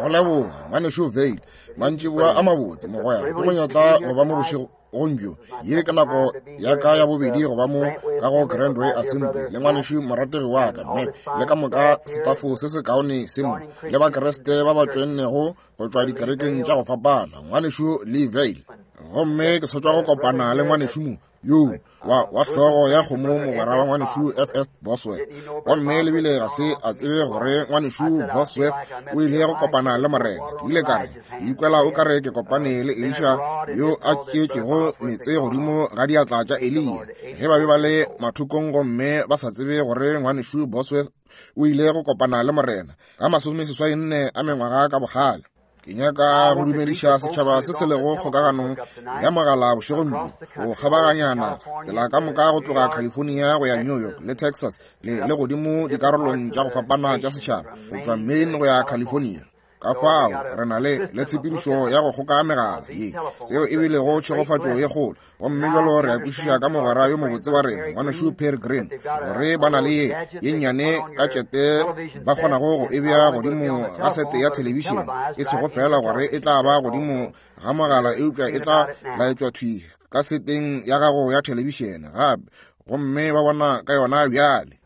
Go leboga, ngwanešu Vayle. Mantšiboa a mabotse, mogwera. Ke monyetla go ba mo bošegong bjo. Ye ke nako ya ka ya bobedi go ba mo ka go Grandway Assembly le ngwanešu morategi wa ka, Mac, le ka moka setafo se se kaone se mo, le Bakriste ba ba tšoennego go tšwa dikerekeng tša go fapana, ngwanešu Lee Vayle. Gomme ke sa tšwa go kopana le ngwanešu mo yo wa, wa hlogo ya kgomo mogwera wa ngwanešu FF Bosworth. Gomme le bile ga se a tsebe gore ngwanešu Bosworth o ile go kopana le Morena. Ke ile ka re, ke ikwela o ka re ke kopane le Elisha yo a tšeetšego meetse godimo ga diatla tša Eliya ge ba be ba le mathokong gomme ba sa tsebe gore ngwanešu Bosworth o ile go kopana le Morena ka 84 a mengwaga ka bokgale. Ke nyaka go dumediša setšhaba se se lego kgokaganong ya mogala bošegong bjo go kgabaganya naga, tsela ka moka go tloga California go ya New York le Texas le, le godimo dikarolong tša go fapana tša setšhaba, go tšwa Maine go ya California. Ka fao re na le, le tshepedišo ya go kgoka megala ye, seo e bilego tšhegofatšo ye kgolo. Gomme bjalo re a kwešiša ka mogwera yo mobotse wa rena, ngwanešu Pearry Green, gore ba na le ye ye nnyane ka tšete ba kgonago go e bea godimo ga sete ya thelebišene, e sego feela gore e tla ba godimo ga mogala, eupša e tla laetšwa thwi ka seteng ya gago ya thelebišene gape, gomme ba bona ka yona bjale.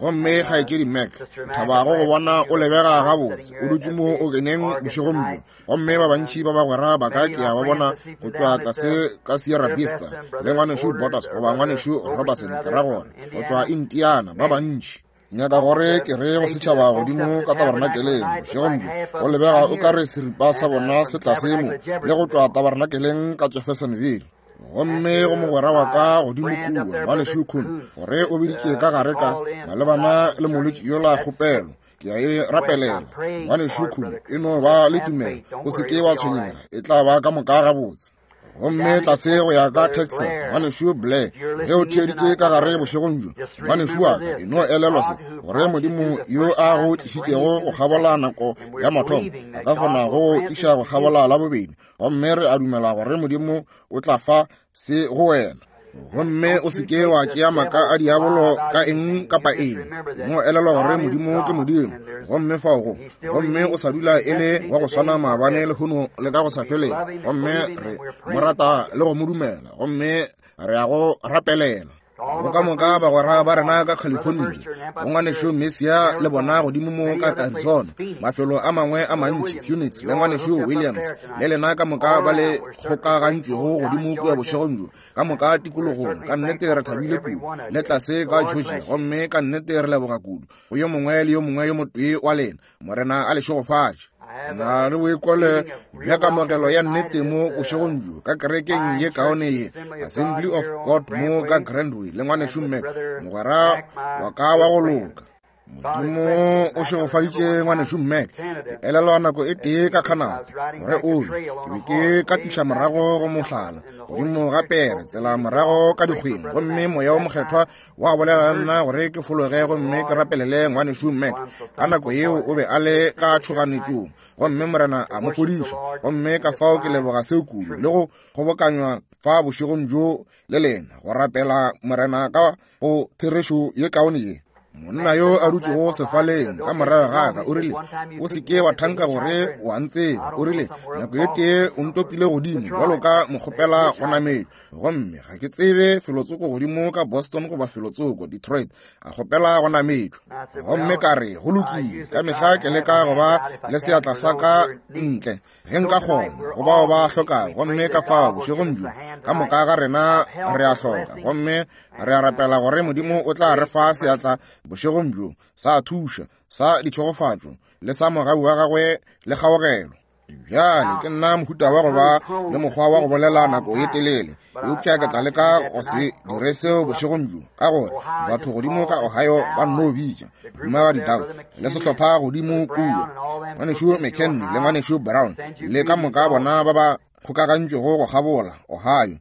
Gomme kgaetšedi Mac, thabago go bona o lebega gabotse, o dutše mo o keneng bošegong bjo. Gomme ba bantši ba bagwera ba ka ke a ba bona go tšwa tlase ka Sierra Vista, le ngwanešu Borders goba ngwanešu Robertson, ke ra gore, go tšwa Indiana, ba bantši. Nyaka gore ke re go setšhaba godimo ka tabernakeleng bošegong bjo, go lebega o ka re seripa sa bona se tlase mo, le go tšwa tabernakeleng ka Jeffersonville. Gomme go mogwera wa ka godimo kua, ngwanešu Kuhn, gore o biditše ka gare ka malebana le molwetši yola kgopelo. Ke a e rapelela. Ngwanešu Kuhn, e no ba le tumelo, o se ke wa tshwenyega, e tla ba ka moka gabotse. Gomme tlase go ya ka Texas, ngwanešu Blair, ge o theeditše ka gare bošegong bjo, ngwanešu wa ka, e no elelwa se, gore Modimo yo a go tlišitšego go kgabola nako ya mathomo, a ka kgona go tliša go kgabola la bobedi. Gomme re a dumela gore Modimo o tla fa se go wena. Gomme o se ke wa tšea maaka a diabolo ka eng kapa eng. Mo elelwa gore Modimo ke Modimo, gomme fao go, gomme o sa dula e le wa go swana maabane, lehono le ka go sa feleng. Gomme re mo rata le go mo dumela, gomme re a go rapelela. Go ka moka bagwera ba rena ka California, go ngwanešu Messia le bona godimo mo ka Arizona, mafelo a mangwe a mantši, Phoenix le ngwanešu Williams, le lena ka moka ba le kgokagantšwego godimo kua bošegong bjo, ka moka tikologong, ka nnete re thabile kudu, le tlase ka Georgia, gomme ka nnete re leboga kudu go yo mongwe le yo mongwe yo motee wa lena. Morena a le šegofatše. Na le boikwelo bja kamogelo ya nnete mo bošegong bjo ka kerekeng ye kaone ye, Assembly of God mo ka Grandway, le ngwanešu Mac, mogwera wa ka wa go loka. Modimo o šegofaditše ngwanešu Mac. Ke elelwa nako e tee ka Canada, gore o be, ke be ke ka tliša morago go mohlala, godimo ga pere, tsela morago ka dikgweng, gomme Moya wo Mokgethwa wa bolela le nna gore ke fologe gomme ke rapelele ngwanešu Mac. Ka nako yeo o be a le ka tšhoganetšong, gomme Morena a mo fodiša. Gomme ka fao ke leboga seo kudu, le go kgobokanywa fa bošegong bjo le lena, go rapela Morena ka go therešo ye kaone ye. Monna yo a dutšego sefaleng ka morago ga ka o rile, o se ke wa thanka gore o a ntseba. O rile, nako e tee o ntopile godimo bjalo ka mokgopela go nametšwa, gomme ga ke tsebe felotsoko godimo ka Boston goba felotsoko Detroit, a kgopela go nametšwa. Gomme ka re, go lokile, ka mehla ke leka go ba le seatla sa ka ntle ge nka kgona go bao ba hlokago. Gomme ka fao bošegong bjo ka moka ga rena re a hloka, gomme re a rapela gore Modimo o tla re fa seatla bošegong bjo sa thuša, sa ditšhegofatšo, le sa mogau wa gagwe le kgaogelo. Bjale ke nna mohuta wa go ba le mokgwa wa go bolela nako ye telele, eupša ke tla leka go se dire seo bošegong bjo, ka gore batho godimo ka Ohio ba nno bitša Mohumagadi Dow le sehlopha godimo kua, ngwanešu McKenny le ngwanešu Brown le ka moka bona ba ba kgokagantšwego go kgabola Ohio,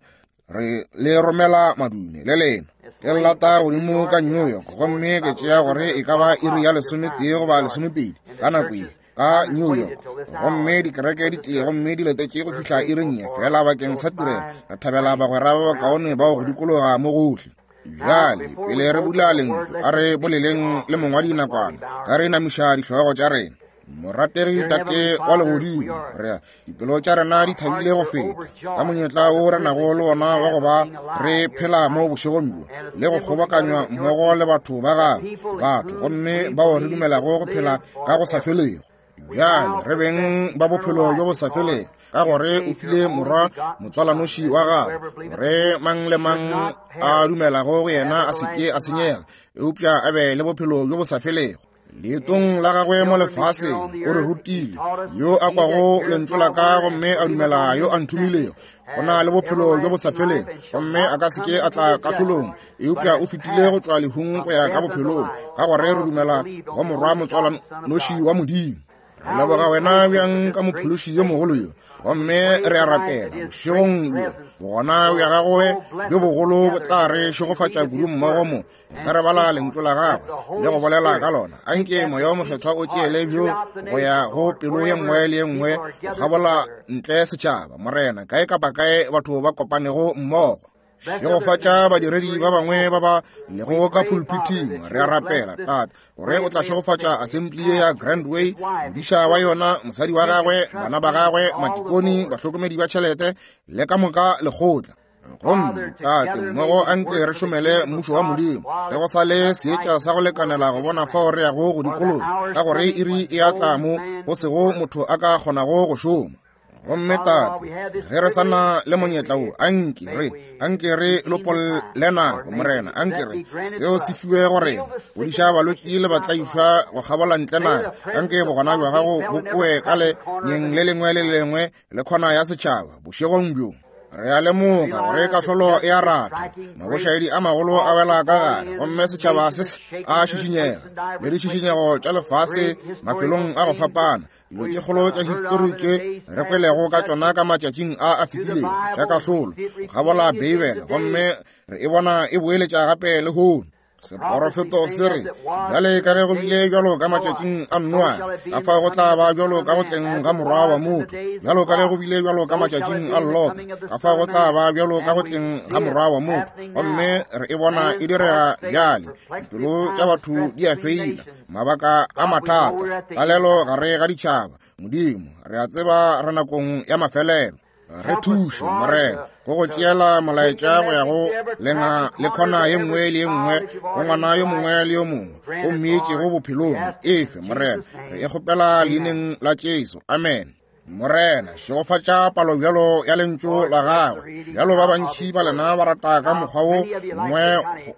re le romela madume le lena. Ke lata godimo ka New York, gomme ke tšea gore e ka ba iri ya 11 goba 12 ka nako ye ka New York, gomme dikereke di tlile gomme di letetše go fihla iring ye fela bakeng sa tirelo. Re thabela bagwera ba bakaone bao go dikologa mo gohle. Bjale, pele re bula lentšu, a re boleleng le mongwadi nakwana, ge re inamiša dihlogo tša rena. Morategi Tate wa Legodimo, re dipelo tša rena di thabile go feta ka monyetla wo re nago le wona wa go ba re phela mo bošegong bjo le go kgobokanywa mmogo le batho ba gago, batho gomme bao re dumelago go phela ka go sa felego. Bjale re beng ba bophelo bjo bo sa felego, ka gore o file morwa motswalanoši wa gago, gore mang le mang a dumelago go yena a se ke a senyega, eupša a be le bophelo bjo bo sa felego. Leetong la gagwe mo lefaseng o re rutile, yo a kwago lentšu la ka gomme a dumela yo a nthomilego, o na le bophelo bjo bo sa felego, gomme a ka se ke a tla kahlolong, eupša o fetile go tšwa lehung go ya ka bophelong, ka gore re dumela go morwa motswalanoši wa Modimo. Re leboga wena bjang ka mophološi yo mogolo yo, gomme re a rapela bošegong bjo bogona bja gagwe bjo bogolo bo tla re šegofatša kudu mmogo mo ge re bala lentšu la gagwe le go bolela ka lona. Anke Moya wo Mokgethwa o tšeele bjo go ya go pelo ye nngwe le ye nngwe go kgabola ntle setšhaba, Morena, kae kapa kae batho ba kopanego mmogo. Šegofatša badiredi ba bangwe ba ba lego ka pulpiting. Re a rapela, Tate, gore o tla šegofatša assembly ye ya Grand Way, modiša wa yona, mosadi wa gagwe, bana ba gagwe, matikoni, bahlokomedi ba tšhelete, le ka moka lekgotla. Gomme, Tate, mmogo anke re šomele mmušo wa Modimo, ge go sa le seetša sa go lekanela go bona fao re yago go dikologa, ka gore iri e a tla mo go sego motho a ka kgonago go šoma. Gomme Tate, ge re sa na le monyetla wo, anke re, anke re lopolle nako, Morena, anke re seo se fiwe go rena, godiša balwetši le batlaišwa go kgabola ntle naga, anke bogona bja gago bo kwe ka lenyeng le lengwe le lengwe le khona ya setšhaba bošegong bjo. Re a lemoga gore kahlolo e a rata, mabošaedi a magolo a wela ka gare, gomme setšhaba se a šišinyega, le ditšišinyego tša lefase mafelong a go fapana, dilo tše kgolo tša histori tše re kwelego ka tšona ka matšatšing a a fetilego tša kahlolo go kgabola Beibele, gomme re e bona e boeletša gape lehono. Seporofeto se re, bjale ka ge go bile bjalo ka matšatšing a Noa, ka fao go tla ba bjalo ka go tleng ga morwa wa motho. Bjalo ka ge go bile bjalo ka matšatšing a Lota, ka fao go tla ba bjalo ka go tleng ga morwa wa motho. Gomme re e bona e direga bjale. Dipelo tša batho di a feila, mabaka a mathata, tlalelo gare ga ditšhaba. Modimo, re a tseba re nakong ya mafelelo. Re thuše, Morena, go go tšeela molaetša go ya go lenga le khona ye nngwe le ye nngwe, go ngwana yo mongwe le yo mongwe o mmeetšego bophelong. Efe, Morena, re e kgopela leineng la Jesu. Amen. Morena, šegofatša palo bjalo ya lentšu la gagwe. Bjalo ba bantši ba lena ba rata ka mokgwa wo mongwe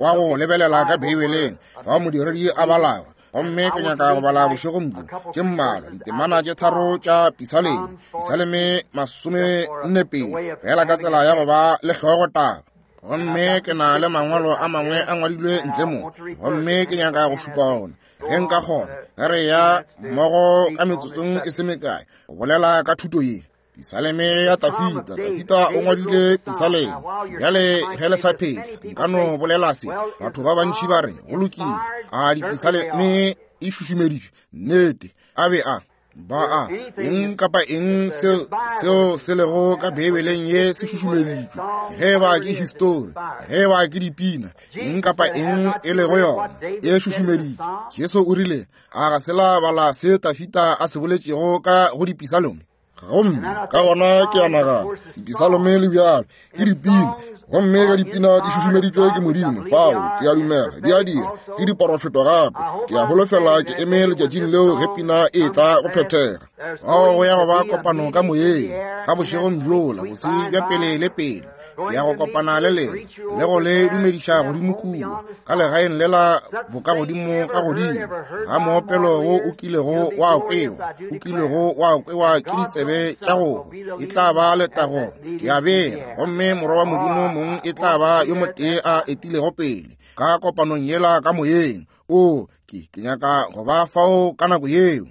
wa go lebelela ka Beibeleng, fao modiredi a balago. Gomme ke nyaka go bala bošegong bjo tše mmalwa ditemana tše tharo tša Pisaleme, Pisaleme 42, fela ka tsela ya go ba le hlogotaba. Gomme ke na le mangwalo a mangwe a ngwadilwe ntle mo, gomme ke nyaka go šupa ona ge nka kgona, ge re ya mmogo ka metsotsong e se mekae go bolela ka thuto ye. Pisaleme ya Tafita. Tafita o ngwadile pisaleme. Bjale ge le sa phela, nka no bolela se. Batho ba bantši ba re, go lokile, a dipisaleme e šušumeditšwe? Nnete, a be a ba a eng kapa eng seo se lego ka Beibeleng ye se šušumeditšwe, ge ba ke histori, ge ba ke dipina, eng kapa eng e lego yona e šušumeditšwe. Jesu o rile, a ga se la bala se Tafita a se boletšego ka go dipisalome? Gomme ka gona ke a nagana dipisalome le bjalo ke dipina, gomme ge dipina di šušumeditšwe ke Modimo, fao ke a dumela di a dira, ke diporofeto gape. Ke a holofela ke eme letšatšing leo ge pina e tla go phethega. Fao go ya go ba kopano ka moyeng ka bošegong bjola, bose bja pele le pele. Ke ya go kopana le lena le go le dumediša godimo kua ka legaeng lela bokagodimo ka godimo ga moopelo wo o kilego wa kwewa, o kilego wa kwewa ke ditsebe tša go. E tla ba letago, ke a bega, gomme Morwa wa Modimo mong e tla ba yo motee a etilego pele ka kopanong yela ka moyeng. O, ke nyaka go ba fao ka nako yeo.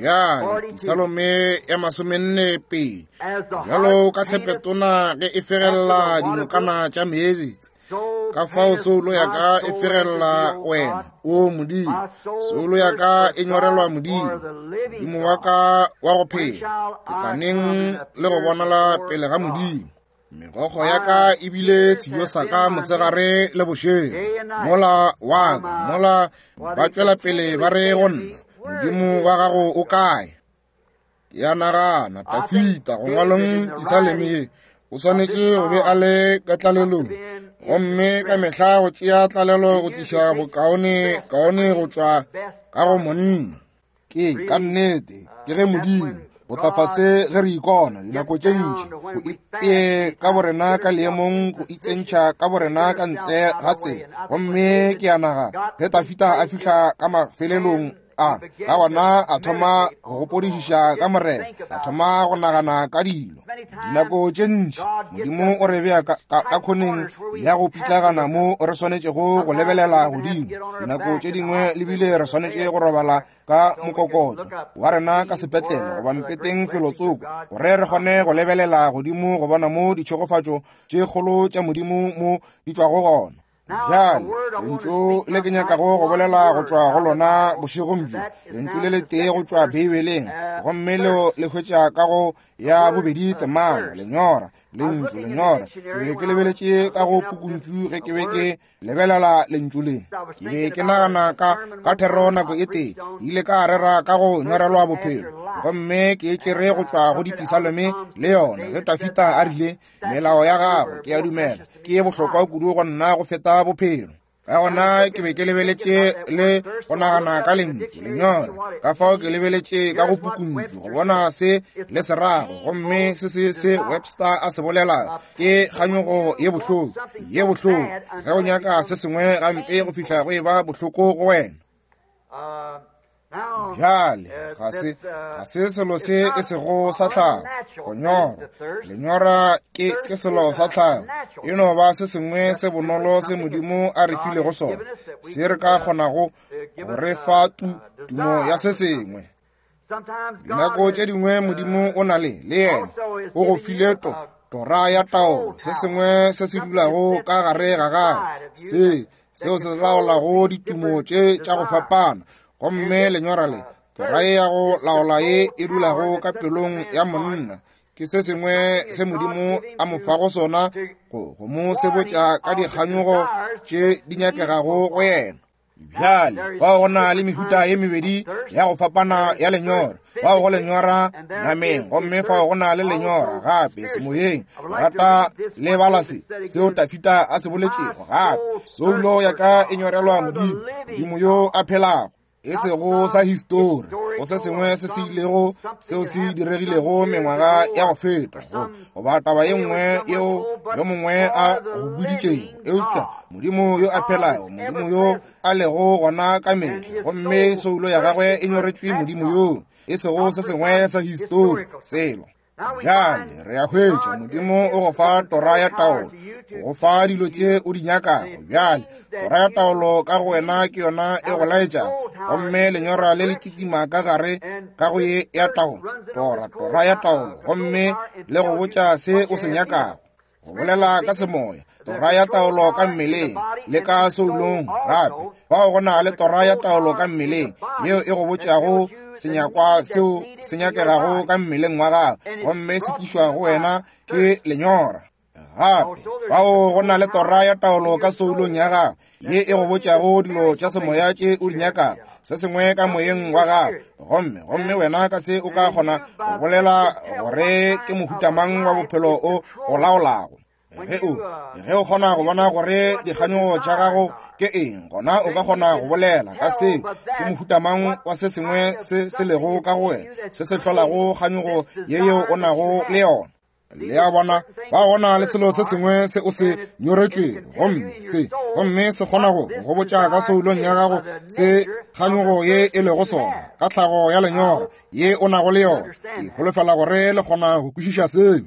Bjale, Pisalome ya 42, bjalo ka tshepetona ge e fegelela dinokana tša meetse, ka fao soulo ya ka e fegelela wena, o Modimo. Soulo ya ka e nyorelwa Modimo, Modimo wa ka wa go phela. Ke tla neng le go bonala pele ga Modimo? Megokgo ya ka e bile sejo sa ka mosegare le bošego. Mola wa ka, mola ba tšwela pele ba re go nna, Modimo wa gago o kae? Ke a nagana, Dafida, go ngwaleng Pisaleme ye, o swanetše go be a le ka tlalelong. Gomme ka mehla go tšea tlalelo go tliša bokaone kaone go tšwa ka go monna. Ke ka nnete, ke ge Modimo go tla fase ge re ikona dinako tše ntši go ipee ka borena ka leemong go itsentšha ka borena ka ntle ga tsela. Gomme ke a nagana ge Dafida a fihla ka mafelelong a, ka gona a thoma go gopodišiša ka Morena, a thoma go nagana ka dilo. Dinako tše ntši Modimo o re bea ka khoneng ya go pitlagana mo re swanetšego go lebelela godimo. Dinako tše dingwe le bile re swanetše go robala ka mokokotlo wa rena ka sepetlele goba mpeteng felotsoko gore re kgone go lebelela godimo go bona mo ditšhegofatšo tše kgolo tša Modimo mo di tšwago gona. Bjale, lentšu le ke nyakago go bolela go tšwa go lona bošegong bjo, lentšu le letee go tšwa Beibeleng, gomme leo le hwetša ka go ya bobedi temana, lenyora, lentšu lenyora. Ke be ke lebeletše ka go pukuntšu ge ke be ke lebelela lentšu le. Ke be ke nagana ka thero nako e tee, ke ile ka rera ka go nyorelwa bophelo, gomme ke e tšere go tšwa go Dipisalome le yona, ge Dafida a rile, Melao ya gago, ke a dumela, ke ye bohlokwa kudu go nna go feta bophelo. Ka gona ke be ke lebeletše le go nagana ka lentšu lenyora, ka fao ke lebeletše ka go pukuntšu go bona se le se rago, gomme se se se Webster a se bolelago ke kganyogo ye bohloko, ye bohloko, ge o nyaka se sengwe gampe go fihla go e ba bohloko go wena. Bjale, ga se, ga se selo se e sego sa tlhago, go nyora. Lenyora ke, ke selo sa tlhago. E no ba se sengwe se bonolo se Modimo a re filego sona, se re ka kgonago go re fa tu, tumo ya se sengwe. Dinako tše dingwe Modimo o na le, le yena, o go file to, tora ya taolo, se sengwe se se dulago ka gare ga gago, se, seo se laolago ditumo tše tša go fapana. Gomme lenyora le, tora ye ya go laola ye e dulago ka pelong ya monna, ke se sengwe se Modimo a mo fago sona go, go mo sebotša ka dikganyogo tše di nyakegago go yena. Bjale, fao go na le mehuta ye mebedi ya go fapana ya lenyora. Fao go lenyora nameng, gomme fao go na le lenyora gape semoyeng. Rata le bala se seo Dafida a se boletšego gape. Soulo ya ka e nyorelwa Modimo, Modimo yo a phelago, e sego sa histori, go se sengwe se se ilego seo se diregilego mengwaga ya go feta, goba taba ye nngwe yeo yo mongwe a go boditšego, eupša Modimo yo a phelago, Modimo yo a lego gona ka mehla, gomme soulo ya gagwe e nyoretšwe Modimo yoo, e sego se sengwe sa histori, selo. Bjale re a hwetša Modimo o go fa tora ya taolo, go fa dilo tše o di nyakago. Bjale tora ya taolo ka go wena ke yona e go laetšago, gomme lenyora le le kitima ka gare ka go ye ya taolo, tora, tora ya taolo, gomme le go botša se o se nyakago. Go bolela ka semoya, tora ya taolo ka mmeleng le ka soulong gape. Fao go na le tora ya taolo ka mmeleng yeo e go botšago senyakwa seo se nyakegago ka mmeleng wa gago, gomme se tlišwa go wena ke lenyora. Gape fao go na le tora ya taolo ka soulong ya gago ye e go botšago dilo tša semoya tše o di nyakago, se sengwe ka moyeng wa gago, gomme, gomme wena ka se o ka kgona go bolela gore ke mohuta mang wa bophelo o go laolago. Ge o, ge o kgona go bona gore dikganyogo tša gago ke eng, gona o ka kgona go bolela ka se ke mohuta mang wa se sengwe se se lego ka go wena, se se hlolago kganyogo ye yeo o nago le yona. Le a bona, ba gona le selo se sengwe se o se nyoretšwego, gomme se, gomme se kgona go go botša ka soulong ya gago se kganyogo ye e lego sona, ka tlhago ya lenyora ye o nago le yona. Ke holofela gore le kgona go kwešiša seo.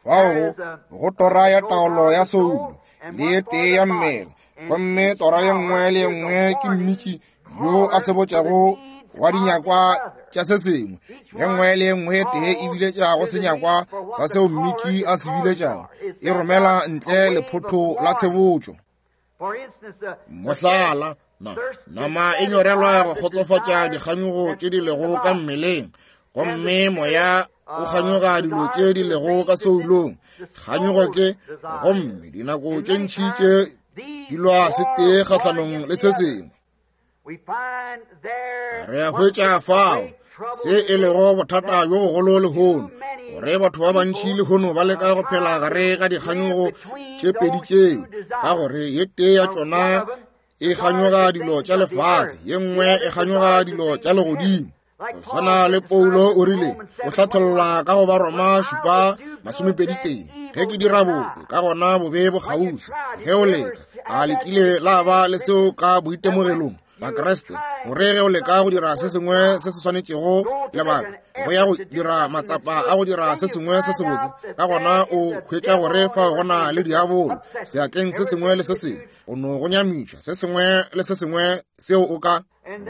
Fao go, go tora ya taolo ya soulo le ye tee ya mmele, gomme tora ye nngwe le ye nngwe ke mmitši yo a se botšago wa dinyakwa tša se sengwe. Ye nngwe le ye nngwe tee e biletša go senyakwa sa seo mmitši a se biletšago, e romela ntle lephotho la tshebotšo. Mohlala, na, nama e nyorelwa go kgotsofatša dikganyogo tše di lego ka mmeleng, gomme moya o kganyoga dilo tše di lego ka soulong. Kganyogo ke, gomme dinako tše ntši tše di lwa se tee kgahlanong le se sengwe. Re a hwetša fao se e lego bothata bjo bogolo lehono, gore batho ba bantši lehono ba leka go phela gare ga dikganyogo tše pedi tšeo, ka gore ye tee ya tšona e kganyoga dilo tša lefase, ye nngwe e kganyoga dilo tša legodimo. Go swana le Paulo o rile, o hlatholla ka go Baroma 7:21, ge ke dira botse, ka gona bobe bo kgauswi. Ge o leka, a le kile la ba le seo ka boitemogelong, Bakriste, gore ge o leka go dira se sengwe se se swanetšego lebaka, go ya go dira matsapa a go dira se sengwe se sebotse, ka gona o hwetša gore fao go na le diabolo seatleng se sengwe le se sengwe, o no go nyamiša se sengwe le se sengwe seo o ka.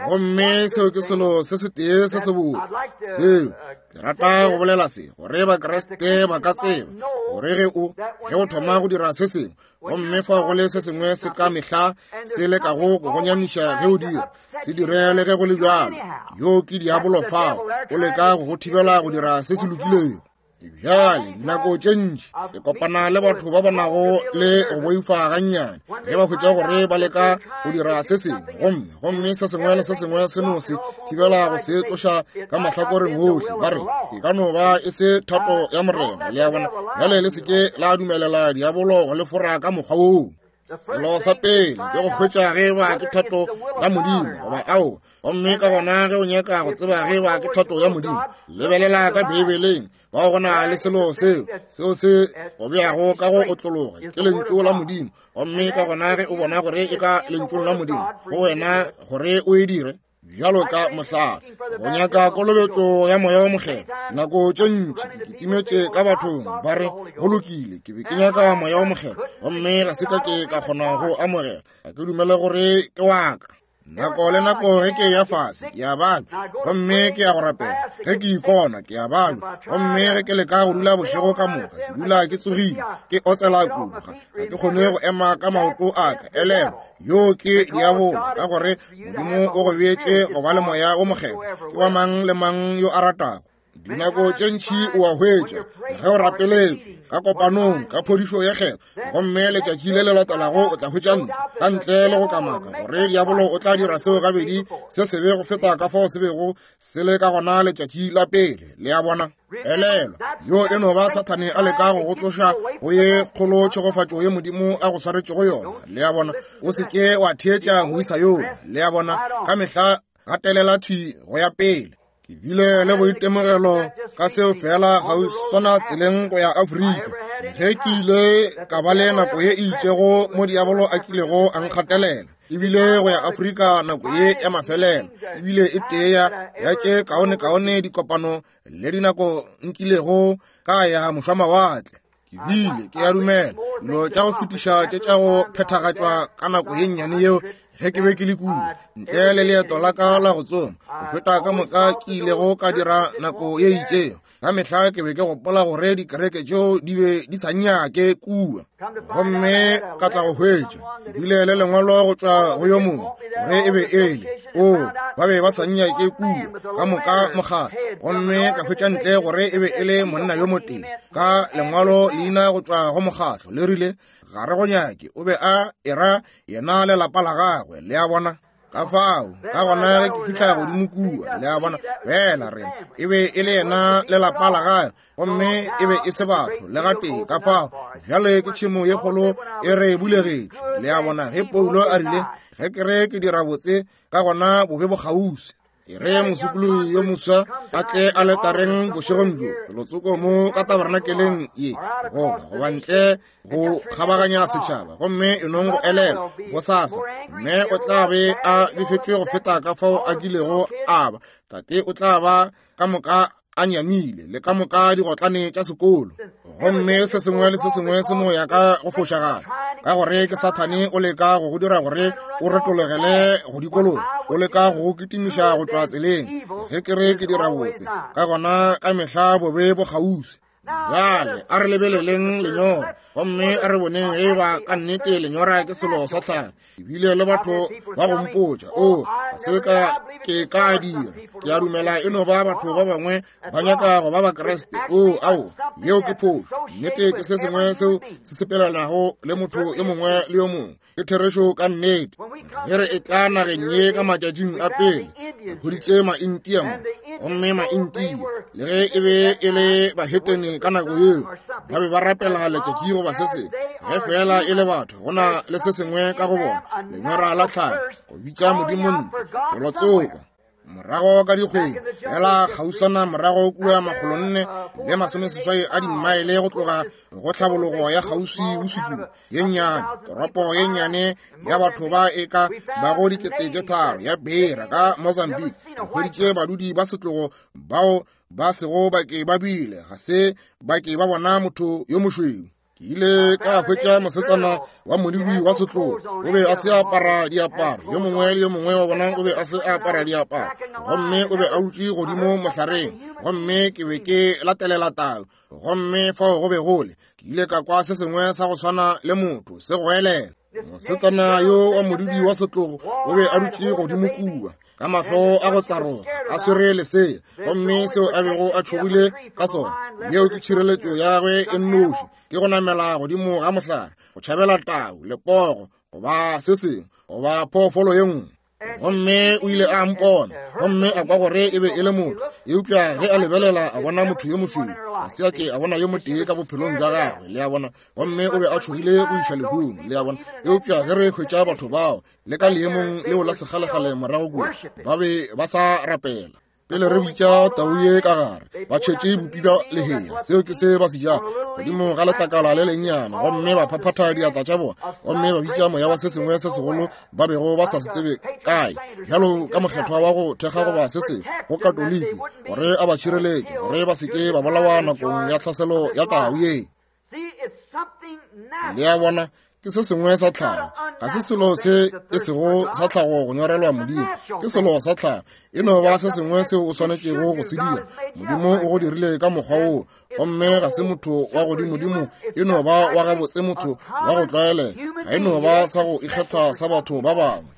Gomme seo ke selo se setee se sebotse seo ke rata go bolela se, gore Bakriste ba ka tseba gore ge o ge o thoma go dira se sengwe, gomme fa go le se sengwe se ka mehla se lekago go go nyamiša ge o dira, se dire le ge go le bjalo. Yo ke diabolo fao, o leka go go thibela go dira se se lokilego. Bjale dinako tše ntši ke kopana le batho ba ba nago le go boifa gannyane ge ba hwetša gore ba leka go dira se sengwe, gomme gomme se sengwe le se sengwe se no se thibela go se tloša ka mahlakoreng ohle, ba re e ka no ba e se thato ya Morena. Le a bona? Bjale le se ke la dumelela diabolo go le fora ka mokgwa woo. Selo sa pele ke go hwetša ge ba ke thato ya Modimo goba ao, gomme ka gona ge o nyaka go tseba ge ba ke thato ya Modimo, lebelela ka Beibeleng. Bao go na le selo seo seo se go beago ka go otlologa ke lentšu la Modimo, gomme ka gona ge o bona gore e ka lentšung la Modimo go wena gore o e dire, bjalo ka mohlala go nyaka kolobetšo ya Moya wo Mokgethwa. Nako tše ntši ke kitimetše ka bathong ba re, go lokile, ke be ke nyaka Moya wo Mokgethwa, gomme ga se ka ke ka kgona go amogela. Ga ke dumele gore ke wa ka. Nako le nako ge ke ya fase, ke a babja, gomme ke ya go rapela. Ge ke ikona, ke a babja, gomme ge ke leka go dula bošego ka moka, ke dula ke tsogile, ke otsela kudu, ga ke kgone go ema ka maoto a ka. Elelwa, yo ke diabolo, ka gore Modimo o go beetše go ba le Moya wo Mokgethwa. Ke wa mang le mang yo a ratago. Dinako tše ntši o a hwetša ge o rapeletšwe ka kopanong ka phodišo ya kgetho, gomme letšatši le le latelago o tla hwetša ntlo ka ntle le go kamaka gore diabolo o tla dira seo gabedi se sebe go feta ka fao se bego se le ka gona letšatši la pele. Le a bona? Elelwa, yo e no ba Sathane a leka go go tloša go ye kgolo tšhegofatšo ye Modimo a go swaretšego yona. Le a bona? O se ke wa theetša moisa yoo. Le a bona? Ka mehla gatelela thwi go ya pele. Ke bile le boitemogelo ka seo fela kgauswana tseleng go ya Afrika, ge ke ile ka ba le nako ye e itšego mo diabolo a kilego a nkgatelela, ebile go ya Afrika nako ye ya mafelelo ebile e tee ya tše kaonekaone dikopano le dinako nkilego ka ya mošwamawatle. Ke bile ke a dumela dilo tša go fetiša tše tša go phethagatšwa ka nako ye nnyane yeo ge ke be ke le kua, ntle le leeto la ka la go tsoma, go feta ka moka ke ilego ka dira nako ye itšego. Ka mehla ke be ke gopola gore dikereke tšeo di be di sa nnyake kua, gomme ka tla go hwetša ke bile le lengwalo go tšwa go yo mongwe gore e be e le o ba be ba sa nnyake kua ka moka mokgatlo, gomme ka hwetša ntle gore e be e le monna yo motee ka lengwalo leina go tšwa go mokgatlo le rile ga re go nyake, o be a era yena le lapa la gagwe. Le a bona? Ka fao ka gona ge ke fihla godimo kua, le a bona, fela rena e be e le yena le lapa la gagwe, gomme e be e se batho le gatee. Ka fao bjale ke tšhemo ye kgolo e re bulegetše. Le a bona, ge Paulo a rile ge ke re ke dira botse, ka gona bobe bo kgauswi. E re mosokologi yo moswa a tle aletareng bošegong bjo, felotsoko mo ka tabernakeleng ye, goba goba ntle go kgabaganya setšhaba, gomme e nong go elelwa bosasa, mme o tla be a befetšwe go feta ka fao a kilego a ba. Tate o tla ba ka moka a nyamile le ka moka digotlane tša sekolo, gomme se sengwe le se sengwe se no ya ka go fošagala, ka gore ke Sathane o leka go go dira gore o retologele go dikologa, o leka go go kitimiša go tšwa tseleng. Ge ke re ke dira botse, ka gona ka mehla bobe bo kgauswi. Bjale a re lebeleleng lenyora, gomme a re boneng ge ba ka nnete lenyora ke selo sa tlhago. Ebile le batho ba go mpotša, o ga se ka Ke ka dira. Ke a dumela e no ba batho ba bangwe ba nyaka go ba Bakriste. Oo, ao, yeo ke phošo. Nnete ke se sengwe seo se sepelanago le motho yo mongwe le yo mongwe. Ke therešo ka nnete. Ge re etla nageng ye ka matšatšing a pele, re hweditše Maintia mo, gomme Maintia, le ge e be e le bahetene ka nako yeo, ba be ba rapela letšatši goba se sengwe. Ge feela e le batho, go na le se sengwe ka go bona, lenyora la tlhago, go bitša Modimo ntle, felotsoko. Morago ka dikgwedi fela kgauswana morago kua makgolonne le masomeseswai a dimmaele go tloga go tlhabologo ya kgauswi bosukung ye nnyane, toropo ye nnyane ya batho ba e ka bago dikete tše tharo ya Beira ka Mozambique, re hweditše badudi ba setlogo bao ba sego ba ke ba bile ga se ba ke ba bona motho yo mošweu. Ke ile ka hwetša mosetsana wa modudi wa setlogo, o be a se apara diaparo, yo mongwe le yo mongwe wa bona o be a se apara diaparo, gomme o be a dutše godimo mohlareng, gomme ke be ke latelela tau, gomme fao go be go le, ke ile ka kwa se sengwe sa go swana le motho se goelela. Mosetsana yo wa modudi wa setlogo o be a dutše godimo kua ka mahlo a go tsaroga a swere lesea, gomme seo a bego a tšhogile ka sona, yeo ke tšhireletšo ya gagwe e nnoši, ke go namela godimo ga mohlare go tšhabela tau, lepogo goba se sengwe goba phoofolo ye nngwe. Gomme o ile a mpona gomme a kwa gore e be e le motho, eupša ge a lebelela a bona motho yo mošweu, ga se a ke a bona yo motee ka bophelong bja gagwe, le a bona, gomme o be a tšhogile go iša lehung, le a bona. Eupša ge re hwetša batho bao le ka leemong leo la sekgalekgale morago kua, ba be ba sa rapela. Pele re bitša tau ye ka gare, ba tšhetše bupi bja lehea, seo ke se ba se jago, godimo ga letlakala le lennyane, gomme ba phaphatha diatla tša bona, gomme ba bitša moya wa se sengwe se segolo ba bego ba sa se tsebe kae, bjalo ka mokgethwa wa go thekga goba se sengwe go Katoliki, gore a ba tšhireletše, gore ba se ke ba bolawa nakong ya tlhaselo ya tau ye. Le a bona, ke se sengwe sa tlhago, ga se selo se e sego sa tlhago go nyorelwa Modimo, ke selo sa tlhago, e no ba se sengwe seo o swanetšego go se dira. Modimo o go dirile ka mokgwa woo, gomme ga se motho wa godimodimo, e no ba wa gabotse motho wa go tlwaelega, ga e no ba sa go ikgetha sa batho ba bangwe.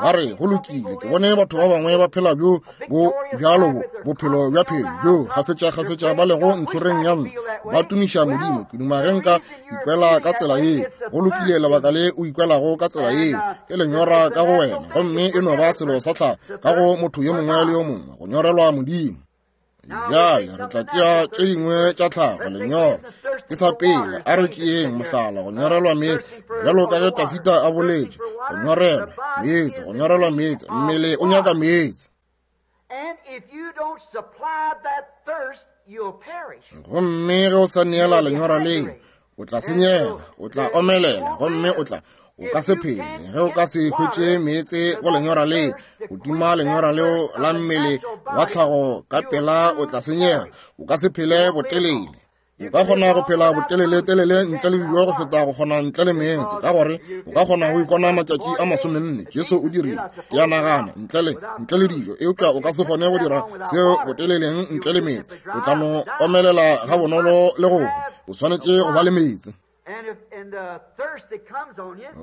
Ba re, go lokile, ke bone batho ba bangwe ba phela bjo bo bjalo bo bophelo bja phelo bjo kgafetša-kgafetša ba lego ntlhoreng ya ntlo ba tumiša Modimo. Ke duma ge nka ikwela ka tsela yeo. Go lokile, lebaka le o ikwelago ka tsela yeo ke lenyora ka go wena, gomme e no ba selo sa tlhago ka go motho yo mongwe le yo mongwe go nyorelwa Modimo. Bjale re tla tšea tše dingwe tša tlhago, lenyora ke sa pele. A re tšeeng mohlala, go nyorelwa meetse, bjalo ka ge Tafita a boletše, go nyorelwa meetse, go nyorelwa meetse, mmele o nyaka meetse. Gomme ge o sa neela lenyora leo, o tla senyega, o tla omelela, gomme o tla o ka se phele ge o ka se hwetše meetse go lenyora le. Go tima lenyora leo la mmele wa tlhago ka pela, o tla senyega, o ka se phele botelele. O ka kgona go phela botelele-telele ntle le dijo go feta go kgona ntle le meetse, ka gore o ka kgona go ikona matšatši a masomenne. Jesu o dirile, ke a nagana, ntle le dijo, eupša o ka se kgone go dira seo boteleleng ntle le meetse. O tla no omelela gabonolo le go hwa. O swanetše go ba le meetse.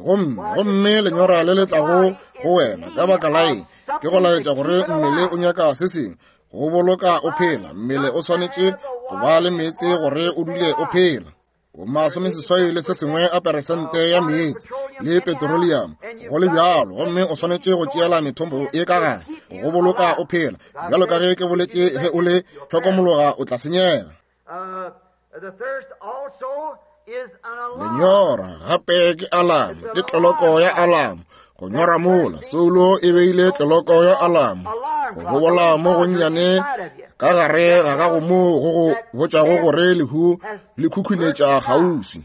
Gomme, gomme lenyora le le tlago go wena ka baka la eng? Ke go laetša gore mmele o nyaka se sengwe go boloka o phela. Mmele o swanetše go ba le meetse gore o dule o phela. O masomeseswai le se sengwe a peresente ya meetse le petroleum go le bjalo, gomme o swanetše go tšeela methombo e ka gare go boloka o phela. Bjalo ka ge ke boletše, ge o le hlokomologa o tla senyega. Lenyora gape ke alamo, ke tloloko ya alamo. Go nyora mola, soulo e beile tloloko ya alamo. Go bobola mo gonnyane ka gare ga gago moo go go botšago gore lehu le khukhunetša kgauswi.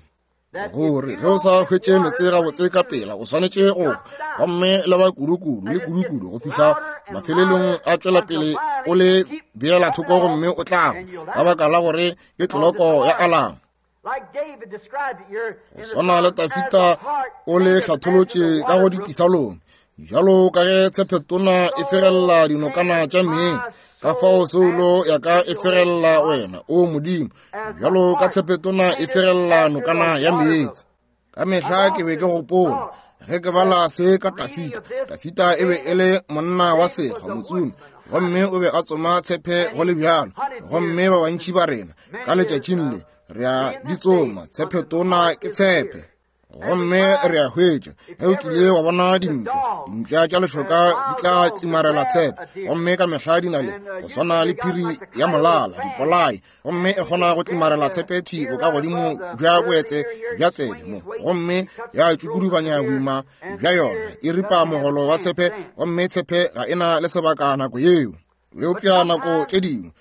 Gore ge o sa hwetše meetse gabotse ka pela, o swanetše go gomme le ba kudu-kudu le kudu-kudu go fihla mafelelong a tšwela pele o le beela thoko, gomme o tla ka baka la gore ke tloloko ya alamo. Go swana le Tafita o le hlatholotše ka go dipisalong, bjalo ka ge tshephetona e fegelela dinokana tša meetse, ka fao soulo ya ka e fegelela wena, o Modimo, bjalo ka tshephetona e fegelela nokana ya meetse. Ka mehla ke be ke gopola Ge ke bala se ka Tafita, Tafita e be e le monna wa sekgwa, motsomi, gomme o be a tsoma tshepe go le bjalo. Gomme ba bantši ba rena ka letšatšing le re a di tsoma, tshepe tona ke tshepe. Gomme re a hwetša, ge o kile wa bona dimpša, dimpša tša lešoka di tla tlimarela tshepe, gomme ka mehla di na le go swana le phiri ya molala, dipolai, gomme e kgona go tlimarela tshepe thwi bokagodimo bja boetse bja tsebe mo, gomme ya tšukudubanya boima bja yona, e ripa mogolo wa tshepe, gomme tshepe ga e na le sebaka nako yeo. Eupša nako tše dingwe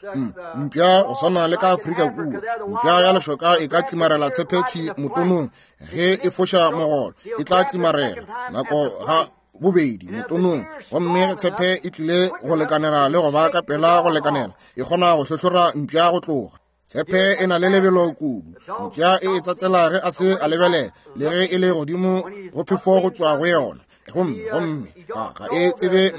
mpša, go swana le ka Afrika kua, mpša ya lešoka e ka tlimarela tshepe thwi motonong. Ge e foša mogolo, e tla tlimarela nako ga bobedi motonong, gomme ge tshepe e tlile go lekanela le go ba ka pela go lekanela, e kgona go hlohlora mpša go tloga. Tshepe e na le lebelo kudu. Mpša e e tsatsela ge a se a lebelela, le ge e le godimo go phefo go tšwa go yona, gomme gomme ga e tsebe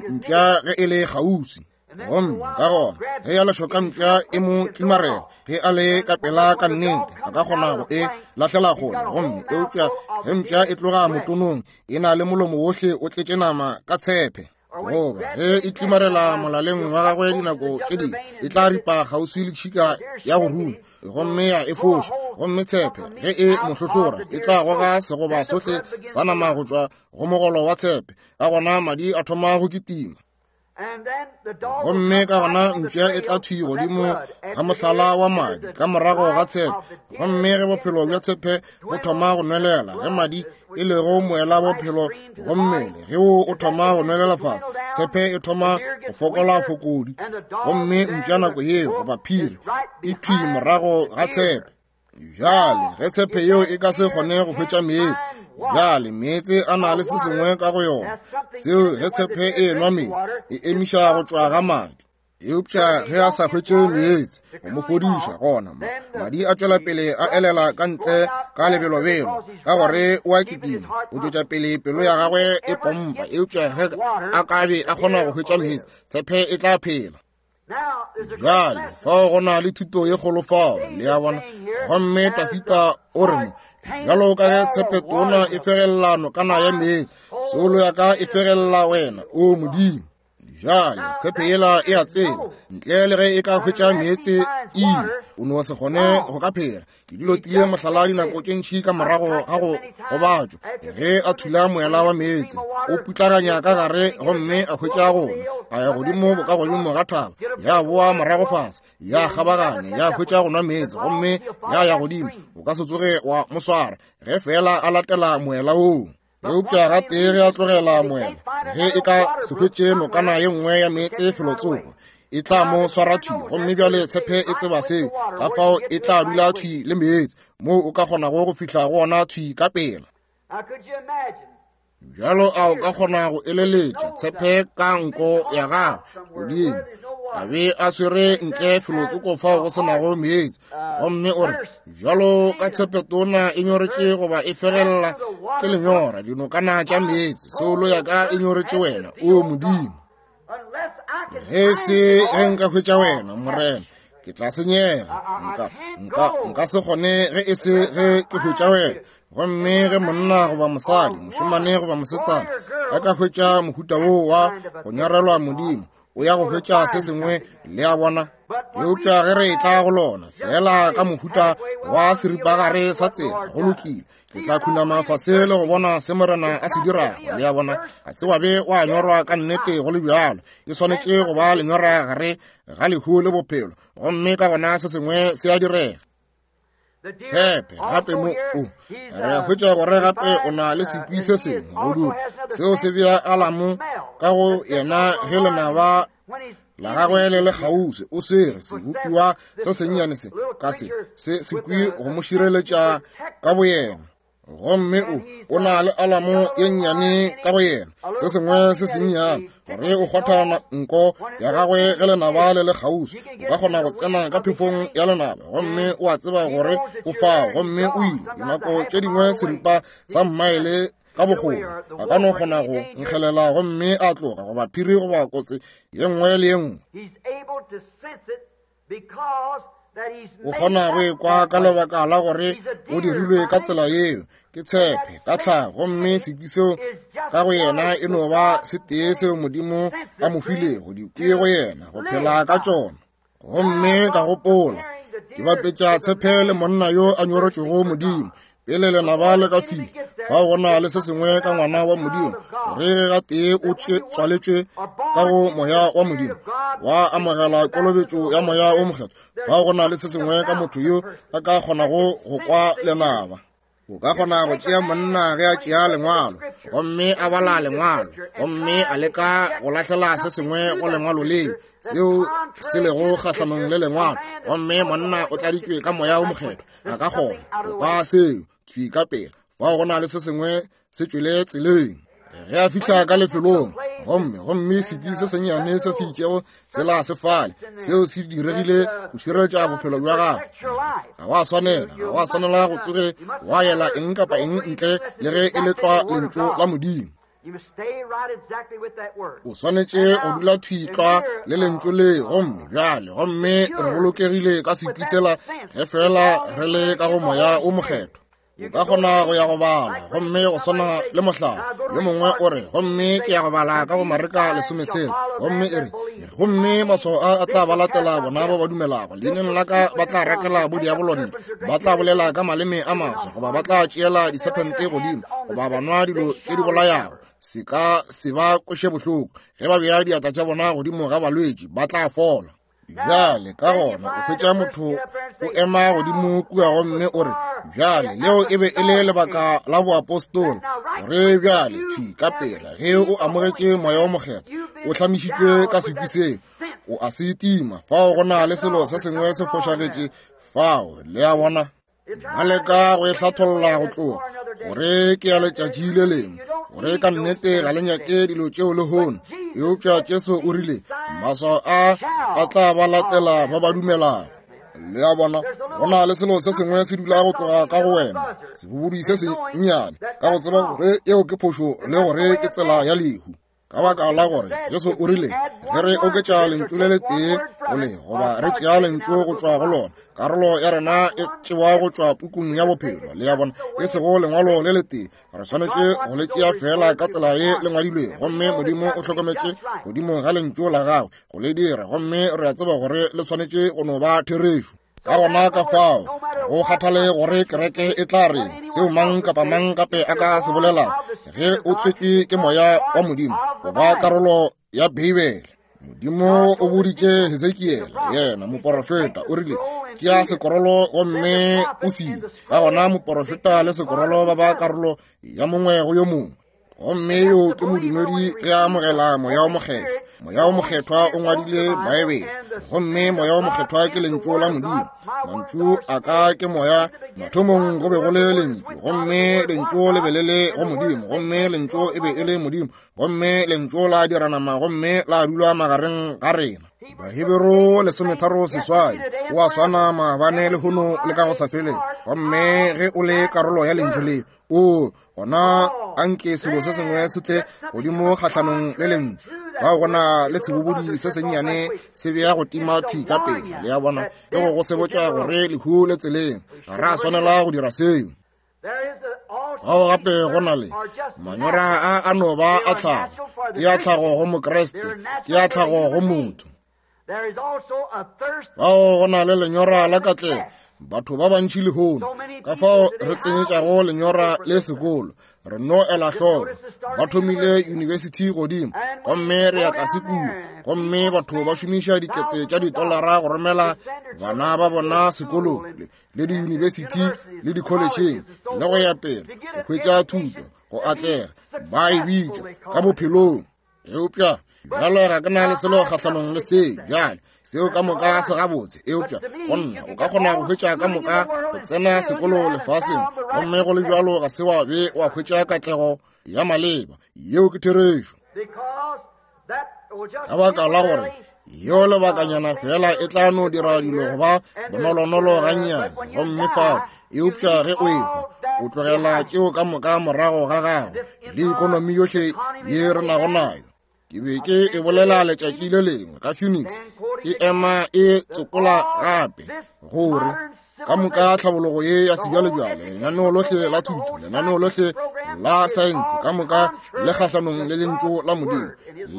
mpša ge e le kgauswi. Gomme ka gona ge ya lešoka mpša e mo tlimarela, ge a le ka pela ka nnete a ka kgona go e lahlela kgole, gomme eupša ge mpša e tloga motonong e na le molomo wohle o tletše nama ka tshepe. Goba ge e tlimarela molaleng wa gagwe dinako tše dingwe e tla ripa kgauswi le tšhika ya go ruma, gomme ya e foša, gomme tshepe ge e mo hlohlora e tla goga segoba sohle sa nama go tšwa go mogolo wa tshepe, ka gona madi a thoma go kitima. Gomme ka gona mpša e tla thwi godimo ga mohlala wa madi ka morago ga tshepe, gomme ge bophelo bja tshepe bo thoma go nwelela, ge madi e lego moela bophelo go mmele, ge o thoma go nwelela fase, tshepe e thoma go fokola fokodi, gomme mpša nako yeo goba phiri e thwi morago ga tshepe. Bjale ge tshepe yeo e ka se kgone go hwetša meetse, bjale meetse a na le se sengwe ka go yona seo ge tshepe e enwa meetse e emiša go tšwa ga madi. Eupša ge a sa hwetše meetse go mo fodiša, gona madi a tšwela pele a elela ka ntle ka lebelobelo, ka gore o a kitima, o tšwetša pele pelo ya gagwe e pompa. Eupša ge a ka be a kgona go hwetša meetse, tshepe e tla phela. Bjale fao go na le thuto ye kgolo fao, le a bona. Gomme Tafita o re mo, bjalo ka ge tshepe tona e fegelela nokana ya meetse, soulo ya ka e fegelela wena, o Modimo. Bjale tshepe yela e a tseba, ntle le ge e ka hwetša meetse ile, o no se kgone go ka phela. Ke dilo tile mohlala dinako tše ntši ka morago ga go gobatšwa, ge a thula moela wa meetse, o putlaganya ka gare gomme a hwetša gona, a ya godimo bokagodimo ga thaba, ya boa morago fase, ya kgabaganya, ya hwetša go nwa meetse, gomme ya ya godimo. O ka se tsoge wa mo swara ge fela a latela moela woo. Eupša gatee ge a tlogela moela, ge e ka se hwetše nokana ye nngwe ya meetse felotsoko, e tla mo swara thwi. Gomme bjale tshepe e tseba seo, ka fao e tla dula thwi le meetse moo o ka kgonago go fihla go ona thwi ka pela. Bjalo a o ka kgona go eleletša tshepe ka nko ya gagwe godimo, a be a swere ntle felotsoko fao go se nago meetse, gomme o re, bjalo ka tshepe tona e nyoretše goba e fegelela ke lenyora dinokana tša meetse, soulo ya ka e nyoretše wena, o Modimo. Ge se ge nka hwetša wena, Morena, ke tla senyega. Nka se kgone ge e se ge ke hwetša wena. Gomme ge monna goba mosadi, mošemane goba mosetsana, a ka hwetša mohuta wo wa go nyorelwa Modimo, o ya go hwetša se sengwe, le a bona. Eupša ge re etla go lona fela ka mohuta wa seripagare sa tsela, go lokile, ke tla khunama fase le go bona se Morena a se dirago, le a bona. Ga se wa be wa nyorwa ka nnete go le bjalo, e swanetše go ba lenyora gare ga lehu le bophelo, gomme ka gona se sengwe se a direga. Tshepe gape mo o re a hwetša gore gape o na le sekwi se sengwe go dula seo se bea alamo ka go yena ge lenaba la gagwe le le kgauswi. O swere sebopiwa se sennyane se ka se se sekwi go mo šireletša ka boyena, gomme o na le alamo ye nnyane ka go yena, se sengwe se sennyane gore o kgwatha nko ya gagwe ge lenaba le le kgauswi. O ka kgona go tsena ka phefong ya lenaba, gomme o a tseba gore o fao, gomme o ile. Dinako tše dingwe seripa sa mmaele ka bokgoni a ka no kgona go nkgelela gomme a tloga, goba phiri goba kotsi ye nngwe le ye nngwe. O kgona go ekwa ka lebaka la gore o dirilwe ka tsela yeo, ke tshepe ka tlhago, gomme sekwi seo ka go yena e no ba se tee seo Modimo a mo filego dikwi go yena go phela ka tšona. Gomme ka gopola, ke bapetša tshepe le monna yo a nyoretšego Modimo pele lenaba le ka fihla. Fao go na le se sengwe ka ngwana wa Modimo, gore ge gatee o tswaletšwe ka go moya wa Modimo, wa amogela kolobetšo ya moya o mokgethwa, fao go na le se sengwe ka motho yo a ka kgonago go kwa lenaba. O ka kgona go tšea monna ge a tšea lengwalo gomme a bala lengwalo gomme a leka go lahlela se sengwe go lengwalo leo seo se lego kgahlanong le lengwalo, gomme monna o tladitšwe ka moya o mokgethwa, a ka kgona go kwa seo thwi ka pela. Fao go na le se sengwe se tšwele tseleng ge a fihla ka lefelong, gomme sekwi se sennyane se se itšego sela se fale, seo se diregile go šireletša bophelo bja gago. Ga wa swanela go tsoge wa yela eng kapa eng ntle le ge e le tlwa lentšu la Modimo. O swanetše go dula thwi tlwa le lentšu le. Gomme bjale, gomme re bolokegile ka sekwi sela ge fela re le ka go moya o mokgethwa. O ka kgona go ya go bala, gomme go swana le mohlala yo mongwe o re, gomme ke ya go bala ka go Mareka 16, gomme e re, gomme maswao a a tla ba latela bona ba ba dumelago leineng la ka, ba tla rakela bodiabolontle, ba tla bolela ka maleme a maswa, goba ba tla tšeela disephente godimo, goba ba nwa dilo tše di bolayago, se ka se ba kweše bohloko, ge ba bea diatla tša bona godimo ga balwetši ba tla fola. Bjale ka gona o hwetša motho o ema godimo kua gomme o re, bjale leo e be e le lebaka la boapostola, gore bjale thwi ka pela ge o amogetše moya o mokgethwa, o hlamišitšwe ka sekwi seo, o a se tima. Fao go na le selo se sengwe se fošagetše fao, le a bona. Ba leka go e hlatholla go tloga gore ke ya letšatši le lengwe, gore ka nnete ga le nyake dilo tšeo lehono. Eupša Jesu o rile maswao a a tla ba latela ba ba dumelago. Le a bona, go na le selo se sengwe se dula go tloga ka go wena, sebobodi se sennyane, ka go tseba gore eo ke phošo le gore ke tsela ya lehu. Ka baka la gore Jesu o rile, ge re oketša lentšu le letee go le, goba re tšea lentšu go tšwa go lona, karolo ya rena e tšewa go tšwa pukung ya bophelo. Le a bona, e sego lengwalo le letee, re swanetše go le tšea feela ka tsela ye le ngwadilwego, gomme Modimo o hlokometše godimo ga lentšu la gagwe go le dira, gomme re a tseba gore le swanetše go no ba therešo. Ka gona ka fao go kgathale gore kereke e tla re seo mang kapa mang gape a ka se bolela, ge o tswetšwe ke moya wa Modimo o ba karolo ya Beibele. Modimo o boditše Hesekiele, yena moporofeta, o rile tšea sekorolo gomme o se. Ka gona moporofeta le sekorolo ba ba karolo ya mongwe go yo mongwe. Gomme yo ke modumedi ge a amogela moya o mokgethwa. Moya o mokgethwa o ngwadile Baebele, gomme moya o mokgethwa ke lentšu la Modimo. Mantšu a ka ke moya. Mathomong go be go le lentšu, gomme lentšu le be le le go Modimo, gomme lentšu e be e le Modimo, gomme lentšu la dira nama gomme la dula magareng ga rena. Baheberu 13:8, o a swana maabane lehono le ka go sa feleng. Gomme ge o le karolo ya lentšu le, o gona anke selo se sengwe se tle godimo kgahlanong le lentšu. Fao go na le sebobodi se sennyane se bea go tima thwi ka pele, le a bona, le go go sebotša gore lehu le tseleng. Ga ra swanela go dira seo. Fao gape go na le manyora a a no ba a tlhago, ke a tlhago go Mokriste, ke a tlhago go motho. Fao go na le lenyora la katlego, batho ba bantši lehono, ka fao re tsenyetšago lenyora le sekolo, re no ela hloko, ba thomile yunibesithi godimo, gomme re ya tlase kua, gomme batho ba šomiša dikete tša ditolara go romela bana ba bona sekolong le diyunibesithi le dikholetšheng le go ya pele go hwetša thuto, go atlega, ba e bitša ka bophelong. Eupša bjalo ga ke na le selo kgahlanong le seo. Bjale seo ka moka se gabotse, eupša go nna o ka kgona go hwetša ka moka go tsena sekolo lefaseng, gomme go le bjalo ga se wa be wa hwetša katlego ya maleba. Yeo ke therešo. Ka baka la gore yeo lebakanyana fela e tla no dira dilo go ba bonolonolo gannyane, gomme fao, eupša ge o ehwa o tlogela tšeo ka moka morago ga gago le ikonomi yohle ye re nago nayo. Ke be ke e bolela letšatši le lengwe ka Phoenix, e ema e tsopola gape gore ka moka tlhabologo ye ya sebjalebjale, lenaneo lohle la thuto, lenaneo lohle la saense, ka moka le kgahlanong le lentšu la Modimo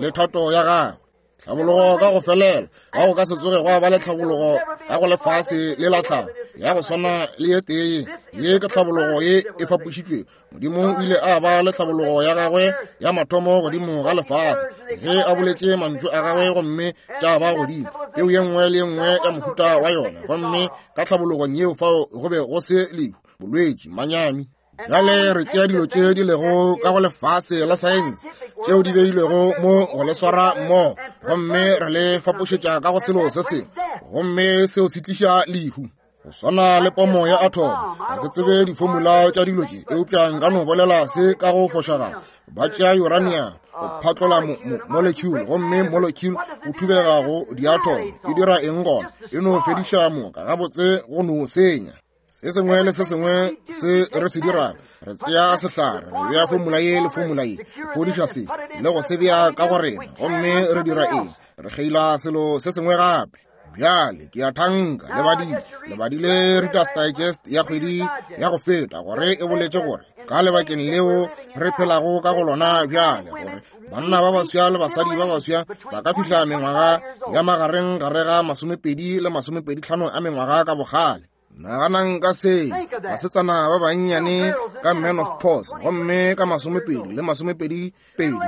le thato ya gagwe. Tlhabologo ka go felela, ga go ka se tsoge gwa ba le tlhabologo ya go lefase le la tlhago ya go swana le ye tee ye. Ke tlhabologo ye e fapošitšwego. Modimo o ile a ba le tlhabologo ya gagwe ya mathomo godimo ga lefase ge a boletše mantšu a gagwe, gomme tša ba godimo peu ye nngwe le ye nngwe ya mohuta wa yona. Gomme ka tlhabologong yeo fao go be go se lehu, bolwetši, manyami. Bjale re tšea dilo tše di lego ka go lefase la saense tšeo di beilwego mo go le swara mmogo, gomme re le fapošetša ka go selo se sengwe, gomme seo se tliša lehu. Go swana le pomo ya atom. Ga ke tsebe difomula tša dilo tše, eupša nka no bolela se ka go fošagala. Ba tšea uranium go phatlola molecule, gomme molecule o thubega go diatom. E dira eng gona? E no fediša moka gabotse, go no senya. Se sengwe le se sengwe se re se dirago, re tsea sehlare, re bea fomula ye le fomula ye, fodiša se le go se bea ka go rena, gomme re dira eng? Re kgeila selo se sengwe gape. Bjale ke a thanka le badile, le badile Reader's Digest ya kgwedi ya go feta, gore e boletše gore ka lebakeng leo re phelago ka go lona bjale, gore banna ba baswa le basadi ba baswa ba ka fihla mengwaga ya magareng gare ga 20 le 25 a mengwaga ka bogale. Naganang ka se, basetsana ba bannyane ka menopause, gomme ka 20 le 22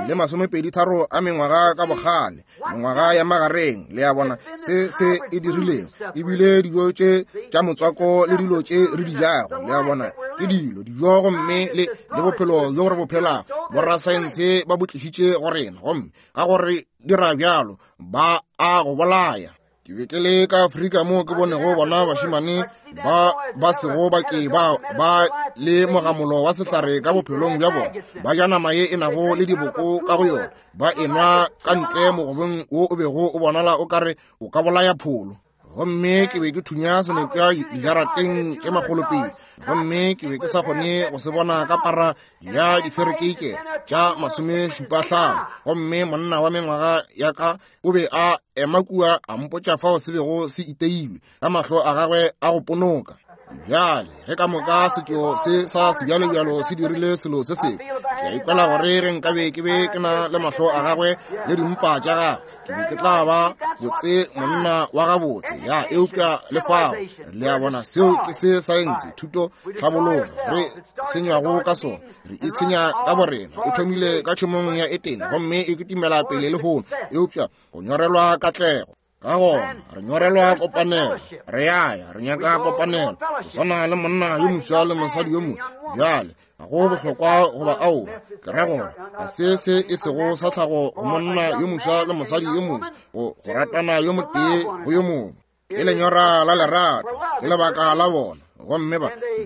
le 23 a mengwaga ka bogale, mengwaga ya magareng. Le a bona se se e dirilego? Ebile dijo tše tša motswako le dilo tše re di jago, le a bona, ke dilo dijo, gomme le bophelo bjo re bo phelago, borasaense ba bo tlišitše go rena, gomme ka gore dira bjalo ba a go bolaya. Ke be ke le ka Afrika moo ke bonego bona bašemane ba ba sego ba ke ba ba le mogamolo wa sehlare ka bophelong bja bona, ba ja nama ye e nago le diboko ka go yona, ba enwa ka ntle mogobeng wo o bego o bonala o kare o ka bolaya pholo. Gomme ke be ke thunya senokwa dijarateng tše makgolopedi, gomme ke be ke sa kgone go se bona ka para ya diferekeike tša 75. Gomme monna wa mengwaga ya ka o be a ema kua a mpotša fao se bego se iteilwe ka mahlo a gagwe a go ponoka. Bjale ge ka moka setšo se sa sebjalebjalo se dirile selo se sengwe, ke a ikwela gore ge nkabe ke be ke na le mahlo a gagwe le dimpa tša gagwe, ke be ke tla ba botse monna wa gabotse. Ya, eupša le fao, le a bona, seo ke se saense, thuto, tlhabologo re senywago ka sona. Re itshenya ka borena. E thomile ka tšhemong ya Etene gomme e kitimela pele lehono, eupša go nyorelwa katlego. Ka gona re nyorelwa kopanelo, re ya re nyaka kopanelo, go swana le monna yo moswa le mosadi yo moswa. Bjale ga go bohlokwa goba aowa, ke ra gore ga se se e sego sa tlhago go monna yo moswa le mosadi yo moswa go ratana yo motee go yo mongwe. Ke lenyora la lerato, ke lebaka la bona, gomme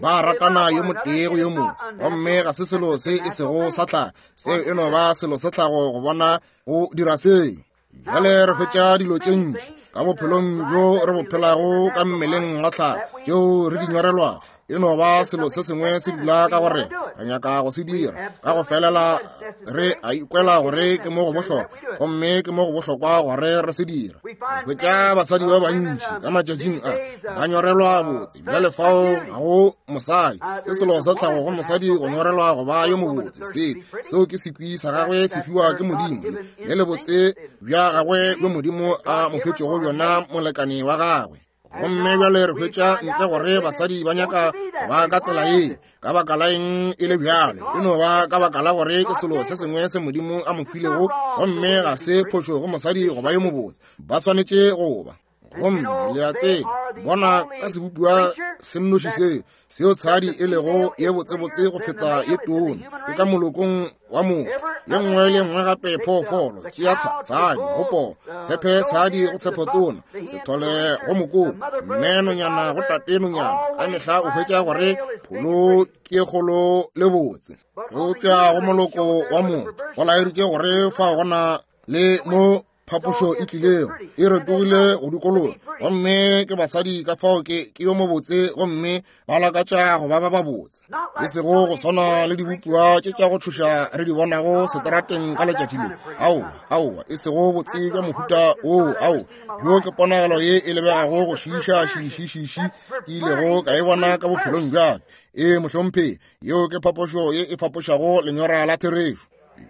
ba ratana yo motee go yo mongwe, gomme ga se selo se e sego sa tlhago. Seo e no ba selo sa tlhago go bona go dira seo. Bjale re hwetša dilo tše ntši ka bophelong bjo re bo phelago ka mmeleng wa tlhago tšeo re di nyorelwago. E no ba selo se sengwe se dula ka gore re nyaka go se dira ka go felela, re a ikwela gore ke mo go bohlokwa, gomme ke mo go bohlokwa gore re se dira. Re hwetša basadi ba bantši ka matšatšing a ba nyorelwa botse. Bjale fao ga go mosadi, ke selo sa tlhago go mosadi go nyorelwa go ba yo mobotse. Seo ke sekwi sa gagwe se fiwa ke Modimo, le lebotse bja gagwe bjo Modimo a mo fetšego bjona molekane wa gagwe. Gomme bjale re hwetša ntle gore basadi ba nyaka ba ka tsela ye. Ka baka la eng e le bjale? E no ba ka baka la gore ke selo se sengwe se Modimo a mo filego, gomme ga se phošo go mosadi go ba yo mobotse. Ba swanetše go ba. Gomme le a tseba, bona ka sebopiwa se nnoši se, seo tshadi e lego ye botsebotse go feta ye tona, ke ka molokong wa motho. Ye nngwe le nngwe gape phoofolo ke ya tshadi go poo, tshepe tshadi go tshepe tona, sethole go mokoko, mme nonyana go tate nonyana. Ka mehla o hwetša gore pholo ke kgolo le botse. Eupša go moloko wa motho go laeditše gore fao go na le mo phapošo e tlilego e retogile go dikologa gomme ke basadi ka fao ke ke yo mobotse gomme ba lakatša go ba ba babotse e sego go swana le dibopiwa tše tša go tšhoša re di bonago seterateng ka letšatši le ao aowa e sego botse bja mohuta oo ao bjo ke ponagalo ye e lebegago go šiiša šiišišiši ke ilego ka e bona ka bophelong bjaka ee mohlomphegi yeo ke phapošo ye e fapošago lenyora la therešo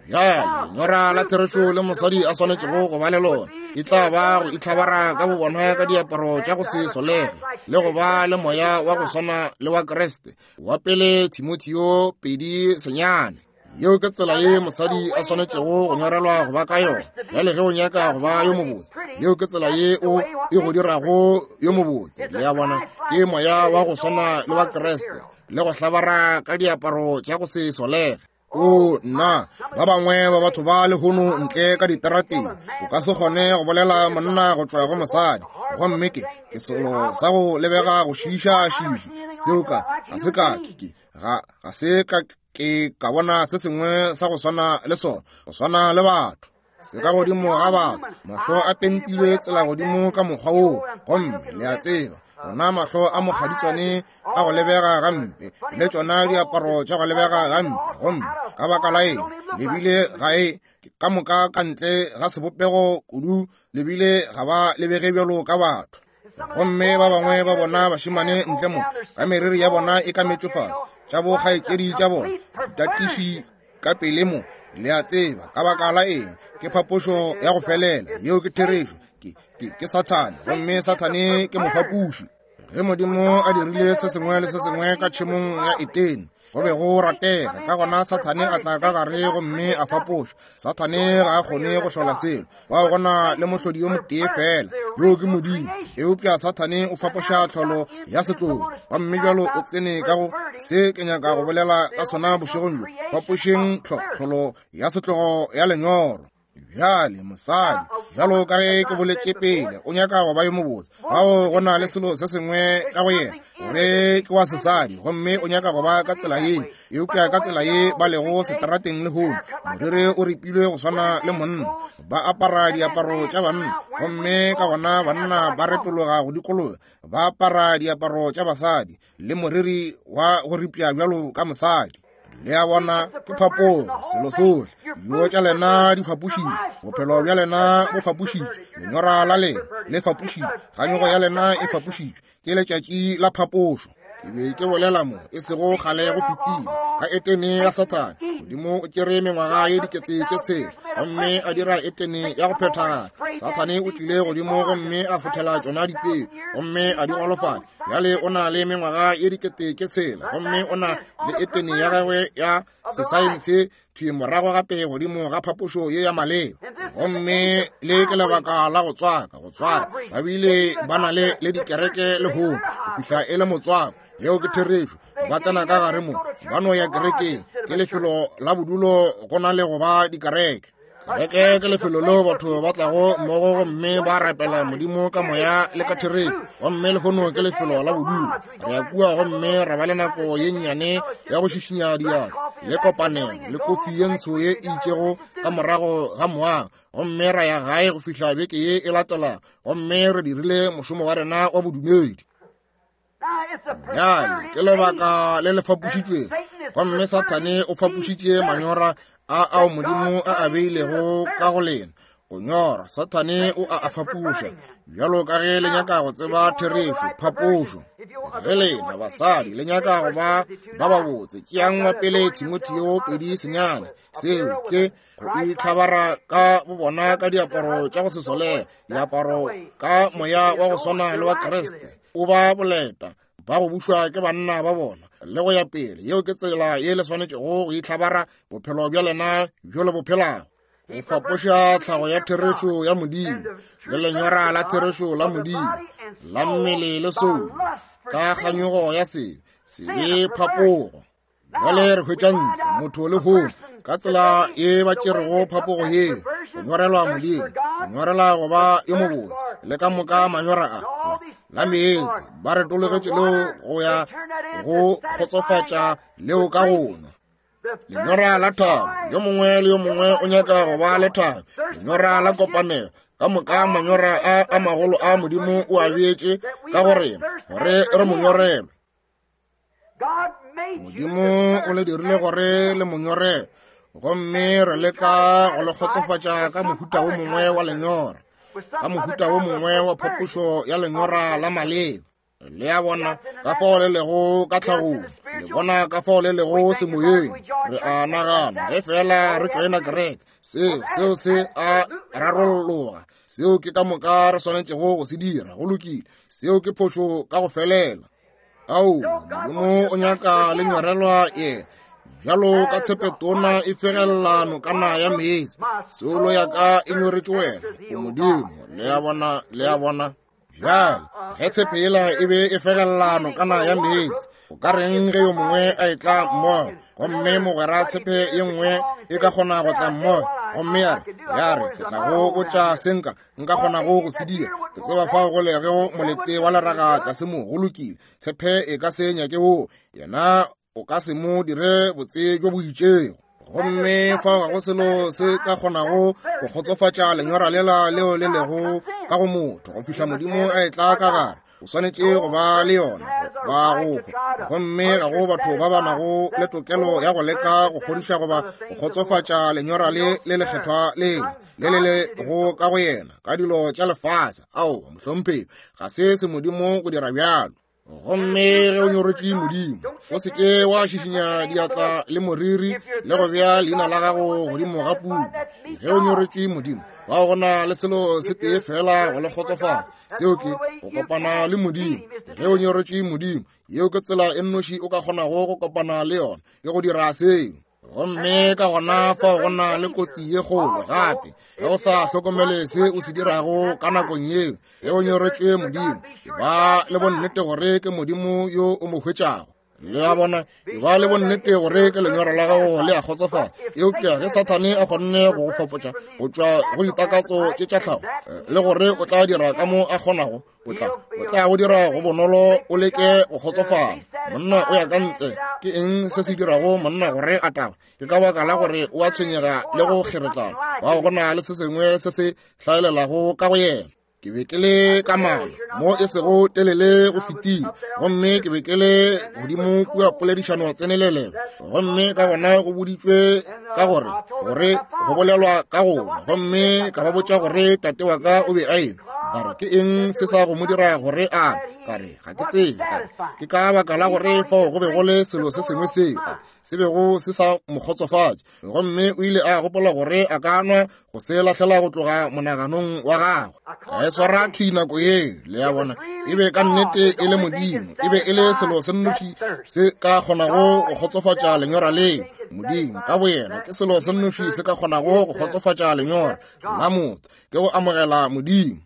bjale lenyora la therešo le mosadi a swanetšego go ba le lona e tla ba go itlhabara ka bobona ka diaparo tša go se solege le go ba le moya wa go swana le wa kreste wa pele timotheo 2:9 yeo ke tsela ye mosadi a swanetšego go nyorelwa go ba ka yona bjale ge o nyaka go ba yo mobotse yeo ke tsela ye o e go dirago yo mobotse le ya bona ke moya wa go swana le wa kreste le go hlabara ka diaparo tša go se solege o nna ba bangwe ba batho ba lehono ntle ka diterateng o ka se kgone go bolela monna go tšwa go mosadi gomme ke ke selo sa go lebega go šiiša šiiši seo ka ga se ka ke ga ga se ka ke ka bona se sengwe sa go swana le sona go swana le batho se ka godimo ga batho mahlo a pentilwe tsela godimo ka mokgwa woo gomme le a tseba ona mahlo a mokgaditswane a go lebega gampe le tšona diaparo tša go lebega gampe gomme ka baka la eng lebile ga e ka moka ka ntle ga sebopego kudu lebile ga ba lebege bjalo ka batho gomme ba bangwe ba bona bašemane ntle mo ka meriri ya bona e ka metšo fase tša bokgaetšedi tša bona ditatiši ka pele mo le a tseba ka baka la eng ke phapošo ya go felela yeo ke therešo ke, ke, ke sathane gomme sathane ke mofapoši ge modimo a dirile se sengwe le se sengwe ka tšhemong ya etene go be go ratega ka gona sathane a tla ka gare gomme a fapoša sathane ga a kgone go hlola selo bao gona le mohlodi yo motee fela yoo ke modimo eupša sathane o fapoša tlholo ya setlogo gomme bjalo o tsene ka go se ke nyaka go bolela ka sona bošegong bjo fapošeng tlholo ya setlogo ya lenyoro bjale mosadi bjalo ka ge ke boletše pele o nyaka go ba yo mobotse bao go na le selo se sengwe ka go yena gore ke wa sesadi gomme o nyaka go ba ka tsela ye eupša ka tsela ye ba lego seterateng lehono moriri o ripilwe go swana le monna ba apara diaparo tša banna gomme ka gona banna ba retologa go dikologa ba apara diaparo tša basadi le moriri wa go ripša bjalo ka mosadi le a bona ke phapogo selo sohle dijo tša lena di fapošitšwe bophelo bja lena bo fapošitšwe lenyora la lena le fapošitšwe kganyogo ya lena e fapošitšwe ke letšatši la phapošo ke be ke bolela mo e sego kgale go fetile ka etene ya sathane modimo o tšere mengwaga ye 6000 gomme a dira etene ya go phethagala sathane o tlile godimo gomme a fothela tšona dipeo gomme a di golofatša bjale o na le mengwaga ye 6000 gomme o na le etene ya gagwe ya sesaense thwi morago gape godimo ga phapošo ye ya maleba gomme le ke lebaka la go tswaka go tswaka ba bile ba na le le dikereke lehono go fihla e le motswako yeo ke therešo ba tsena ka gare mo ba no ya kerekeng ke lefelo la bodulo go na le go ba dikereke Kereke ke lefelo leo batho ba tlago mmogo gomme ba rapela modimo ka moya le ka therešo gomme lehono ke lefelo la bodulo re ya kua gomme ra ba le nako ye nnyane ya go šišinya diatla le kopanelo le kofi ye ntsho ye e itšego ka morago ga moago gomme ra ya gae go fihla beke ye e latela gomme re dirile mošomo wa rena wa bodumedi bjale ke lebaka le le fapošitšwego gomme sathane o fapošitše manyora a ao modimo a a beilego ka go lena go nyora sathane o a a fapoša bjalo ka ge le nyaka go tseba therešo phapošo ge lena basadi le nyaka go ba ba babotse tšeang wa pele timotheo 2:9 seo ke go itlhabara ka bobona ka diaparo tša go se solege diaparo ka moya wa go swana le wa kreste o ba boleta ba go bušwa ke banna ba bona le go ya pele yeo ke tsela ye le swanetšego go itlhabara bophelo bja lena bjo le bo phelago go fapoša tlhago ya therešo ya modimo le lenyora la therešo la modimo la mmele le soulo ka kganyogo ya sebe sebe phapogo bjale re hwetša ntle motho le hono ka tsela ye ba tšerego phapogo ye go nyorelwa modimo go nyorela go ba yo mobotse le ka moka manyora a la meetse ba retologetše leo go ya go kgotsofatša leo ka go nwa lenyora la thabo yo mongwe le yo mongwe o nyaka go ba le thabo lenyora la kopanelo Ka moka manyora a a magolo a Modimo o a beetše ka go rena, gore re mo nyorelwe. Modimo o le dirile gore le mo nyorelwe, gomme re leka go le kgotsofatša ka mohuta wo mongwe wa lenyora, ka mohuta wo mongwe wa phapošo ya lenyora la maleba. Le a bona ka fao le lego ka tlhagong, le bona ka fao le lego semoyeng. Re a nagana ge fela re tšoena kereke, seo seo se a rarolloga. Seo ke ka moka re swanetšego go se dira. Go lokile, seo ke phošo ka go felela. Ao, Modimo o nyaka le nyorelwa yena bjalo ka tshepetona e fegelela nokana ya meetse. Soulo ya ka e nyoretše wena, o Modimo. Le a bona, le a bona. Bjale, ge tshepe yela e be e fegelela nokana ya meetse, o ka reng ge yo mongwe a etla mmogo, gomme mogwera tshepe ye nngwe e ka kgona go tla mmogo, gomme ya re, ya re, ke tla go botša se nka, nka kgonago go se dira. Ke tseba fao go lego molete wa leraga tlase mo. Go lokile. Tshepe e ka se nyake woo. Yena o ka se mo dire botse bjo bo itšego. Gomme fao ga go selo se ka kgonago go kgotsofatša lenyora lela leo le lego ka go motho go fihla Modimo a etla ka gare. O swanetše go ba le yona ba go hwa. Gomme ga go batho ba ba nago le tokelo ya go leka go kgodiša goba go kgotsofatša lenyora le le lekgethwa leo le le lego ka go yena ka dilo tša lefase. Aowa, mohlomphegi, ga se se Modimo go dira bjalo. Gomme ge o nyoretše Modimo, o se ke wa šišinya diatla le moriri le go bea leina la gago godimo ga puku. Ge o nyoretše Modimo, bao go na le selo se tee fela go le kgotsofatša, seo ke go kopana le Modimo. Ge o nyoretše Modimo, yeo ke tsela e nnoši o ka kgonago go kopana le yona, ke go dira seo. Gomme ka gona fao go na le kotsi ye kgolo gape, ge o sa hlokomele se o se dirago ka nakong yeo. Ge o nyoretšwe Modimo, e ba le bonnete gore ke Modimo yo o mo hwetšago. Le a bona, e ba le bonnete gore ke lenyora la gago le a kgotsofala. Eupša ge Sathane a kgonne go go fapotša go tšwa go ditakatso tše tša tlhago, le gore o tla dira ka mo a kgonago, o tla o tla go dira go bonolo o leke go kgotsofala. Monna o ya ka ntle, ke eng se se dirago monna gore a taba? Ke ka baka la gore o a tshwenyega le go kgeretlana. Bao go na le se sengwe se se hlaelelago ka go yena. Ke be ke le ka mala mo e sego telele go fetile, gomme ke be ke le godimo kua poledišano tsenelelelo, gomme ka gona go boditšwe ka gore gore go bolelwa ka gona, gomme ka ba botša gore tate wa ka o be a enwa. Ba re, ke eng se sa go mo dira gore a nwe? Ka re, ga ke tsebe. Ka re, ke ka baka la gore fao go be go le selo se sengwe seo a se bego se sa mo kgotsofatše, gomme o ile a gopola gore a ka nwa go se lahlela go tloga monaganong wa gagwe. Ka e swara thwi nako yeo, le a bona, e be ka nnete e le Modimo, e be e le selo se nnoši se ka kgonago go kgotsofatša lenyora leo. Modimo ka boyena ke selo se nnoši se ka kgonago go kgotsofatša lenyora la motho, ke go amogela Modimo.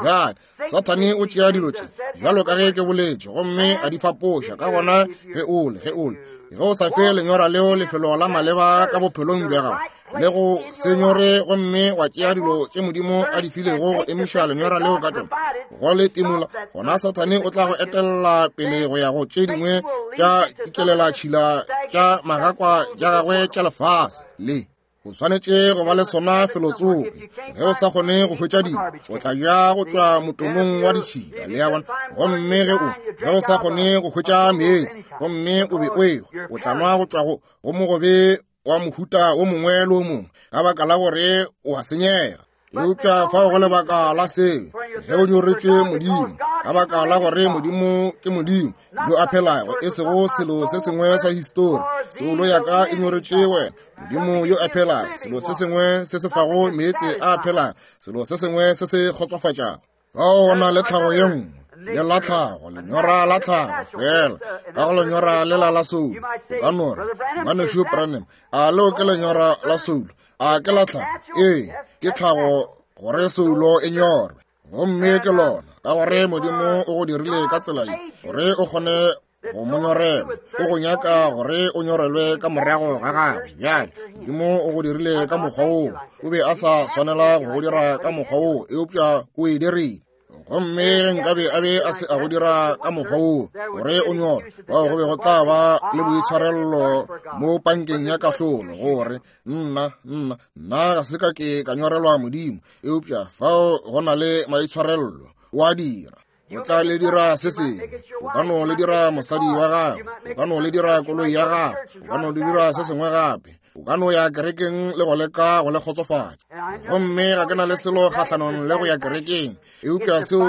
Bjale Sathane o tšea dilo tše bjalo ka ge ke boletše, gomme a di fapoša. Ka gona ge o le, ge o le, ge o sa fe lenyora leo lefelo la maleba ka bophelong bja gago, le go se nyore, gomme wa tšea dilo tše Modimo a di filego go emiša lenyora leo ka tšona, go le timola, gona Sathane o tla go etelela pele go ya go tše dingwe tša dikelelatšhila tša magakwa tša gagwe tša lefase le. O swanetše go ba le sona felotsoko. Ge o sa kgone go hwetša dilo, o tla ja go tšwa motomong wa ditšhila, le a bona. Gomme ge o, ge o sa kgone go hwetša meetse, gomme o be o ehwa, o tla nwa go tšwa go, go mogobe wa mohuta wo mongwe le wo mongwe, ka baka la gore o a senyega. Eupša fao go lebaka la seo, ge o nyoretšwe Modimo, ka baka la gore Modimo ke Modimo yo a phelago, e sego selo se sengwe sa histori. Soulo ya ka e nyoretšwe wena, Modimo yo a phelago, selo se sengwe se se fago meetse a phelago, selo se sengwe se se kgotsofatšago. Fao go na le tlhago ye nngwe, le la tlhago, lenyora la tlhago, feela ka go lenyora lela la soulo. O ka no re, Ngwanešu Branham, a leo ke lenyora la soulo? A ke la tlhago? Ee, ke tlhago gore soulo e nyorwe. Gomme ke lona, ka gore Modimo o go dirile ka tsela ye, gore o kgone go mo nyorelwa. O go nyaka gore o nyorelwe ka morago ga gagwe. Bjale, Modimo o go dirile ka mokgwa woo. O be a sa swanela go go dira ka mokgwa woo, eupša o e dirile. Gomme ge nkabe a be a se a go dira ka mokgwa woo gore o nyorwe, bao go be go tla ba le boitshwarello mo pankeng ya kahlolo, gore nna, nna, nna ga se ka ke ka nyorelwa Modimo, eupša fao go na le maitshwarello, o a dira. O tla le dira se sengwe, o ka no le dira mosadi wa gago, o ka no le dira koloi ya gago, o ka no le dira se sengwe gape, o ka no ya kerekeng le go leka go le kgotsofatša. Gomme ga ke na le selo kgahlanong le go ya kerekeng, eupša seo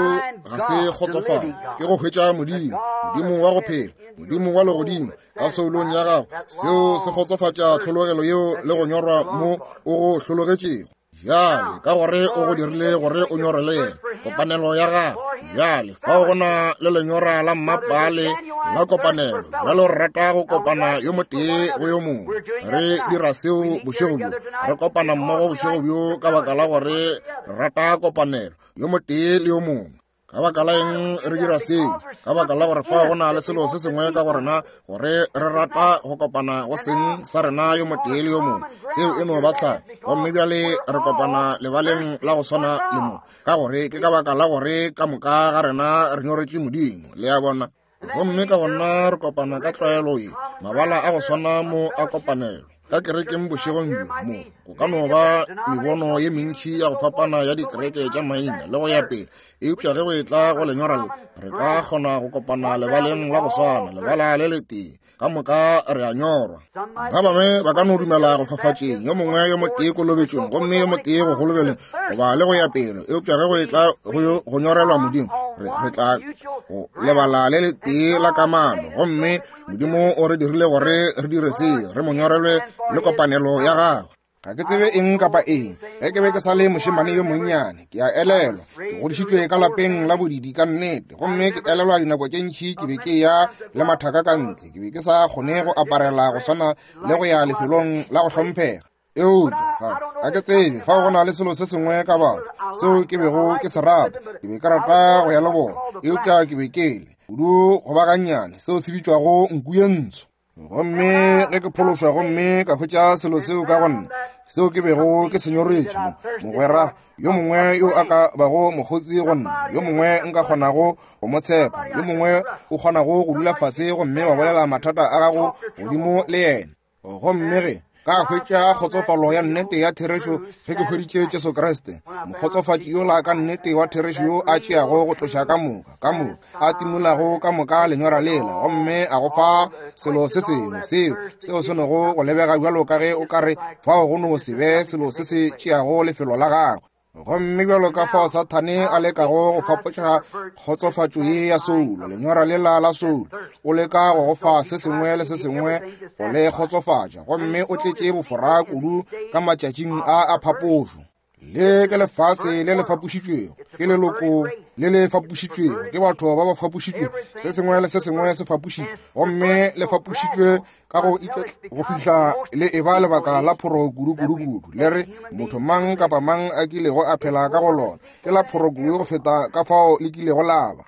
ga se kgotsofatše. Ke go hwetša Modimo, Modimo wa go phela, Modimo wa legodimo ka soulong ya gago. Seo se kgotsofatša tlhologelo yeo le go nyorwa mo o go hlologetšego. Bjale, ka gore o go dirile gore o nyorele yena, kopanelo ya gago. Bjale, fao go na le lenyora la mmapale la kopanelo. Bjale re rata go kopana yo motee go yo mongwe. Re dira seo bošego bjo. Re kopana mmogo bošego bjo ka baka la gore re rata kopanelo yo motee le yo mongwe. Ka baka la eng re dira seo? Ka baka la gore fao go na le selo se sengwe ka go rena gore re rata go kopana go seng sa rena yo motee le yo mongwe. Seo e no ba tlhago. Gomme bjale re kopana lebaleng la go swana le mo, ka gore ke ka baka la gore ka moka ga rena re nyoretše Modimo. Le a bona? Gomme ka gona re kopana ka tlwaelo ye, mabala a go swana mo a kopanelo ka kerekeng bošegong bjo. Mo go ka no ba mebono ye mentši ya go fapana ya dikereke tša maina le go ya pele, eupša ge go etla go lenyora le, re ka kgona go kopana lebaleng la go swana, lebala le letee, ka moka re a nyorwa. Ba bangwe ba ka no dumela go fafatšeng, yo mongwe yo motee kolobetšong, gomme yo motee go golobeleng, goba le go ya pele, eupša ge go etla go nyorelwa Modimo, re tla go lebala le letee la kamano. Gomme Modimo o re dirile gore re dire se, re mo nyorelwe le kopanelo ya gagwe. Ga ke tsebe eng kapa eng. Ge ke be ke sa le mošemane yo monnyane, ke a elelwa ke godišitšwe ka lapeng la bodidi ka nnete, gomme ke elelwa dinako tše ntši ke be ke ya le mathaka ka ntle. Ke be ke sa kgone go aparela go swana le go ya lefelong la go hlomphega. Eupša ga ke tsebe, fao go na le selo se sengwe ka batho seo ke bego ke se rata. Ke be ke rata go ya le bona, eupša ke be ke le kudu go ba gannyane, seo se bitšwago nku ye ntsho. Gomme ge ke phološwa gomme ka hwetša selo seo ka go nna, seo ke bego ke se nyoretše, mogwera yo mongwe yo a ka bago mokgotsi go nna, yo mongwe nka kgonago go mo tshepa, yo mongwe o kgonago go dula fase gomme wa bolela mathata a gago godimo le yena. Gomme ge ka hwetša kgotsofalo ya nnete ya therešo ge ke hweditše Jesu Kriste, mokgotsofatši yola ka nnete wa therešo yo a tšeago go tloša ka moka, ka moka, a timolago ka moka lenyora lela, gomme a go fa selo se sengwe seo, seo se nogo go lebega bjalo ka ge o ka re fao go no se be selo se se tšeago lefelo la gagwe. Gomme bjalo ka fao Sathane a lekago go fapotša kgotsofatšo ye ya soulo, lenyora lela la soulo, o leka go go fa se sengwe le se sengwe go le kgotsofatša, gomme o tletše bofora kudu ka matšatšing a a phapošo. Le ke lefase le le fapošitšwego, ke leloko le le fapošitšwego, ke batho ba ba fapošitšwego, se sengwe le se sengwe se fapošitšwe, gomme le fapošitšwe ka go go fihla le e ba lebaka la phoro kudu kudu kudu. Le re motho mang kapa mang a kilego a phela ka go lona ke la phoro kudu go feta ka fao le kilego la ba.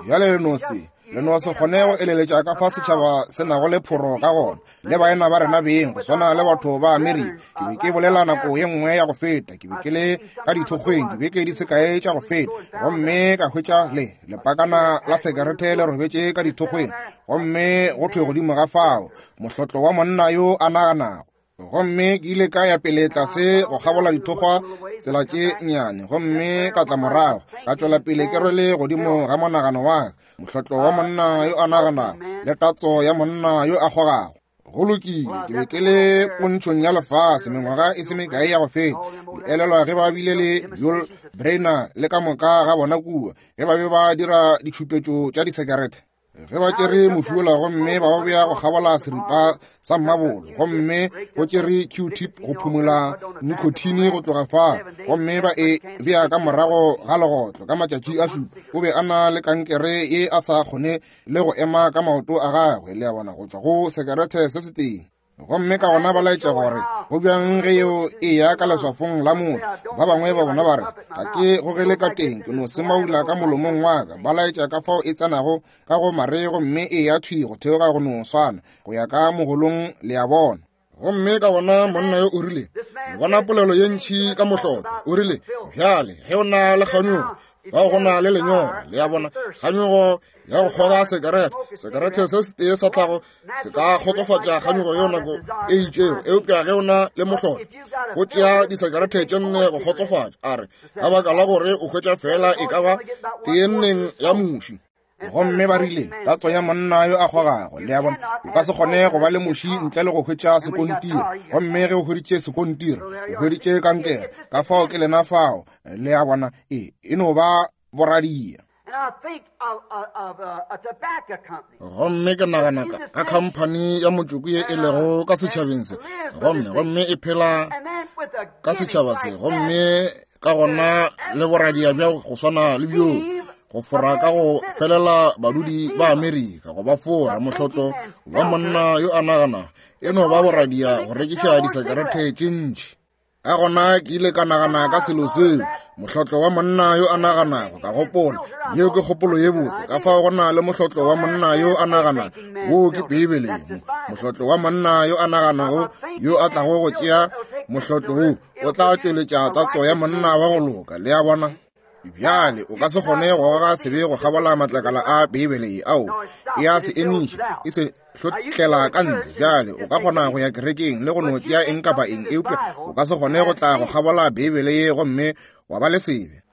Bjale le no se le no se kgone go eleletša ka fa setšhaba se nago le phoro ka gona, le baena ba rena beng, go swana le batho ba Amerika. Ke be ke bolela nako ye nngwe ya go feta, ke be ke le ka dithokgweng dibeke di se kae tša go feta, gomme ka hwetša le lepakana la sekerete le robetše ka dithokgweng, gomme go thwe godimo ga fao mohlotlo wa monna yo a naganago. Gomme ke ile ka ya pele tlase go kgabola dithokgwa tsela tše nnyane, gomme ka tla morago ka tšwela pele ke rwele godimo ga monagano wa ka mohlotlo wa monna yo a naganago le tatso ya monna yo a kgogago. Go lokile, ke be ke le pontšhong ya lefase mengwaga e se mekae ya go feta. Le elelwa ge ba bile le Yul Brynner le ka moka ga bona kua, ge ba be ba dira ditšhupetšo tša disekerete? Ge ba tšere mošola gomme ba o bea go kgabola seripa sa mmabolo, gomme go tšere Q-tip go phumola nicotine go tloga fa, gomme ba e bea ka morago ga legotlo ka matšatši a šupa. O be a na le kankere ye a sa kgone le go ema ka maoto a gagwe, le a bona, go tšwa go sekerete se setee. Gomme ka gona ba laetša gore go bjang ge yeo e ya ka leswafong la motho. Ba bangwe ba bona ba re, ga ke gogele ka teng, ke no semaula ka molomong wa ka. Ba laetša ka fao e tsenago ka go mare gomme e ya thwi go theoga go no swana, go ya ka mogolong, le a bona. Gomme ka gona monna yo o rile, le bona polelo ye ntši ka mohlotlo. O rile, bjale, ge o na le kganyogo, fao go na le lenyora. Le a bona, kganyogo ya go kgoga sekerete, sekerete se setee sa tlhago se ka kgotsofatša kganyogo yeo nako e itšego, eupša ge o na le mohlotlo, go tšea disekerete tše nne go kgotsofatša. A re, ka baka la gore o hwetša feela e ka ba teenneng ya muši. Gomme ba rile, tatso ya monna yo a kgogago. Le a bona, o ka se kgone go ba le muši ntle le go hwetša sekontiri. Gomme ge o hweditše sekontiri, o hweditše kankere. Ka fao ke lena fao. Le a bona, e, e no ba boradia. Gomme ke nagana ka, ka khamphani ya motšoko ye e lego ka setšhabeng se, gomme, gomme e phela ka setšhaba se, gomme ka gona le boradia bja go swana le bjoo, go fora ka go felela badudi ba Amerika, go ba fora. Mohlotlo wa monna yo a nagana e no ba boradia go rekiša disekerete tše ntši. Ka gona ke ile ka nagana ka selo seo, mohlotlo wa monna yo a naganago. Ka gopola, yeo ke kgopolo ye botse. Ka fao go na le mohlotlo wa monna yo a naganago, woo ke Beibele. Mohlotlo wa monna yo a naganago, yo a tlago go tšea mohlotlo wo, o tla tšweletša tatso ya monna wa go loka. Le a bona? Bjale o ka se kgone go goga sebe go kgabola matlakala a Beibele ye. Ao, e a se emiša, e se hlotlela ka ntle. Bjale o ka kgona go ya kerekeng le go no tšea eng kapa eng, eupša o ka se kgone go tla go kgabola Beibele ye gomme wa ba le sebe.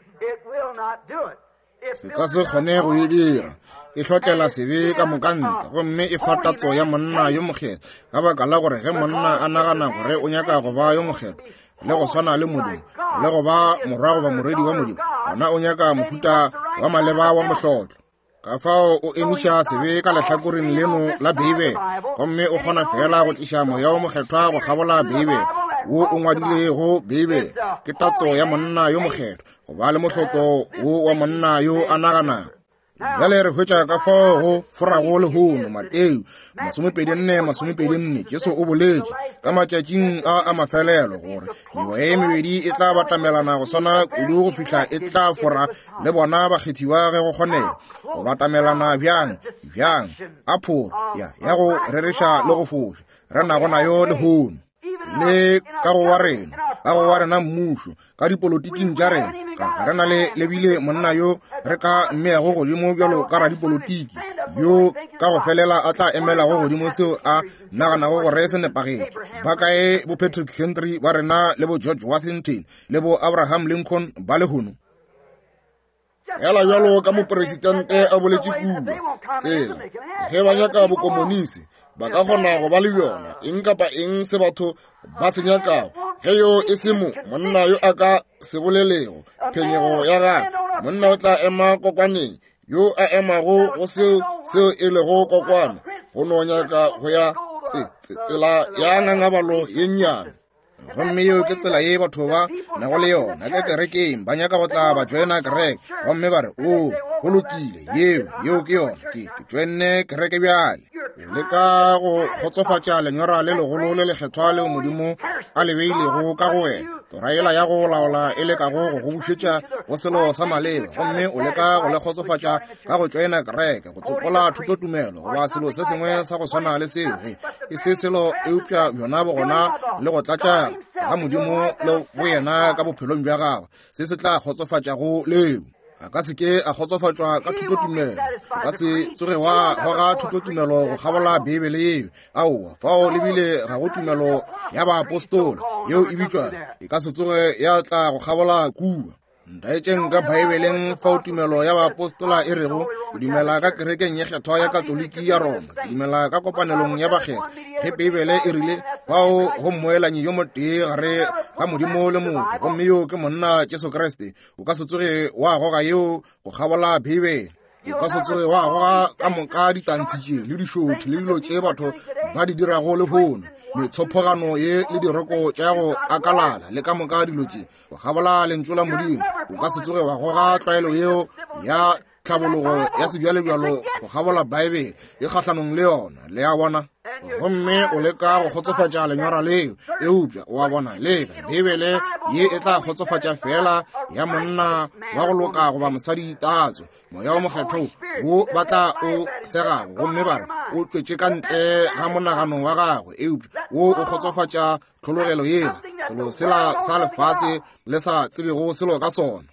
Se ka se kgone go e dira. E hlotlela sebe ka moka ntle, gomme e fa tatso ya monna yo mokgethwa, ka baka la gore ge monna a nagana gore o nyaka go ba yo mokgethwa le go swana le Modimo, le go ba morwa goba morwedi wa Modimo, gona o nyaka mohuta wa maleba wa mohlotlo. Ka fao o emiša sebe ka lehlakoreng leno la Beibele, gomme o kgona feela go tliša Moya wo Mokgethwa go kgabola Beibele, wo o ngwadilego Beibele. Ke tatso ya monna yo mokgethwa, go ba le mohlotlo wo wa monna yo a naganago. Bjale re hwetša ka fao go forago lehono. Mateo 24, 24, Jesu o boletše ka matšatšing a a mafelelo gore meoya ye mebedi e tla batamelana go swana kudu go fihla e tla fora le bona bakgethiwa ge go kgonega. Go batamelana bjang? Bjang? A phoro ya, ya go rereša le go foša re nago nayo lehono. Le ka go wa rena, ka go wa rena mmušo, ka dipolotiking tša rena, ga, ga re na le lebile monna yo re ka mmeago godimo bjalo ka radipolotiki, yo ka go felela a tla emelago godimo seo a naganago gore se nepagetše. Ba kae bo Patrick Henry ba rena le bo George Washington le bo Abraham Lincoln ba lehono? Fela bjalo ka mopresidente a boletše kua, tsela ge ba nyaka bokomonisi ba ka kgona go ba le bjona, eng kapa eng se batho ba se nyakago. Ge yo e se mo monna yo a ka se bolelego phenyego ya gagwe, monna o tla ema kokwaneng, yo a emago go seo seo e lego kokwane, go no nyaka go ya tsela ya ngangabalo ye nnyane. Gomme yeo ke tsela ye batho ba nago le yona ka kerekeng. Ba nyaka go tla ba joina kereke, gomme ba re, O, go lokile, yeo, yeo ke yona. Ke, ke joinne kereke bjale. O leka go kgotsofatša lenyora le legolo le lekgethwa leo Modimo a le beilego ka go wena, tora yela ya go laola e lekago go go bušetša go selo sa maleba, gomme o leka go le kgotsofatša ka go tšoena kereke, go tsopola thutotumelo goba selo se sengwe sa go swana le seo. Ge e se selo eupša bjona bogona le go tlatša ga Modimo le boyena ka bophelong bja gagwe, se se tla kgotsofatšago leo. A ka se ke a kgotsofatšwa ka thutotumelo. O ka se tsoge wa goga thutotumelo go kgabola Beibele yeo. Aowa, fao le bile ga go tumelo ya baapostola yeo e bitšwa, e ka se tsoge ya tla go kgabola kua. Ntaetšeng ka Beibeleng fao tumelo ya baapostola e rego, ke dumela ka kerekeng ye kgethwa ya Katoliki ya Roma, ke dumela ka kopanelong ya bakgethwa. Ge Beibele e rile fao go mmoelanyi yo motee gare ga Modimo le motho, gomme yo ke monna Jesu Kriste, o ka se tsoge wa goga yeo go kgabola Beibele. O ka se tsoge wa goga ka moka ditantshi tše le dišothi le dilo tše batho ba di dirago lehono, metshophogano ye le diroko tša go akalala le ka moka dilo tše, go kgabola Lentšu la Modimo. O ka se tsoge wa goga tlwaelo yeo ya tlhabologo ya sebjalebjalo go kgabola Beibele, e kgahlanong le yona. Le a bona? Gomme o leka go kgotsofatša lenyora leo, eupša o a bona, leka Beibele ye e tla kgotsofatša feela ya monna wa go loka goba mosadi tatso. Moya wo Mokgethwa wo ba tla o segago gomme ba re o tšwetše ka ntle ga monagano wa gagwe, eupša wo o kgotsofatša tlhologelo yela, selo sela sa lefase le sa tsebego selo ka sona.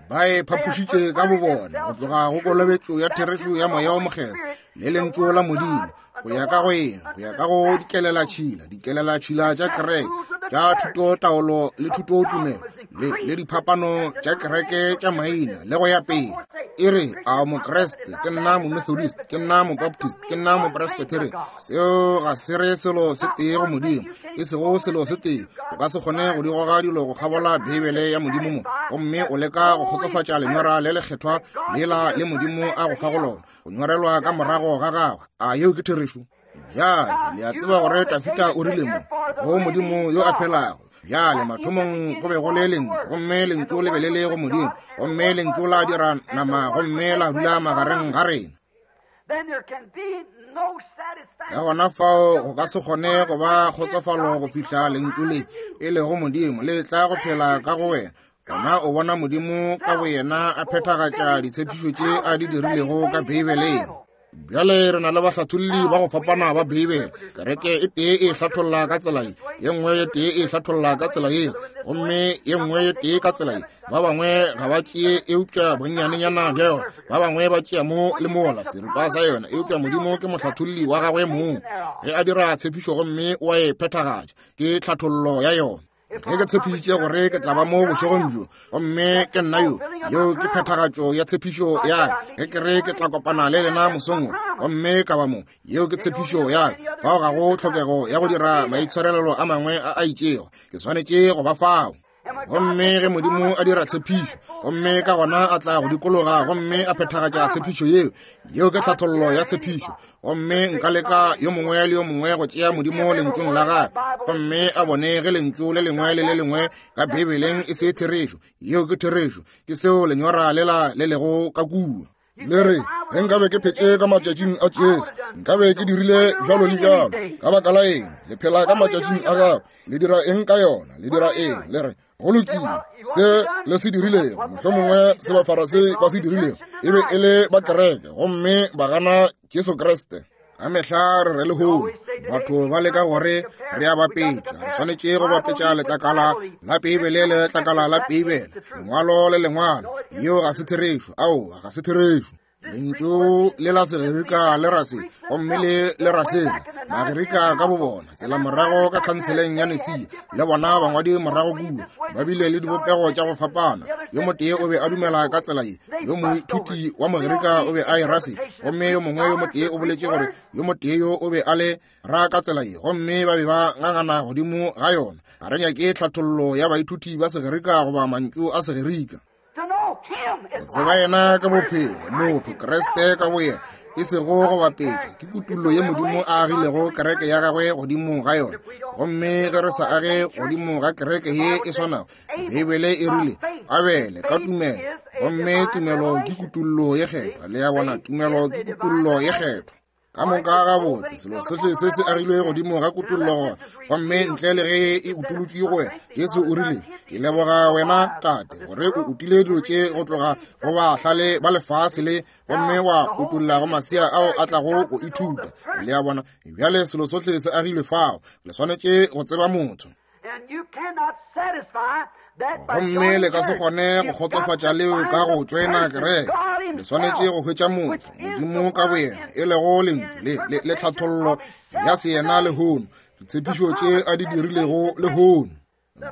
Ba e phaphošitše ka bobona go tloga go kolobetšo ya therešo ya Moya wo Mokgethwa le Lentšu la Modimo, go ya ka go eng? Go ya ka go dikelelatšhila, dikelelatšhila tša kereke, tša thutotaolo le thutotumelo, le, le diphapano tša kereke tša maina, le go ya pele. E re, a o Mokriste? Ke nna Momethodist, ke nna Mobaptist, ke nna Mopresbyterian. Seo ga se re selo se tee go Modimo, e sego selo se tee. O ka se kgone go di goga dilo go kgabola Beibele ya Modimo mo, gomme o leka go kgotsofatša lenyora le lekgethwa lela le Modimo a go fago lona, go nyorelwa ka morago ga gagwe. A yeo ke therešo? Bjale, le a tseba gore Dafida o rile mo go Modimo yo a phelago. Bjale, mathomong go be go le Lentšu, gomme Lentšu le be le le go Modimo, gomme Lentšu la dira nama gomme la dula magareng ga rena. Ka gona fao go ka se kgone go ba kgotsofalo go fihla Lentšu le e lego Modimo le tla go phela ka go wena. Gona o bona Modimo ka boyena a phethagatša ditshepišo tše a di dirilego ka Beibeleng. Bjale re na le bahlatholli ba go fapana ba Beibele. Kereke e tee e hlatholla ka tsela ye, ye nngwe ye tee e hlatholla ka tsela ye, gomme ye nngwe ye tee ka tsela ye. Ba bangwe ga ba tšee eupša bonnyanenyana bja yona, ba bangwe ba tšea mo le mola seripa sa yona, eupša Modimo ke mohlatholli wa gagwe mong. Ge a dira tshepišo gomme o a e phethagatša, ke tlhathollo ya yona. Ge ke tshepišitše gore ke tla ba mo bošegong bjo, gomme ke nna yo, yeo ke phethagatšo ya tshepišo ya ka. Ge ke re ke tla kopana le lena mosong wo, gomme ka ba mo, yeo ke tshepišo ya ka. Fao ga go tlhokego ya go dira maitshwarelelo a mangwe a a itšego, ke swanetše go ba fao. Gomme ge Modimo a dira tshepišo, gomme ka gona a tla go dikologa gomme a phethagatša tshepišo yeo, yeo ke tlhathollo ya tshepišo. Gomme nka leka yo mongwe le yo mongwe go tšea Modimo Lentšung la gagwe, gomme a bone ge lentšu le lengwe le le lengwe ka Beibeleng e se therešo. Yeo ke therešo. Ke seo lenyora lela le lego ka kua. Le re, ge nkabe ke phetše ka matšatšing a Jesu, nkabe ke dirile bjalo le bjalo. Ka baka la eng le phela ka matšatšing a gagwe? Le dira eng ka yona? Le dira eng? Le re, go lokile, se le se dirilego, mohlomongwe se Bafarasei ba se dirilego, e be e le ba kereke, gomme ba gana Jesu Kriste. Ka mehla re re lehono batho ba leka gore re a bapetša, re swanetše go bapetša letlakala la Beibele le letlakala la Beibele, lengwalo le lengwalo. Yeo ga se therešo. Aowa, ga se therešo. Lentšu le la Segerika le ra se, gomme le le ra sela. Magerika ka bobona, tsela morago ka khanseleng ya Nicaea, le bona bangwadi morago kua, ba bile le dibopego tša go fapana. Yo motee o be a dumela ka tsela ye, yo moithuti wa Mogerika o be a e ra se, gomme yo mongwe yo motee o boletše gore yo motee yo o be a le ra ka tsela ye, gomme ba be ba ngangana godimo ga yona. Ga re nyake tlhathollo ya baithuti ba Segerika goba mantšu a Segerika. Go tseba yena ka bophelo, motho Kriste ka boyena, e sego go bapetša, ke kutullo ye Modimo a agilego kereke ya gagwe godimo ga yona. Gomme ge re sa age godimo ga kereke ye e swanago, Beibele e rile, Abele ka tumelo, gomme tumelo ke kutullo ye kgethwa. Le a bona, tumelo ke kutullo ye kgethwa. Ka moka gabotse, selo sohle se se agilwe godimo ga kutollo gona, gomme ntle le ge e utolotšwe go wena. Jesu o rile, ke leboga wena Tate gore o utile dilo tše go tloga go bahlale ba lefase le, gomme wa utolla go masea ao a tlago go ithuta. Le a bona, bjale selo sohle se agilwe fao. Le swanetše go tseba motho. Gomme le ka se kgone go kgotsofatša leo ka go tšoena kereke. Le swanetše go hwetša motho, Modimo ka boyena, e lego Lentšu le, le, le tlhathollo ya seyena lehono, ditshepišo tše a di dirilego lehono.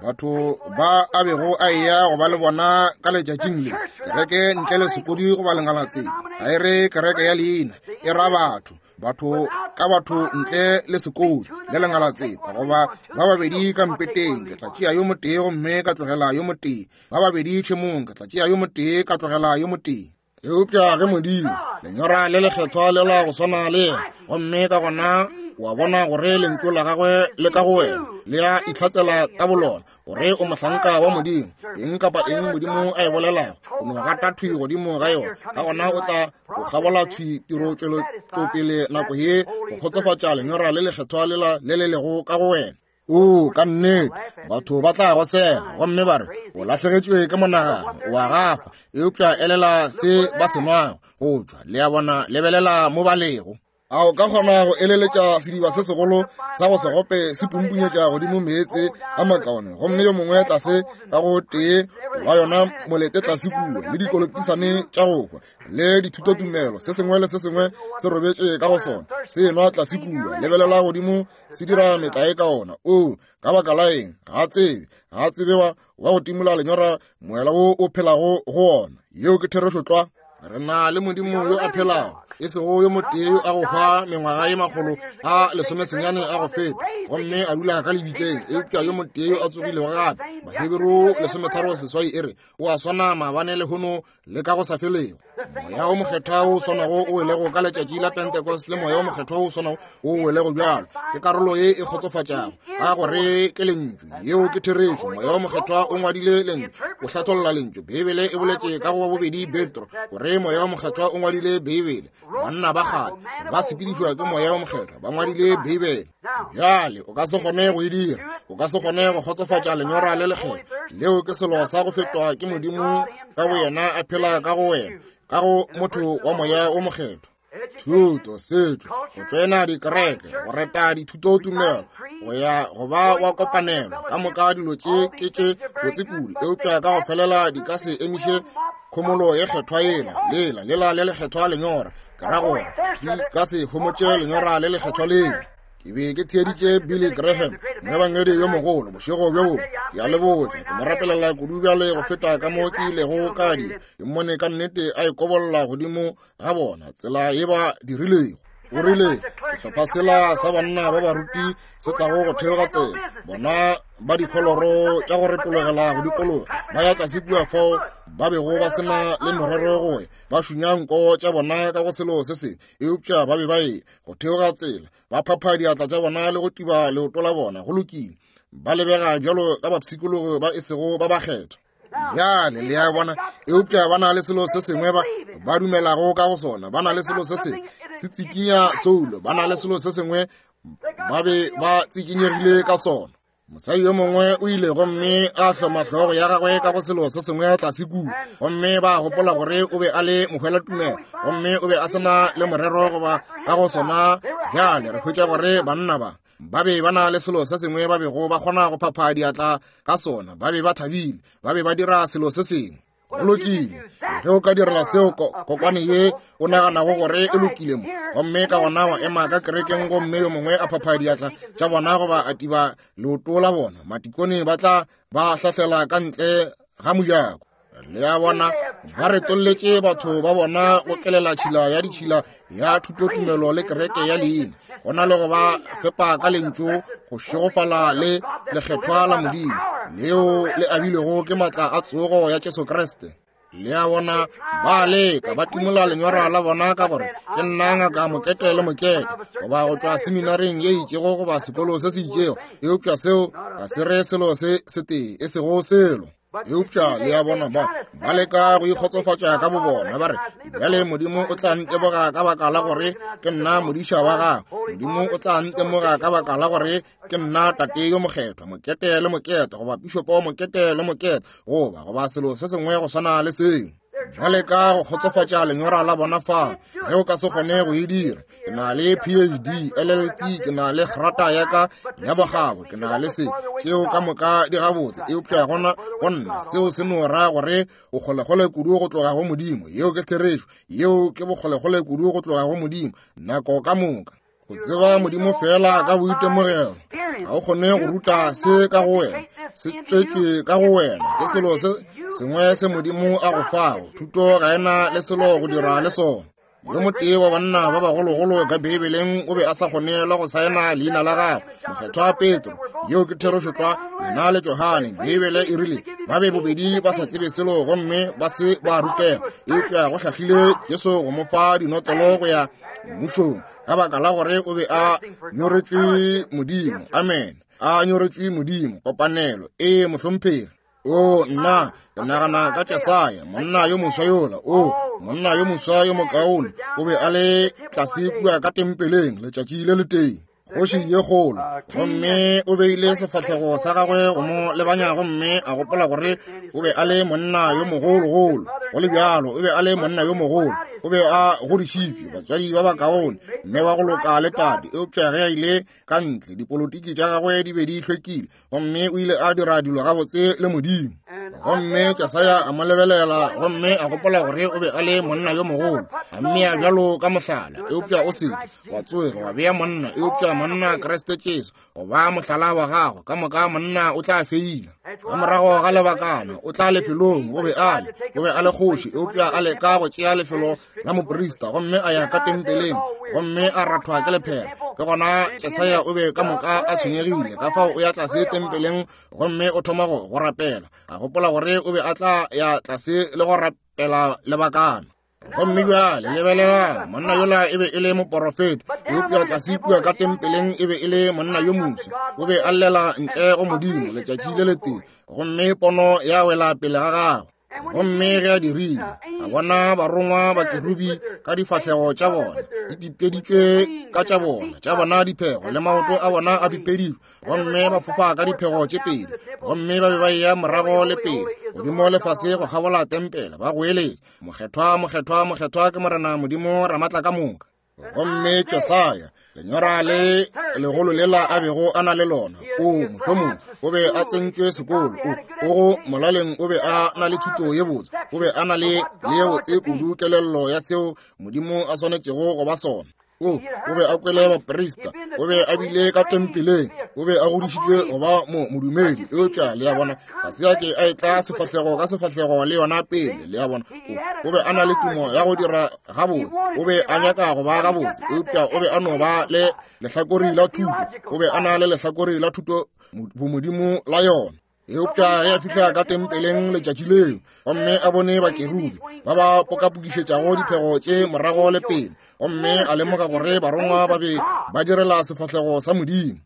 Batho ba a bego a eya go ba le bona ka letšatšing le, kereke ntle le sekodi goba lengalatseng, ga e re kereke ya leina, e ra batho. Batho ka batho ntle le sekodi le lengalatsepa, goba ba babedi ka mpeteng, ke tla tšea yo motee gomme ka tlogela yo motee, ba babedi tšhemong, ke tla tšea yo motee ka tlogela yo motee. Eupša ge Modimo, lenyora le lekgethwa le la go swana le yena, gomme ka gona O a bona gore lentšu la gagwe le ka go wena le a itlhatsela ka bolona gore o mohlanka wa Modimo. Eng kapa eng Modimo a e bolelago, o no gata thwi godimo ga yona, ka gona o tla go kgabola thwi tiro tšwelotšopele nako ye go kgotsofatša lenyora le lekgethwa lela le le lego ka go wena. O, ka nnete, batho ba tla go sega gomme ba re o lahlegetšwe ke monagano, o a gafa, eupša elela se ba se nwago go tšwa. Le a bona, lebelela mo ba lego. A o ka kgona go eleletša sediba se segolo sa go se gope se pumpunyetša godimo meetse a makaone, gomme yo mongwe tlase ka go tee wa yona molete tlase kua, le dikolopisane tša go hwa le dithutotumelo, se sengwe le se sengwe se robetše ka go sona, se enwa tlase kua, lebelela godimo, se dira metlae ka ona. O, ka baka la eng? Ga tsebe, ga tsebe wa go timola lenyora moela wo o phelago go ona. Yeo ke therešo tlwa. Re na le Modimo yo a phelago, e sego yo motee yo a go hwa mengwaga ye 190 a go feta gomme a dula ka lebitleng, eupša yo motee yo a tsogilego gape. Baheberu 13:8 e re, o a swana maabane lehono le ka go sa felego. Moya o Mokgethwa o swanago o welego ka letšatši la Pentecost le Moya o Mokgethwa o swanago o welego bjalo ke karolo ye e kgotsofatšago ka gore ke lentšu. Yeo ke therešo. Moya o Mokgethwa o ngwadile lentšu, o hlatholla lentšu. Beibele e boletše ka go wa bobedi Petro gore Moya o Mokgethwa o ngwadile Beibele. Banna ba kgale ba sepedišwa ke Moya o Mokgethwa ba ngwadile Beibele. Bjale o ka se kgone go e dira, o ka se kgone go kgotsofatša lenyora le lekgethwa. Leo ke selo sa go fetwa ke Modimo ka boyena a phela ka go wena, ka go motho wa Moya o Mokgethwa. Thuto, setšo, go tsena dikereke, go reta dithutotumelo, go ya go ba wa kopanelo, ka moka dilo tše ke tše botse kudu, eupša ka go felela di ka se emiše khomolo ye kgethwa yela, lela, lela le lekgethwa lenyora. Ke ra gore di ka se homotše lenyora le lekgethwa lela. Ke be ke theeditše Billy Graham, moebangedi yo mogolo, bošego bjo bongwe. Ke a le botša, ke mo rapelela kudu bjale go feta ka mo ke ilego ka dira. Ke mmone ka nnete a ikobolla godimo ga bona, tsela ye ba dirilego. O rile, sehlopha sela sa banna ba baruti se tlago go theoga tsela, bona ba dikholoro tša go retologela go dikologa, ba ya tlase kua fao ba bego ba se na le morero go ya, ba šunya nko tša bona ka go selo se sengwe, eupša ba be ba ye go theoga tsela, ba phapha diatla tša bona le go tiba leoto la bona. Go lokile, ba lebega bjalo ka bapshikologi ba e sego ba bakgethwa. Bjale le a bona, eupša ba na le selo se sengwe ba dumelago ka go sona. Ba na le selo se sengwe se tsikinya soulo, ba na le selo se sengwe ba be ba tsikinyegile ka sona. Mosadi yo mongwe o ile gomme a hloma hlogo ya gagwe ka go selo se sengwe tlase kua, gomme ba gopola gore o be a le mohwelatumelo, gomme o be a se na le morero goba ka go sona. Bjale re hwetša gore banna ba ba be ba na le selo se sengwe ba bego ba kgona go phapha diatla ka sona. Ba be ba thabile, ba be ba dira selo se sengwe. Go lokile, ge o ka direla seo kokwane ye o naganago gore e lokile mo, gomme ka gona wa ema ka kerekeng gomme yo mongwe a phapha diatla tša bona goba a tiba leoto la bona, matikone ba tla ba hlahlela ka ntle ga mojako. Le a bona, ba retolletše batho ba bona go kelela tšhila ya ditšhila ya thutotumelo le kereke ya leina, go na le go ba fepa ka lentšu go šegofala le lekgethwa la Modimo leo le abilwego ke matla a tsogo ya Jesu Kriste. Le a bona, ba leka, ba timola lenyora la bona ka gore ke nna ngaka mokete le mokete, goba go tšwa seminaring ye itšego goba sekolo se se itšego, eupša seo ga se re selo se setee, e sego selo. Eupša le a bona, ba leka go ikgotsofatša ka bobona, ba re, bjale Modimo o tla nteboga ka baka la gore ke nna modiša wa gagwe. Modimo o tla ntemoga ka baka la gore ke nna tate yo mokgethwa, mokete le mokete, goba pišopo mokete le mokete, goba selo se sengwe go swana le seo. Ba leka go kgotsofatša lenyora la bona fa. Ge o ka se kgone go e dira, ke na le PhD, LLT, ke na le grata ya ka ya bokgabo, ke na le se, tšeo ka moka di gabotse, eupša gona go nna seo se no ra gore o kgolekgole kudu go tloga go Modimo. Yeo ke therešo. Yeo ke bokgolekgole kudu go tloga go Modimo nako ka moka. Go tseba Modimo fela ka boitemogelo, ga o kgone go ruta se ka go wena, se tswetšwe ka go wena, ke selo se sengwe se Modimo a go fago. Thuto ga e na le selo go dira le sona. Yo motee wa banna ba bagologolo ka Beibeleng o be a sa kgone le go saena leina la gagwe, Mokgethwa Petro. Yeo ke therešo tlwa. Yena le Johane, Beibele e rile, ba be bobedi ba sa tsebe selo gomme ba se ba rutega, eupša go hlahlile Jesu go mo fa dinotlolo go ya mmušong, ka baka la gore o be a nyoretšwe Modimo. Amen. A nyoretšwe Modimo, kopanelo. Ee, mohlomphegi. O nna, ke nagana ka Jesaya, monna yo moswa yola. O monna yo moswa yo mokaone, o be a le tlase kua ka tempeleng letšatši le letee, kgoši ye kgolo, gomme o beile sefahlego sa gagwe go mo lebanya, gomme a gopola gore o be a le monna yo mogologolo. Go le bjalo, o be a le monna yo mogolo, o be a godišitšwe, batswadi ba bakaone, mme wa go loka le tate. Eupša ge a ile ka ntle, dipolotiki tša gagwe di be di hlwekile, gomme o ile a dira dilo gabotse le Modimo. Gomme Jesaya a mo lebelela gomme a gopola gore o be a le monna yo mogolo, a mmea bjalo ka mohlala. Eupša o seke wa tsoge wa bea monna, eupša monna Kriste Jesu go ba mohlala wa gago. Ka moka monna o tla feila ka morago ga lebakana, o tla lefelong. O be a le, o be a le kgoši, eupša a leka go tšea lefelo la moprista, gomme a ya ka tempeleng gomme a rathwa ke lephera. Ke gona Jesaya o be ka moka a tshwenyegile, ka fao o ya tlase tempeleng gomme o thoma go rapela, a gopola gore o be a tla ya tlase le go rapela lebakana. Gomme bjale lebelelang, monna yola e be e le moporofeta, eupša tlase kua ka tempeleng e be e le monna yo moswa. O be a llela ntle go Modimo letšatši le letee, gomme pono ya wela pele ga gagwe. Gomme ge a dirile, a bona barongwa ba kerubi ka difahlego tša bona di pipeditšwe ka tša bona, tša bona diphego le maoto a bona a bipedilwe, gomme ba fofa ka diphego tše pedi, gomme ba be ba eya morago le pele, godimo le fase go kgabola tempele, ba goeletša, Mokgethwa, mokgethwa, mokgethwa ke Morena Modimo Ramatla ka moka. Gomme Jesaya, lenyora le legolo lela a bego a na le lona, o mohlomong o be a tsentšwe sekolo, o go molaleng o be a na le thuto ye botse, o be a na le ye botse kudu kelello ya seo Modimo a swanetšego go ba sona. O be a kwele baprista, o be a bile ka tempeleng, o be a godišitšwe go ba modumedi, eupša le a bona, ga se a ke a etla sefahlego ka sefahlego le yona pele. Le a bona, o be a na le tumo ya go dira gabotse, o be a nyaka go ba gabotse, eupša o be a no ba le lehlakori la thuto, o be a na le lehlakori la thuto bomodimo la yona. Eupša ge a fihla ka tempeleng letšatši leo, gomme a bone bakerubi ba ba pokapokišetšago diphego tše morago le pele, gomme a lemoga gore barongwa ba be ba direla sefahlego sa Modimo,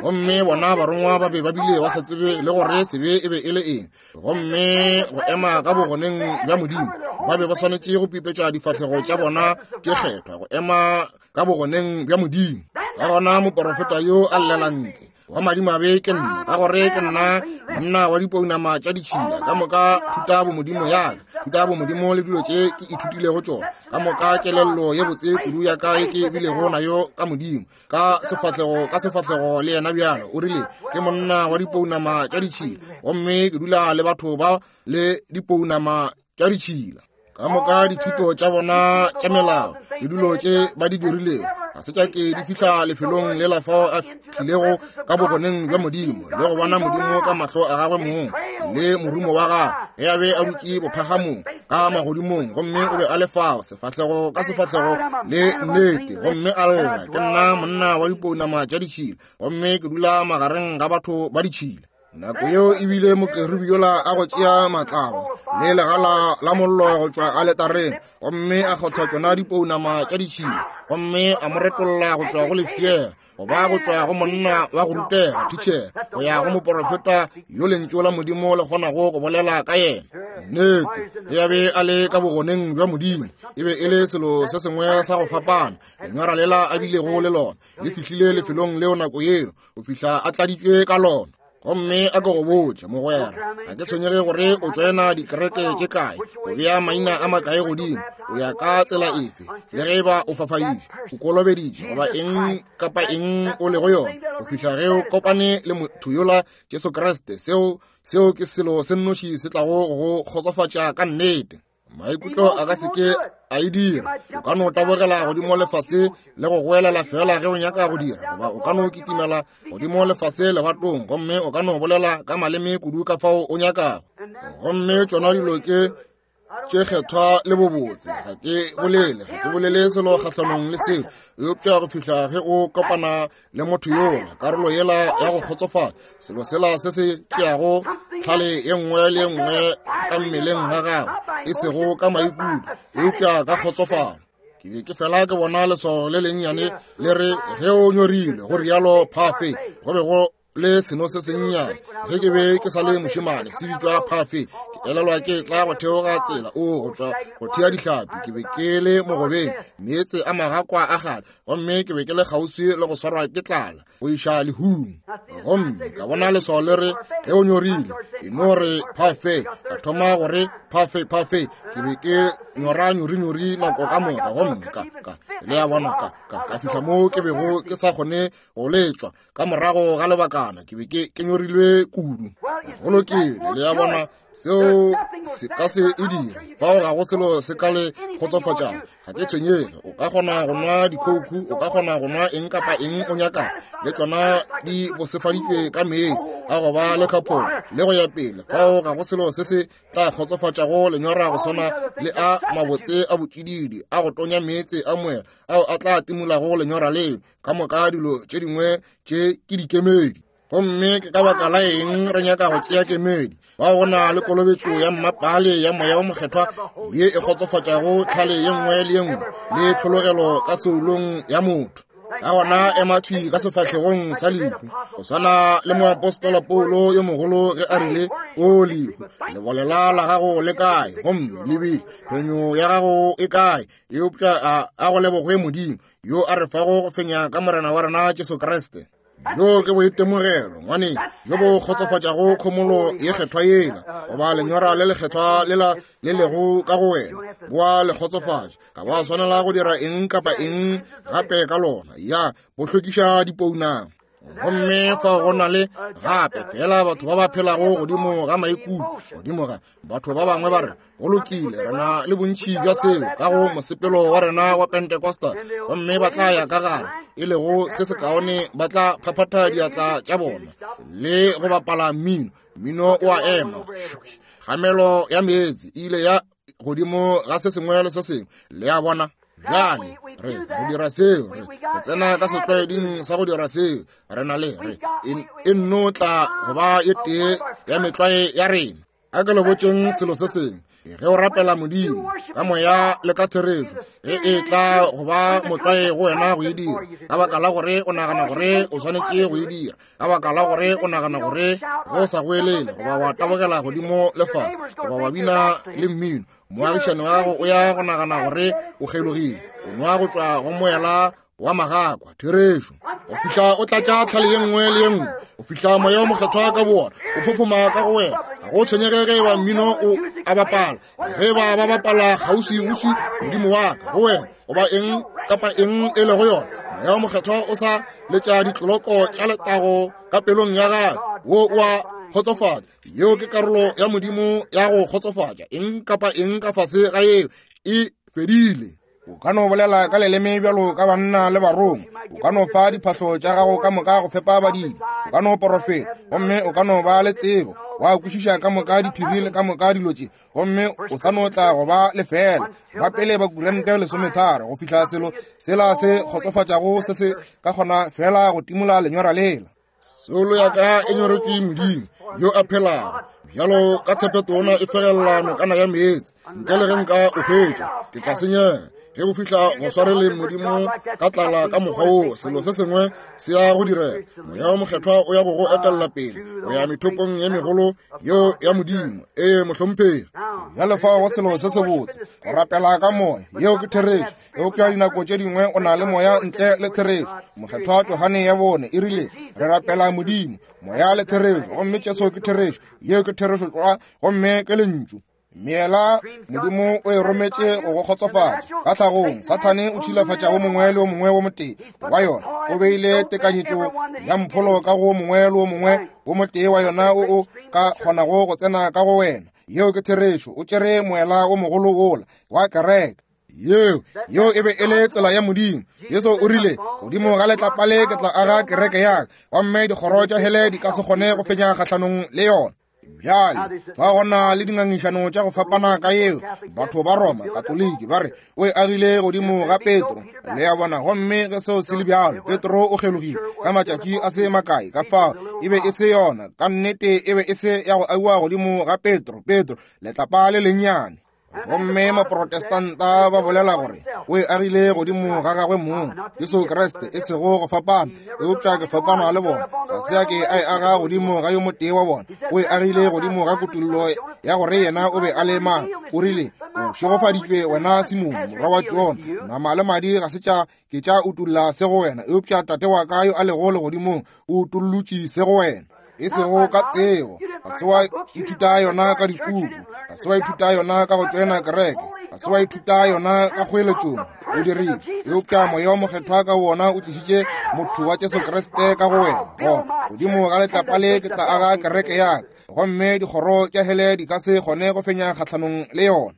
gomme bona barongwa ba be ba bile ba sa tsebe le gore sebe e be e le eng, gomme go ema ka bogoneng bja Modimo ba be ba swanetše go pipetša difahlego tša bona tše kgethwa go ema ka bogoneng bja Modimo. Ka gona moporofeta yo a llela ntle, wa madimabe ke nna, ka gore ke nna monna wa dipounama tša ditšhila. Ka moka thuta bomodimo ya ka, thuta bomodimo le dilo tše ke ithutilego tšona, ka moka kelello ye botse kudu ya ka ye ke bilego nayo ka Modimo, ka sefahlego ka sefahlego le yena bjalo. O rile, ke monna wa dipounama tša ditšhila, gomme ke dula le batho ba le dipounama tša ditšhila. Ka moka dithuto tša bona tša melao le dilo tše ba di dirilego ga se tša ke di fihla lefelong le la fao a tlilego ka bogoneng bja Modimo le go bona Modimo ka mahlo a gagwe mong le morumo wa gagwe ge a be a dutše bophagamong ka magodimong, gomme o be a le fao sefahlego ka sefahlego le nnete, gomme a lla, ke nna monna wa dipounama tša ditšhila, gomme ke dula magareng ga batho ba ditšhila. Nako yeo e bile mokerubi yola a go tšea matlabo le legala la mollo go tšwa aletareng, gomme a kgotha tšona dipounama tša ditšhila, gomme a mo retolla go tšwa go lefšega, go ba go tšwa go monna wa go rutega thitšhere go ya go moporofeta yo lentšu la Modimo le kgonago go bolela ka yena. Nnete, ge a be a le ka bogoneng bja Modimo, e be e le selo se sengwe sa go fapana. Lenyora lela a bilego le lona le fihlile lefelong leo nako yeo go fihla a tladitšwe ka lona. Gomme a ke go botše, mogwera, ga ke tshwenyege gore o tšoena dikereke tše kae, o bea maina a makae godimo, o ya ka tsela efe, le ge e ba o fafaditše, o kolobeditše, goba eng kapa eng o lego yona, go fihla ge o kopane le motho yola Jesu Kriste, seo ke selo se nnoši se tlago go kgotsofatša ka nnete. Maikutlo a ka se ke a e dira. O ka no tabogela godimo lefase le go goelela fela ge o nyaka go dira, goba o ka no kitimela godimo lefase lebatong, gomme o ka no bolela ka maleme kudu ka fao o nyakago. Gomme tšona dilo ke tše kgethwa le bobotse. Ga ke bolele, ga ke bolele selo kgahlanong le seo, eupša go fihla ge o kopana le motho yola, karolo yela ya go kgotsofala, selo sela se se tšeago tlhale ye nngwe le ye nngwe ka mmeleng ga gago, e sego ka maikutlo, eupša ka kgotsofalo. Ke be ke fela ke bona leswao le lennyane le re ge o nyorilwe, go rialo phafe. Go be go le seno se sennyane ge ke be ke sa le mošemane, se bitšwa phafe. Ke elelwa ke tla go theoga tsela o go tšwa go thea dihlapi. Ke be ke le mogobeng, meetse a magakwa a gale, gomme ke be ke le kgauswi le go swarwa ke tlala go iša lehung. Gomme ka bona leswao le re ge o nyorile, e no re phafe. Ka thoma gore phafe phafe. Ke be ke nyora nyorinyori nako ka moka, gomme ka ka le a bona ka ka ka fihla mo ke bego ke sa kgone go letšwa. Ka morago ga lebakana ke be ke nyorilwe kudu. Go lokile, le a bona, seo se ka se e dire. Fao ga go selo se ka le kgotsofatšago. Ga ke tshwenyege, o ka kgona go nwa dikhouku, o ka kgona go nwa eng kapa eng o nyakago, le tšona di bosefaditšwe ka meetse a go ba le khapholo le go ya pele. Fao ga go selo se se tla kgotsofatšago lenyora go swana le a mabotse a botšididi a go tonya meetse a moela ao a tla timolago lenyora leo. Ka moka dilo tše dingwe tše ke dikemedi. Gomme ke ka baka la eng re nyaka go tšea kemedi? Bao go na le kolobetšo ya mmapale ya Moya wo Mokgethwa ye e kgotsofatšago tlhale ye nngwe le ye nngwe le tlhologelo ka soulong ya motho. Ka gona ema thwi ka sefahlegong sa lehu, go swana le moapostola Paulo yo mogolo ge a rile, O lehu, lebolela la gago le kae? Gomme lebile phenyo ya gago e kae? Eupša a go lebogwe Modimo yo a re fago go fenya ka Morena wa rena Jesu Kriste. Bjo ke boitemogelo, ngwane, bjo bo kgotsofatšago khomolo ye kgethwa yela, goba lenyora le lekgethwa lela le lego ka go wena, boa le kgotsofatša. Ga ba swanela go dira eng kapa eng gape ka lona, ya bo hlwekiša dipounama. Gomme fa go na le gape fela batho ba ba phelago godimo ga maikutlo, godimo ga batho ba bangwe ba re, go lokile, re na le bontši bja seo ka go mosepelo wa rena wa Pentecostal, gomme ba tla ya ka gare, e lego se sekaone, ba tla phaphatha diatla tša bona le go bapala mmino. Mmino o a ema, kgamelo ya meetse e ile ya godimo ga se sengwe le se sengwe, le a bona. Bjale re dira seo, re tsena ka setlwaeding sa go dira seo. Re na le re e nno tla go ba e tee ya metlwae ya rena. A ke le botšeng selo se sengwe, ge o rapela Modimo ka moya le ka therešo, ge e tla go ba motlwae go wena go e dira, ka baka la gore o nagana gore o swanetše go e dira, ka baka la gore o nagana gore go sa goelele goba wa tabogela godimo le fase goba wa bina le mmino, moagišani wa gago o ya go nagana gore o kgelogile, o nwa go tšwa go moela wa magakwa. Therešo, go fihla o tlatša tlhale ye nngwe le ye nngwe, go fihla moya o mokgethwa ka boona o phophoma ka go wena. Ga go tshwenyege ge eba mmino o a bapala, ge ba ba bapala kgauswiuswi modimo wa ka go wena, goba eng kapa eng e lego yona, moya o mokgethwa o sa letša ditloloko tša letago ka pelong ya gagwe, wo o a kgotsofatša. Yeo ke karolo ya Modimo ya go kgotsofatša. Eng kapa eng ka fase ga yeo e fedile. O ka no bolela ka leleme bjalo ka banna le barongwa, o ka no fa diphahlo tša gago ka moka go fepa badidi, o ka no porofeta, gomme o ka no ba le tsebo, wa kwešiša ka moka diphiri le ka moka dilo tše, gomme o sa no tla go ba lefela. Ba pele ba kurente 13 go fihla selo sela se kgotsofatšago se se ka kgona fela go timola lenyora lela. Soulo ya ka e nyoretšwe Modimo yo a phelago, bjalo ka tshepetona e fegelela nokana ya meetse. Ntle le ge nka o hwetša, ke tla senyega. Ge go fihla go swareleng Modimo ka tlala ka mokgwa woo, selo se sengwe se ya go direga. Moya wo Mokgethwa o ya go go etella pele go ya methopong ye megolo yeo ya Modimo. Ee, mohlomphegi. Bjale fao go selo se sebotse, go rapela ka moya. Yeo ke therešo. Eupša dinako tše dingwe o na le moya ntle le therešo. Mokgethwa Johane ya bone e rile, re rapela Modimo, moya le therešo, gomme Jesu ke therešo. Yeo ke therešo tlwa, gomme ke lentšu. Meela Modimo o e rometše go go kgotsofatša. Ka tlhagong, Sathane o tšhilafatša wo mongwe le wo mongwe wo motee wa yona. O beile tekanyetšo ya mpholo ka go mongwe le wo mongwe wo motee wa yona o o ka kgonago go tsena ka go wena. Yeo ke therešo. O tšere moela wo mogolo wola wa kereke. Yeo, yeo e be e le tsela ya Modimo. Jesu o rile, godimo ga letlapa le ke tla aga kereke ya ka, gomme dikgoro tša hele di ka se kgone go fenya kgahlanong le yona. Bjale fa gona le dingangišano tša go fapana ka yeo. Batho ba Roma Katoliki ba re o e agile godimo ga Petro, le a bona. Gomme ge seo se le bjalo, Petro o kgelogile ka matšatši a se makae. Ka fao e be e se yona ka nnete, e be e se ya go agiwa godimo ga Petro. Petro letlapa le lennyane. Gomme Maprotestanta ba bolela gore o e agile godimo ga gagwe mong, Jesu Kriste, e sego go fapana, eupša ke fapana le bona. Ga se a ke a e aga godimo ga yo motee wa bona. O e agile godimo ga kutollo ya gore yena o be a le mang. O rile, o šegofaditšwe wena Simone, morwa wa Jona, nama le madi ga se tša ke tša utolla se go wena, eupša Tate wa ka yo a lego legodimong o utollotše se go wena. E sego ka tsebo, ga se wa ithuta yona ka dipuku, ga se wa ithuta yona ka go tšoena kereke, ga se wa ithuta yona ka kgoeletšong, o dirile, eupša Moya wa Mokgethwa ka wona o tlišitše motho wa Jesu Kriste ka go wena. Gona godimo ga letlapa le ke tla aga kereke ya ka, gomme dikgoro tša hele di ka se kgone go fenya kgahlanong le yona.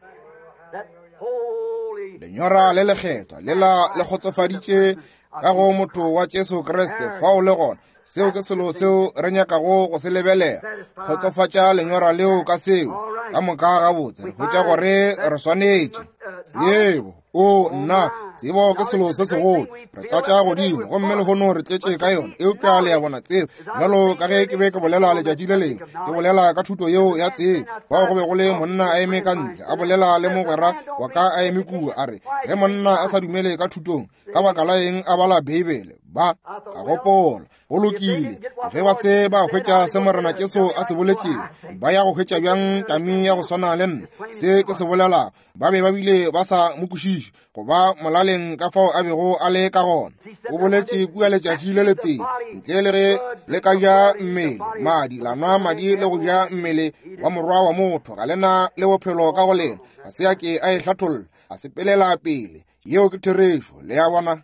Lenyora le lekgethwa lela le kgotsofaditše ka go motho wa Jesu Kriste fao le gona. Seo ke selo seo re nyakago go se lebelela, kgotsofatša lenyora leo ka seo ka moka gabotse. Re hwetša gore re swanetše tsebo. O nna, tsebo ke selo se segolo. Re tlatša godimo gomme lehono re tletše ka yona, eupša le a bona tsebo, bjalo ka ge ke be ke bolela letšatši le lengwe, ke bolela ka thuto yeo ya tsebo, fao go be go le monna a eme ka ntle a bolela le mogwera wa ka a eme kua, a re, ge monna a sa dumele ka thutong, ka baka la eng a bala Beibele? Ba ka gopola, go lokile, ge ba se ba hwetša se Morena Jesu a se boletšego, ba ya go hwetša bjang tami ya go swana le nna? Se ke se bolelago, ba be ba bile ba sa mo kwešiše, go ba molaleng ka fao a bego a le ka gona. O boletše kua letšatši le letee, ntle le ge le ka ja mmele madi, la nwa madi le go ja mmele wa morwa wa motho, ga le na le bophelo ka go lena. Ga se a ke a e hlatholla, a sepelela pele. Yeo ke therešo, le a bona.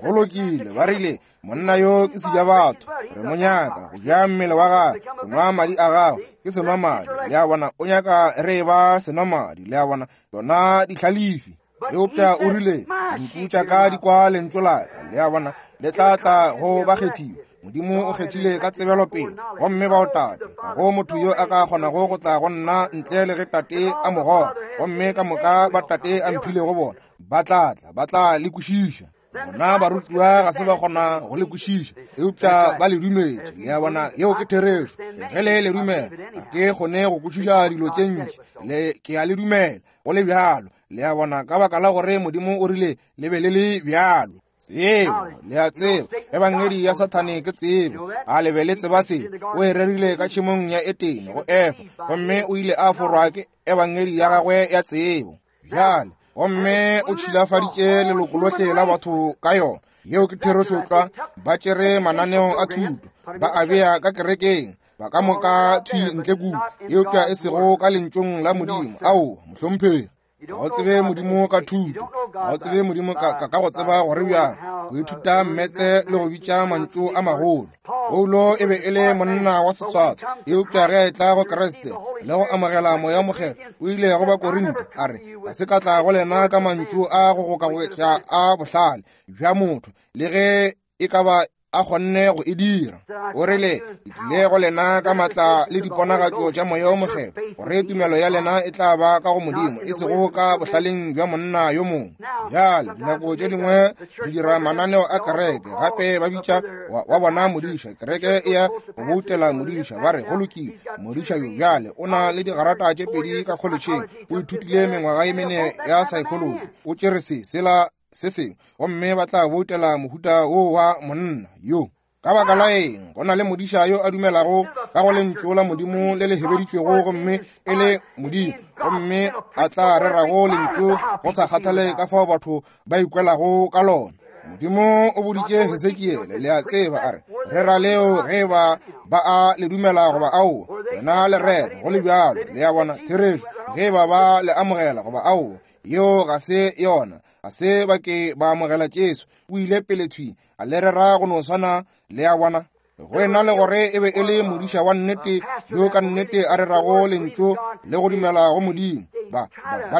Go lokile, ba rile, monna yo ke seja batho, re mo nyaka go ja mmele wa gagwe, go nwa madi a gagwe, ke senwa madi, le a bona. O nyaka re ba senwa madi, le a bona, yona dihlalefi. Eupša o rile, dinku tša ka di kwa lentšu la ka, le a bona, le tla tla go bakgethiwa. Modimo o kgethile ka tsebelopele, gomme bao Tate, ga go motho yo a ka kgonago go tla go nna ntle le ge Tate a mo goga, gomme ka moka ba Tate a mphilego bona ba tla tla, ba tla le kwešiša. Bona barutiwa ga se ba kgona go le kwešiša, eupša ba le dumetše. Le a bona, yeo ke therešo. Ge le le dumela, ga ke kgone go kwešiša dilo tše ntši, le ke a le dumela go le bjalo. Le a bona, ka baka la gore Modimo o rile le be le le bjalo. Tsebo, le a tseba, ebangedi ya Sathane ke tsebo. A le be le tseba se? O e rerile ka tšhemong ya Etene go Efa, gomme o ile a forwa ke ebangedi ya gagwe ya tsebo. Bjale, gomme o tšhilafaditše leloko lohle la batho ka yona. Yeo ke therešo tlwa. Ba tšere mananeo a thuto, ba a bea ka kerekeng, ba ka moka thwi ntle kua, eupša e sego ka lentšong la Modimo. Aowa, mohlomphegi. Ga o tsebe Modimo ka thuto, ga o tsebe Modimo ka go tseba gore bjang go ithuta mmetse le go bitša mantšu a magolo. Paulo e be e le monna wa setswatso, eupša ge a etla go Kriste le go amogela Moya o Mokgethwa, o ile go Bakorinte a re, ga se ka tla go lena ka mantšu a go gokagoketša a bohlale bja motho, le ge e ka ba a kgonne go e dira. O rile, ke tlile go lena ka matla le diponagatšo tša Moya o Mokgethwa, gore tumelo ya lena e tla ba ka go Modimo, e sego ka bohlaleng bja monna yo mongwe. Bjale, dinako tše dingwe re dira mananeo a kereke, gape ba bitša wa bona modiša. Kereke e ya go boutela modiša, ba re, go lokile, modiša yo bjale o na le digarata tše pedi ka kholetšheng, o ithutile mengwaga ye mene ya psychology, o tšere se, sela, se sengwe, gomme ba tla boutela mohuta wo wa monna yo. Ka baka la eng, go na le modiša yo a dumelago ka go lentšu la Modimo le le hebeditšwego gomme e le Modimo, gomme a tla rerago lentšu go sa kgathale ka fao batho ba ikwelago ka lona. Modimo o boditše Hesekiele, le a tseba, a re, rera leo ge ba ba a le dumela goba aowa, wena le rera go le bjalo. Le a bona, therešo, ge ba ba le amogela goba aowa, yeo ga se yona. Ga se ba ke ba amogela Jesu, o ile pele thwi a le rera go no swana. Le a bona, go ena le gore e be e le modiša wa nnete yo ka nnete a rerago lentšu le go dumela go Modimo, ba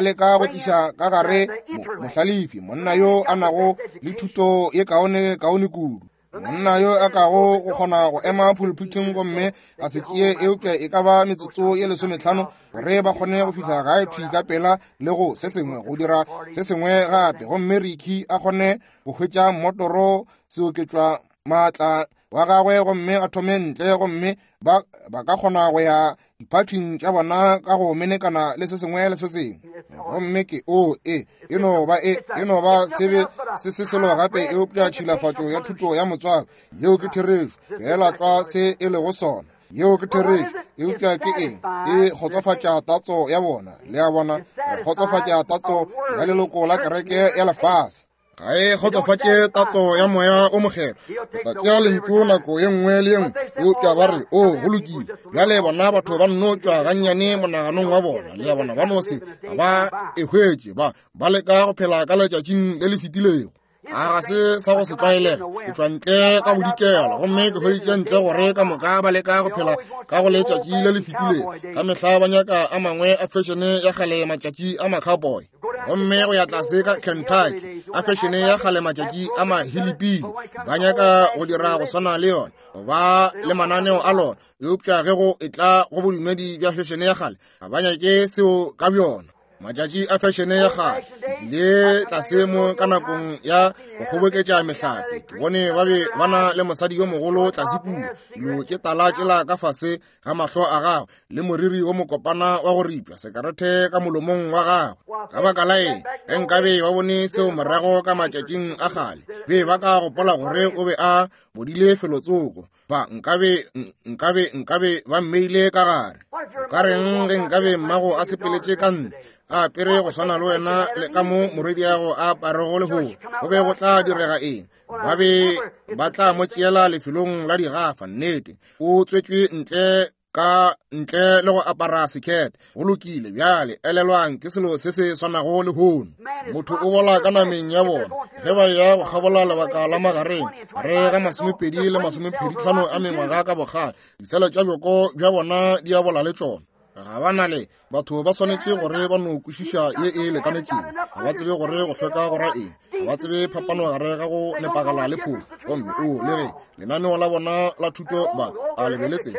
leka go tliša ka gare mohlalefi, monna yo a nago le thuto ye kaone kaone kudu. Monna yo a kago go kgona go ema pulpiteng gomme a se tšee eupša e ka ba metsotso ye 15 gore ba kgone go fihla gae thwi ka pela le go se sengwe go dira se sengwe gape, gomme Ricky a kgone go hwetša mmotoro seoketšwa maatla wa gagwe gomme a thome ntle, gomme ba ka kgona go ya diphathing tša bona ka go menekana le se sengwe le se sengwe. Gomme ke o e no ba e no ba sebe se se selo gape eupša tšhilafatšo ya thuto ya motswako. Yeo ke therešo, fela tlwa se e lego sona. Yeo ke therešo, eupša ke eng? E kgotsofatša tatso ya bona, le a bona, e kgotsofatša tatso ya leloko la kereke ya lefase. Ga e kgotsofatše tatso ya moya o mokgethwa. O tla tšea lentšu nako ye nngwe le ye nngwe, eupša ba re, o go lokile. Bjale bona batho ba nno tšwa gannyane monaganong wa bona, le a bona, ba no se ba e hwetše, ba leka go phela ka letšatšing le le fetilego. A ga se sa go se tlwaelega. Ke tšwa ntle ka bodikela gomme ke hweditše ntle gore ka moka ba leka go phela ka go letšatši le le fetilego. Ka mehla ba nyaka a mangwe a fešene ya kgale matšatši a ma-cowboy. Gomme go ya tlase ka Kentucky a fešene ya kgale matšatši a mahilipili, ba nyaka go dira go swana le yona, ba le mananeo a lona, eupša ge go etla go bodumedi bja fešene ya kgale, ga ba nyake seo ka bjona. Matšatši a fešene ya kgale le tlase mo ka nakong ya go kgoboketša mehlape, ke bone ba be ba na le mosadi yo mogolo tlase kua, dilo tše tala tšela ka fase ga mahlo a gagwe, le moriri wo mokopana wa go ripša, sekarete ka molomong wa gagwe. Ka baka la eng, ge nkabe ba bone seo morago ka matšatšing a kgale, be ba ka gopola gore o be a bodile felotsoko. Ba nkabe ba mmeile ka gare. O ka reng ge nkabe mmago a sepeletše ka ntle, a apere go swana le wena le ka mo morwediago a aparego lehono, go be go tla direga eng? Ba be ba tla mo tšeela lefelong la digafa. Nnete, o tswetšwe ntle ka ntle le go apara sekete. Go lokile, bjale elelwang, ke selo se se swanago lehono. Motho o bola ka nameng ya bona ge ba ya go kgabola lebaka la magareng re ga 20 le 25 a mengwaga ka bokgale, disele tša bjoko bja bona di a bola le tšona. Ga ba na le batho ba swanetše gore ba no kwešiša ye e lekanetšego. Ga ba tsebe gore go hlweka go ra eng, ga ba tsebe phapano gare ga go nepagala le phošo. Gomme o le ge lenaneo la bona la thuto ba a lebeletse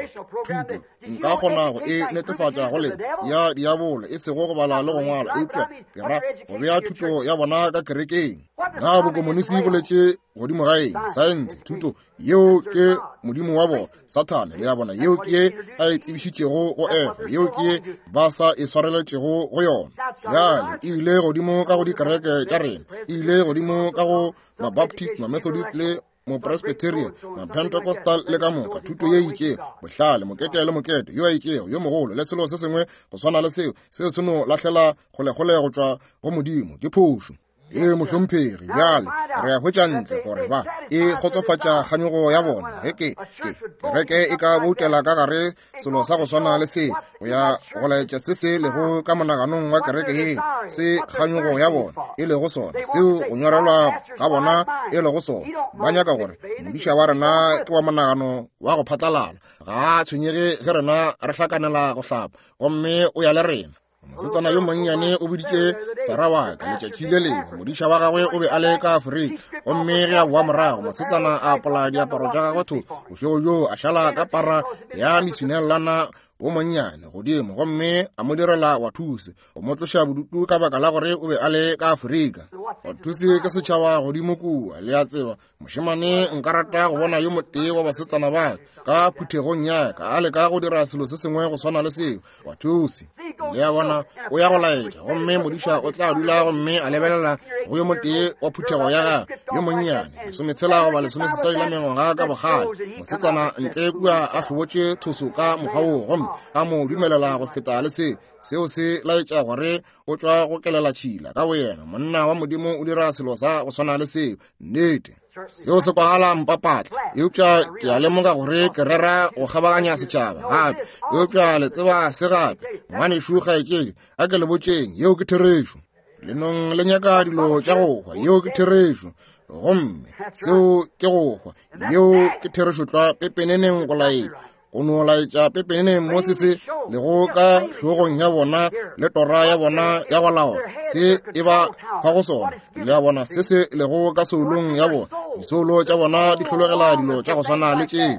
thuto, nka kgona go e netefatša go le ya diabolo, e sego go bala le go ngwala, eupša ke ra go bea thuto ya bona ka kerekeng. Na bokomonisi boletše godimo ga eng? Saense, thuto yeo ke modimo wa bona, Sathane, le ya bona, yeo ke ye a e tsebišitšego go Efa, yeo ke ye ba sa e swareletšego go yona. Bjale e ile godimo ka go dikereke tša rena, e ile godimo ka go Mabaptist, Mamethodist le Mopresbyterian, Mapentecostal le ka moka, thuto ye itšego, bohlale, mokete le mokete, yo a itšego, yo mogolo, le selo se sengwe go swana le seo, seo se no lahlela kgolekgole go tšwa go Modimo. Ke phošo. Ee, mohlomphegi. Bjale re a hwetša ntle gore ba e kgotsofatša kganyogo ya bona. Ge ke kereke e ka boutela ka gare selo sa go swana le se, go ya go laetša se se lego ka monaganong wa kereke ye, se kganyogo ya bona e lego sona, seo go nyorelwa ga bona e lego sona. Ba nyaka gore modiša wa rena ke wa monagano wa go phatlalala, ga a tshwenyege ge rena re hlakanela go hlapa, gomme o ya le rena. Mosetsana yo monnyane o boditše Sara wa ka letšatši le lengwe, modiša wa gagwe o be a le ka Afrika, gomme ge a boa morago, mosetsana a apola diaparo tša gagwe tho bošego bjoo, a šala ka para ya mesunelana wo monnyane godimo, gomme a mo direla wathuse go mo tloša bodutu ka baka la gore o be a le ka Afrika. Wathuse ke setšhaba godimo kua, le a tseba. Mošemane, nka rata go bona yo motee wa basetsana ba ka phuthegong ya ka a leka go dira selo se sengwe go swana le seo. Wathuse, le a bona, o ya go laetša, gomme modiša o tla dula gomme a lebelela go yo motee wa phuthego ya gagwe yo monnyane, 16 goba 18 la mengwaga ka bokgale, mosetsana ntle kua a hlobotše thoso ka mokgwa woo, gomme a mo dumelela go feta le se. Seo se laetša gore o tšwa go kelela tšhila ka boyena. Monna wa Modimo o dira selo sa go swana le seo. Nnete, seo se kwagala mpapatla, eupša ke a lemoga gore ke rera go kgabaganya setšhaba gape. Eupša le tseba se gape, ngwanešu kgaetšedi, a ke le botšeng, yeo ke therešo. Lenong le nyaka dilo tša go hwa, yeo ke therešo. Gomme seo ke go hwa, yeo ke therešo tlwa pepeneneng go laetša. Go no laetša pepeneneng mo se se lego ka hlogong ya bona le tora ya bona ya go laola se e ba fa go sona. Le a bona se se lego ka soulong ya bona. Disoulo tša bona di hlologela dilo tša go swana le tšeo.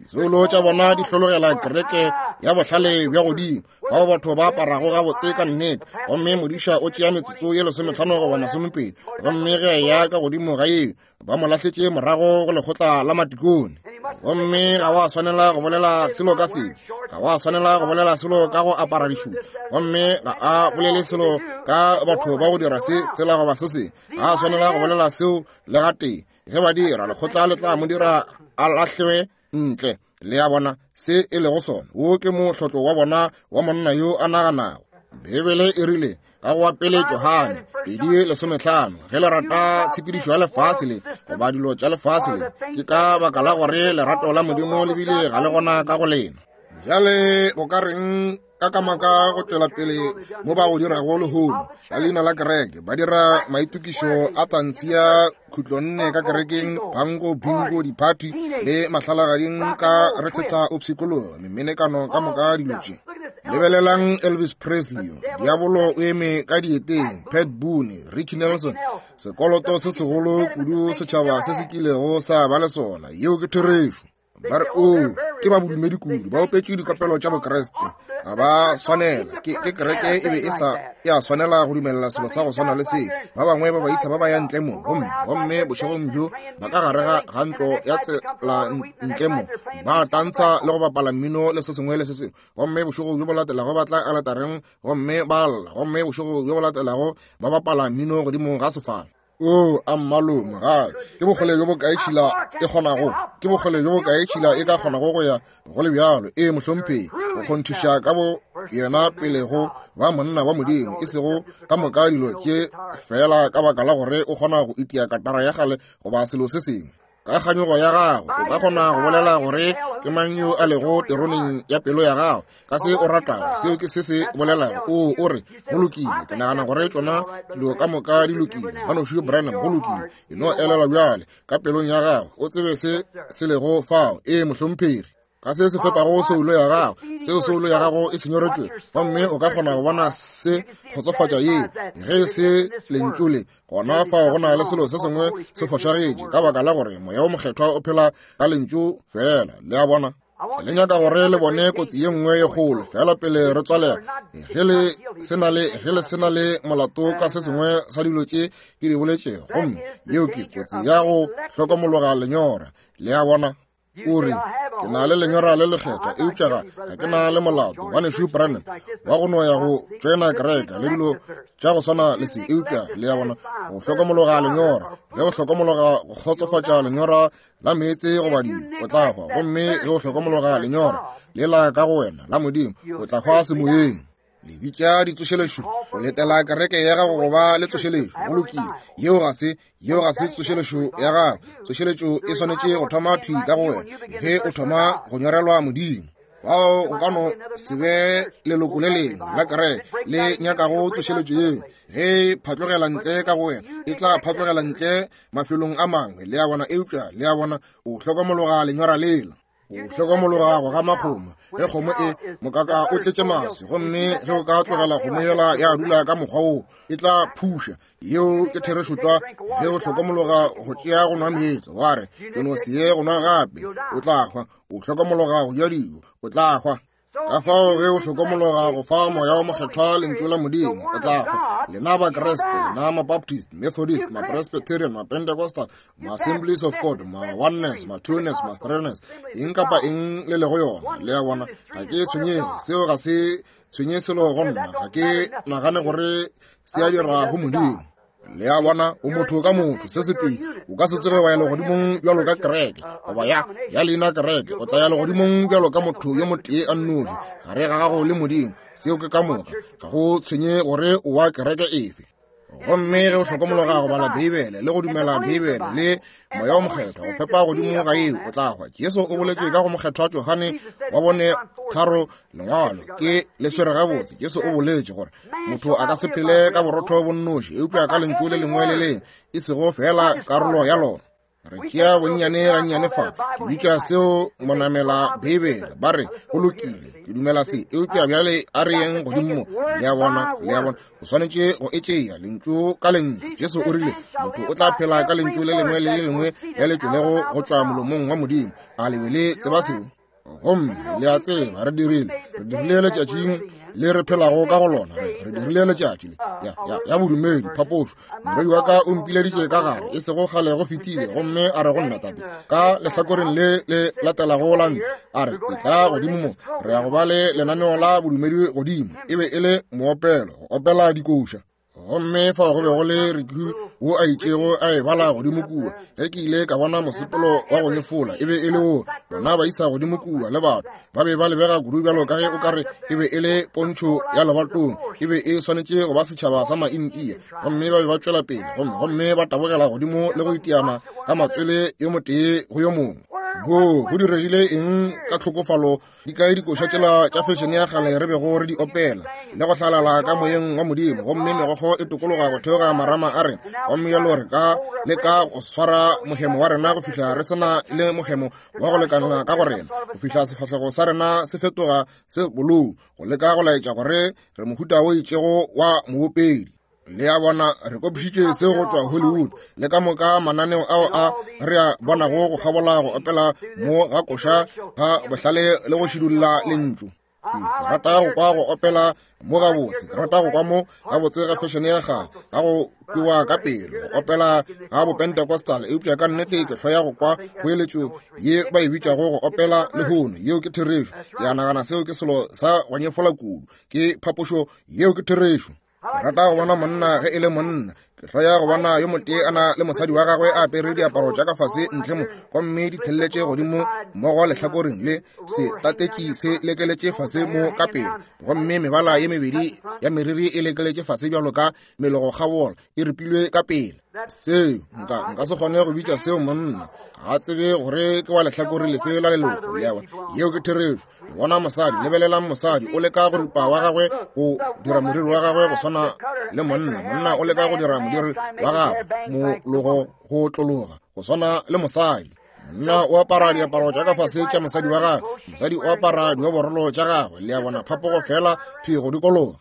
Disoulo tša bona di hlologela kereke ya bohlale bja godimo, fao batho ba aparago gabotse ka nnete, gomme modiša o tšea metsotso ye 15 goba 20, gomme ge a eya ka godimo ga yeo, ba mo lahletše morago go lekgotla la matikone. Gomme ga wa swanela go bolela selo ka sebe, ga wa swanela go bolela selo ka go apara dišupo, gomme ga a bolele selo ka batho ba go dira se, sela goba se sengwe, ga a swanela go bolela seo le gatee. Ge ba dira, lekgotla le tla mo dira a lahlewe ntle. Le a bona se e lego sona? Wo ke mohlotlo wa bona wa monna yo a naganago. Beibele e rile ka go wa pele Johane 2:15, ge le rata tshepedišo ya lefase le goba dilo tša lefase le, ke ka baka la gore lerato la Modimo le bile ga le gona ka go lena. Bjale go ka reng ka kamaka go tšwela pele mo ba go dirago lehono ka leina la kereke? Ba dira maitokišo a tantshi ya khutlonne ka kerekeng, pango, bingo, diphathi le mahlalagading ka rethetha o pshikologa memenekano ka moka dilo tše. Lebelelang Elvis Presley, diabolo o eme ka dieteng, Pat Boone, Ricky Nelson, sekoloto se segolo kudu setšhaba se se kilego sa ba le sona. Yeo ke therešo. Ba re, Oo, ke ba bodumedi kudu, ba opetše dikopelo tša Bokriste. Ga ba swanela. Ke, ke kereke e be e sa ya swanela go dumelela selo sa go swana le se. Ba bangwe ba baisa ba ba ya ntle mo, gomme, gomme bošegong bjo ba ka gare ga, ga ntlo ya tsela ntle mo, ba tantsha le go bapala mmino le se sengwe le se sengwe. Gomme bošego bjo bo latelago ba tla aletareng gomme ba lla, gomme bošego bjo bo latelago ba bapala mmino godimo ga sefala. O, a mmalome, ga ke bokgole bjo bokae tšhila e kgonago, ke bokgole bjo bokae tšhila e ka kgonago go ya go le bjalo. Ee, mohlomphegi, go kgonthiša ka bo yena pele go ba monna wa Modimo, e sego ka moka dilo tše feela ka baka la gore o kgona go itia katara ya kgale goba selo se sengwe. Ka kganyogo ya gago o ka kgona go bolela gore ke mang yo a lego teroneng ya pelo ya gago ka se o ratago. Seo ke se se bolelago. O, o re, go lokile, ke nagana gore tšona dilo ka moka di lokile. Ngwanešu Branham, go lokile. E no elelwa bjale ka pelong ya gago, o tsebe se se lego fao. Ee, mohlomphegi. Ka se se fepago soulo ya gago, seo soulo ya gago e se nyoretšwe, gomme o ka kgona go bona se kgotsofatša ye. Ge se lentšu le, gona fao go na le selo se sengwe se fošagetše, ka baka la gore Moya wo Mokgethwa o phela ka lentšu fela. Le a bona? Le nyaka gore le bone kotsi ye nngwe ye kgolo fela pele re tswalela. Ge le se na le, ge le se na le molato ka se sengwe sa dilo tše ke di boletšego, gomme yeo ke kotsi ya go hlokomologa lenyora. Le a bona? O re, ke na le lenyora le lekgethwa, eupša ga, ga ke na le molato. Ngwanešu Branham wa go no ya go tšoena kereke le dilo tša go swana le se, eupša le a bona, go hlokomologa lenyora. Ge o hlokomologa go kgotsofatša lenyora la meetse goba dilo, o tla hwa. Gomme ge o hlokomologa lenyora lela ka go wena la Modimo, o tla hwa semoyeng. Le bitša ditsošelešo, o letela kereke ya gago go ba le tsošelešo. Go lokile, yeo ga se, yeo ga se tsošelešo ya gago. Tsošeletšo e swanetše go thoma thwi ka go wena ge o thoma go nyorelwa Modimo. Fao go ka no se be leloko le lengwe la kereke le nyakago tsošeletšo yeo. Ge e phatlogela ntle ka go wena, e tla phatlogela ntle mafelong a mangwe, le a bona. Eupša, le a bona, o hlokomologa lenyora lela. O hlokomologa go gama kgomo. Ge kgomo e mokaka o tletše maswi, gomme ge o ka tlogela kgomo yela ya dula ka mokgwa woo, e tla phuša. Yeo ke therešo tlwa. Ge o hlokomologa go tšea go nwa meetse, wa re, ke no se ye go nwa gape, o tla hwa. O hlokomologa go ja dijo, o tla hwa. Ka fao ge o hlokomologa go fa Moya wo Mokgethwa Lentšu la Modimo, o tla hwa. Lena Bakriste, lena Mabaptist, Methodist, Mapresbyterian, Mapentecostal, Ma-Assemblies of God, Ma-Oneness, Ma-Twoness, Ma-Threeness, eng kapa eng le lego yona, le a bona, ga ke tshwenyege. Seo ga se tshwenye selo go nna. Ga ke nagane gore se a dira go Modimo. Le a bona, o motho ka motho, se setee. O ka se tsoge wa ya legodimong bjalo ka kereke, goba ya, ya leina kereke. O tla ya legodimong bjalo ka motho yo motee a nnoši, gare ga gago le Modimo. Seo ke ka moka. Ga go tshwenye gore o wa kereke efe. Gomme ge o hlokomologa go bala Beibele le go dumela Beibele le Moya wo Mokgethwa go fepa godimo ga yeo, o tla hwa. Jesu o boletše ka go Mokgethwa Johane wa bone tharo lengwalo ke le swere gabotse. Jesu o boletše gore motho a ka se phele ka borotho bo nnoši, eupša ka lentšu le lengwe le lengwe, e sego feela karolo ya lona. Re tšea bonnyane gannyane fa, ke bitša seo monamela Beibele. Ba re, go lokile, ke dumela se, eupša bjale a re yeng godimo mo. Le a bona, le a bona, o swanetše go e tšea lentšu ka lentšu. Jesu o rile, motho o tla phela ka lentšu le lengwe le le lengwe le le tšwelego go tšwa molomong wa Modimo. A le be le tseba seo? Gomme le a tseba re dirile, re dirile letšatšing le re phelago ka go lona, re dirile letšatši le ya, ya, ya bodumedi phapošo. Morwedi wa ka o mpileditše ka gare e sego kgale go fetile, gomme a re go nna, tate, ka lehlakoreng le le latelago la ntlo, a re, e tla godimo mo, re ya go ba le lenaneo la bodumedi godimo. E be e le moopelo, go opela dikoša. Gomme fao go be go le Ricky wo a itšego a e bala godimo kua. Ge ke ile ka bona mosepelo wa go nyefola, e be e le wo bona ba isa godimo kua le batho ba be ba lebega kudu bjalo ka ge o ka re e be e le pontšho ya lebatong, e be e swanetše go ba setšhaba sa Maintia. Gomme ba be ba tšwela pele gomme gomme ba tabogela godimo le go itiana ka matswele yo motee go yo mongwe. Go go diregile eng ka tlhokofalo? Di kae dikoša tšela tša fešene ya kgale re bego re di opela le go hlalala ka moyeng wa Modimo, gomme megokgo e tokologa go theoga marama a rena, gomme bjalo re ka leka go swara mohemo wa rena go fihla re se na le mohemo wa go lekanela ka go rena, go fihla sefahlego sa rena se fetoga se bolou, go leka go laetša gore re mohuta o itšego wa moopedi. Le a bona, re kopišitše seo go tšwa Hollywood le ka moka mananeo ao a re a bonago go kgabola go opela mo ga koša ga bohlale le go šidulla lentšu. Ke rata go kwa go opela mo gabotse, ke rata go kwa mo gabotse ga fešene ya kgale, ga go kwewa ka pelo, go opela ga bopentecostal, eupša ka nnete ke hloya go kwa kgoeletšo ye ba e bitšago go opela lehono. Yeo ke therešo. Ke a nagana seo ke selo sa go nyefola kudu, ke phapošo. Yeo ke therešo. Ke rata go bona monna ge e le monna. Ke hloya go bona yo motee a na le mosadi wa gagwe a apere diaparo tša ka fase ntle mo, gomme di thelletše godimo mmogo lehlakoreng le setatetši se lekeletše fase mo ka pele, gomme mebala ye mebedi ya meriri e lekeletše fase bjalo ka melogokgabola e ripilwe ka pele. Seo nka nka se kgone go bitša seo monna. Ga tsebe gore ke wa lehlakore lefe la leloko. Le a bona, yeo ke therešo. Le bona mosadi, lebelelang mosadi o leka go ripa wa gagwe go dira moriri wa gagwe go swana le monna, monna o leka go dira modiri wa gagwe mologo go tlologa go swana le mosadi. Monna o apara diaparo tša ka fase tša mosadi wa gagwe, mosadi o apara dioborolo tša gagwe. Le a bona, phapogo fela thwi go dikologa.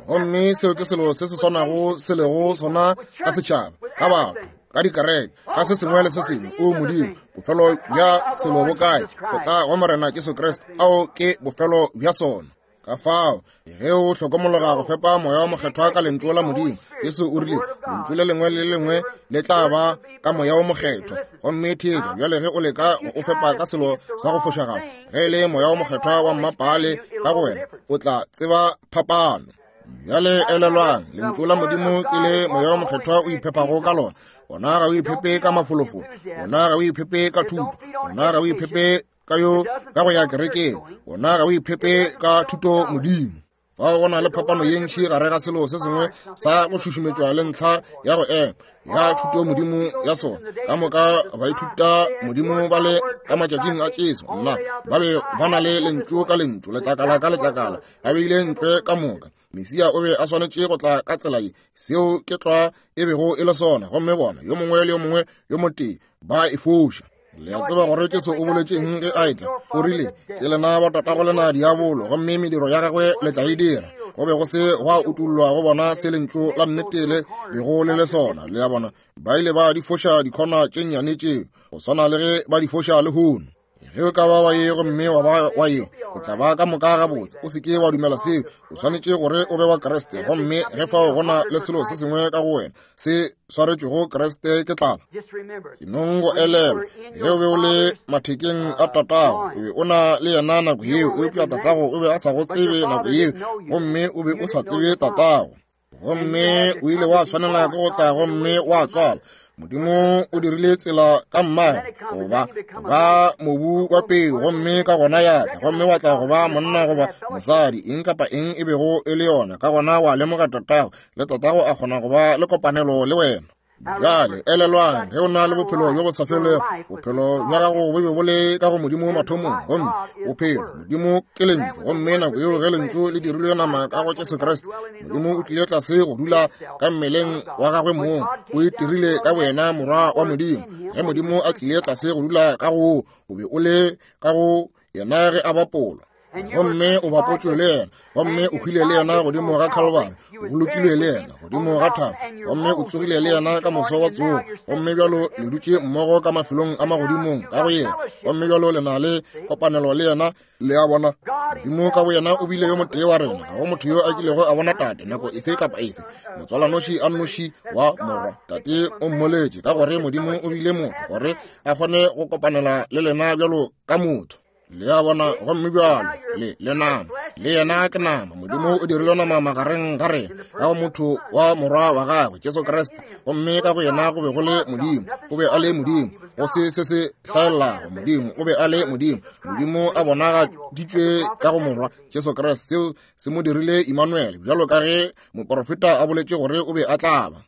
Gomme seo ke selo se se swanago se lego sona ka setšhaba, ka batho, ka dikereke, ka se sengwe le se sengwe. O Modimo, bofelo bja selo bo kae? Go tla go Morena Jesu Kriste. Ao ke bofelo bja sona. Ka fao, ge o hlokomologa go fepa Moya wa Mokgethwa ka Lentšu la Modimo, Jesu o rile, Lentšu le lengwe le lengwe le tla ba ka Moya wo Mokgethwa. Gomme theetša bjale ge o leka go o fepa ka selo sa go fošagala, ge e le Moya wo Mokgethwa wa mmapaale ka go wena, o tla tseba phapano. Bjale elelwang, Lentšu la Modimo ke le Moya wo Mokgethwa o iphepago ka lona. Wona ga o iphepe ka mafolofolo, wona ga o iphepe ka thuto, wona ga o iphepe ka yo ka go ya kerekeng, wona ga o iphepe ka thuto Modimo. Fao go na le phapano ye ntši gare ga selo se sengwe sa go šušumetšwa le ntlha ya go ema ya thuto Modimo ya sona. Ka moka baithuta Modimo ba le ka matšatšing a Jesu, nna ba be ba na le lentšu ka lentšu, letlakala ka letlakala, ba beile ntle ka moka. Mesia o be a swanetše go tla ka tsela ye, seo ke tlwa e bego e le sona, gomme bona yo mongwe le yo mongwe yo motee ba e foša. Le a tseba gore Jesu o boletše eng ge a etla? O rile, ke lena ba tatago lena diabolo, gomme mediro ya gagwe le tla e dira. Go be go se gwa utollwa go bona se lentšu la nnete le bego le le sona. Le a bona, ba ile ba di foša dikhona tše nnyane tšeo, go swana le ge ba di foša lehono. Ge o ka ba wa ye gomme wa ba wa ye, o tla ba ka moka gabotse. O se ke wa dumela seo. O swanetše gore o be wa Kriste, gomme ge fao go na le selo se sengwe ka go wena se swaretšwego Kriste, ke tlala. Ke nong go elelwa ge o be o le mathekeng a tatago, o be o na le yena nako yeo, eupša tatago o be a sa go tsebe nako yeo, gomme o be o sa tsebe tatago. Gomme o ile wa swanela ke go tla gomme wa tswala. Modimo o dirile tsela ka mmane goba ba mobu wa peu, gomme ka gona ya tla, gomme wa tla go ba monna goba mosadi, eng kapa eng e bego e le yona. Ka gona wa lemoga tatago, le tatago a kgona go ba le kopanelo le wena. Bjale, elelwang, ge o na le bophelo bjo bo sa felego, bophelo bja gago bo be bo le ka go Modimo mathomong, gomme bophelo, Modimo ke Lentšu. Gomme nako yeo ge Lentšu le dirilwe nama ka go Jesu Kriste, Modimo o tlile tlase go dula ka mmeleng wa gagwe mong, o itirile ka boyena Morwa wa Modimo. Ge Modimo a tlile tlase go dula ka go, o be o le ka go yena ge a bapolwa. Gomme o bapotšwe le yena, gomme o hwile le yena godimo ga Calvary, o bolokilwe le yena godimo ga thaba, gomme o tsogile le yena ka moso wa tsogo, gomme bjalo le dutše mmogo ka mafelong a magodimong ka go yena, gomme bjalo le na le kopanelo le yena. Le a bona, Modimo ka boyena o bile yo motee wa rena. Ga go motho yo a kilego a bona Tate nako efe kapa efe, motswalanoši a nnoši wa Morwa. Tate o mmoletše, ka gore Modimo o bile motho gore a kgone go kopanela le lena bjalo ka motho. Le a bona? Gomme bjalo le le nama, le yena ke nama. Modimo o dirile nama magareng ga rena ka go motho wa Morwa wa gagwe Jesu Kriste, gomme ka go yena go be go le Modimo. O be a le Modimo, go se se se hlaelago. Modimo o be a le Modimo. Modimo a bonagaditšwe ka go Morwa Jesu Kriste. Seo se mo dirile Immanuel, bjalo ka ge moporofeta a boletše gore o be a tla ba.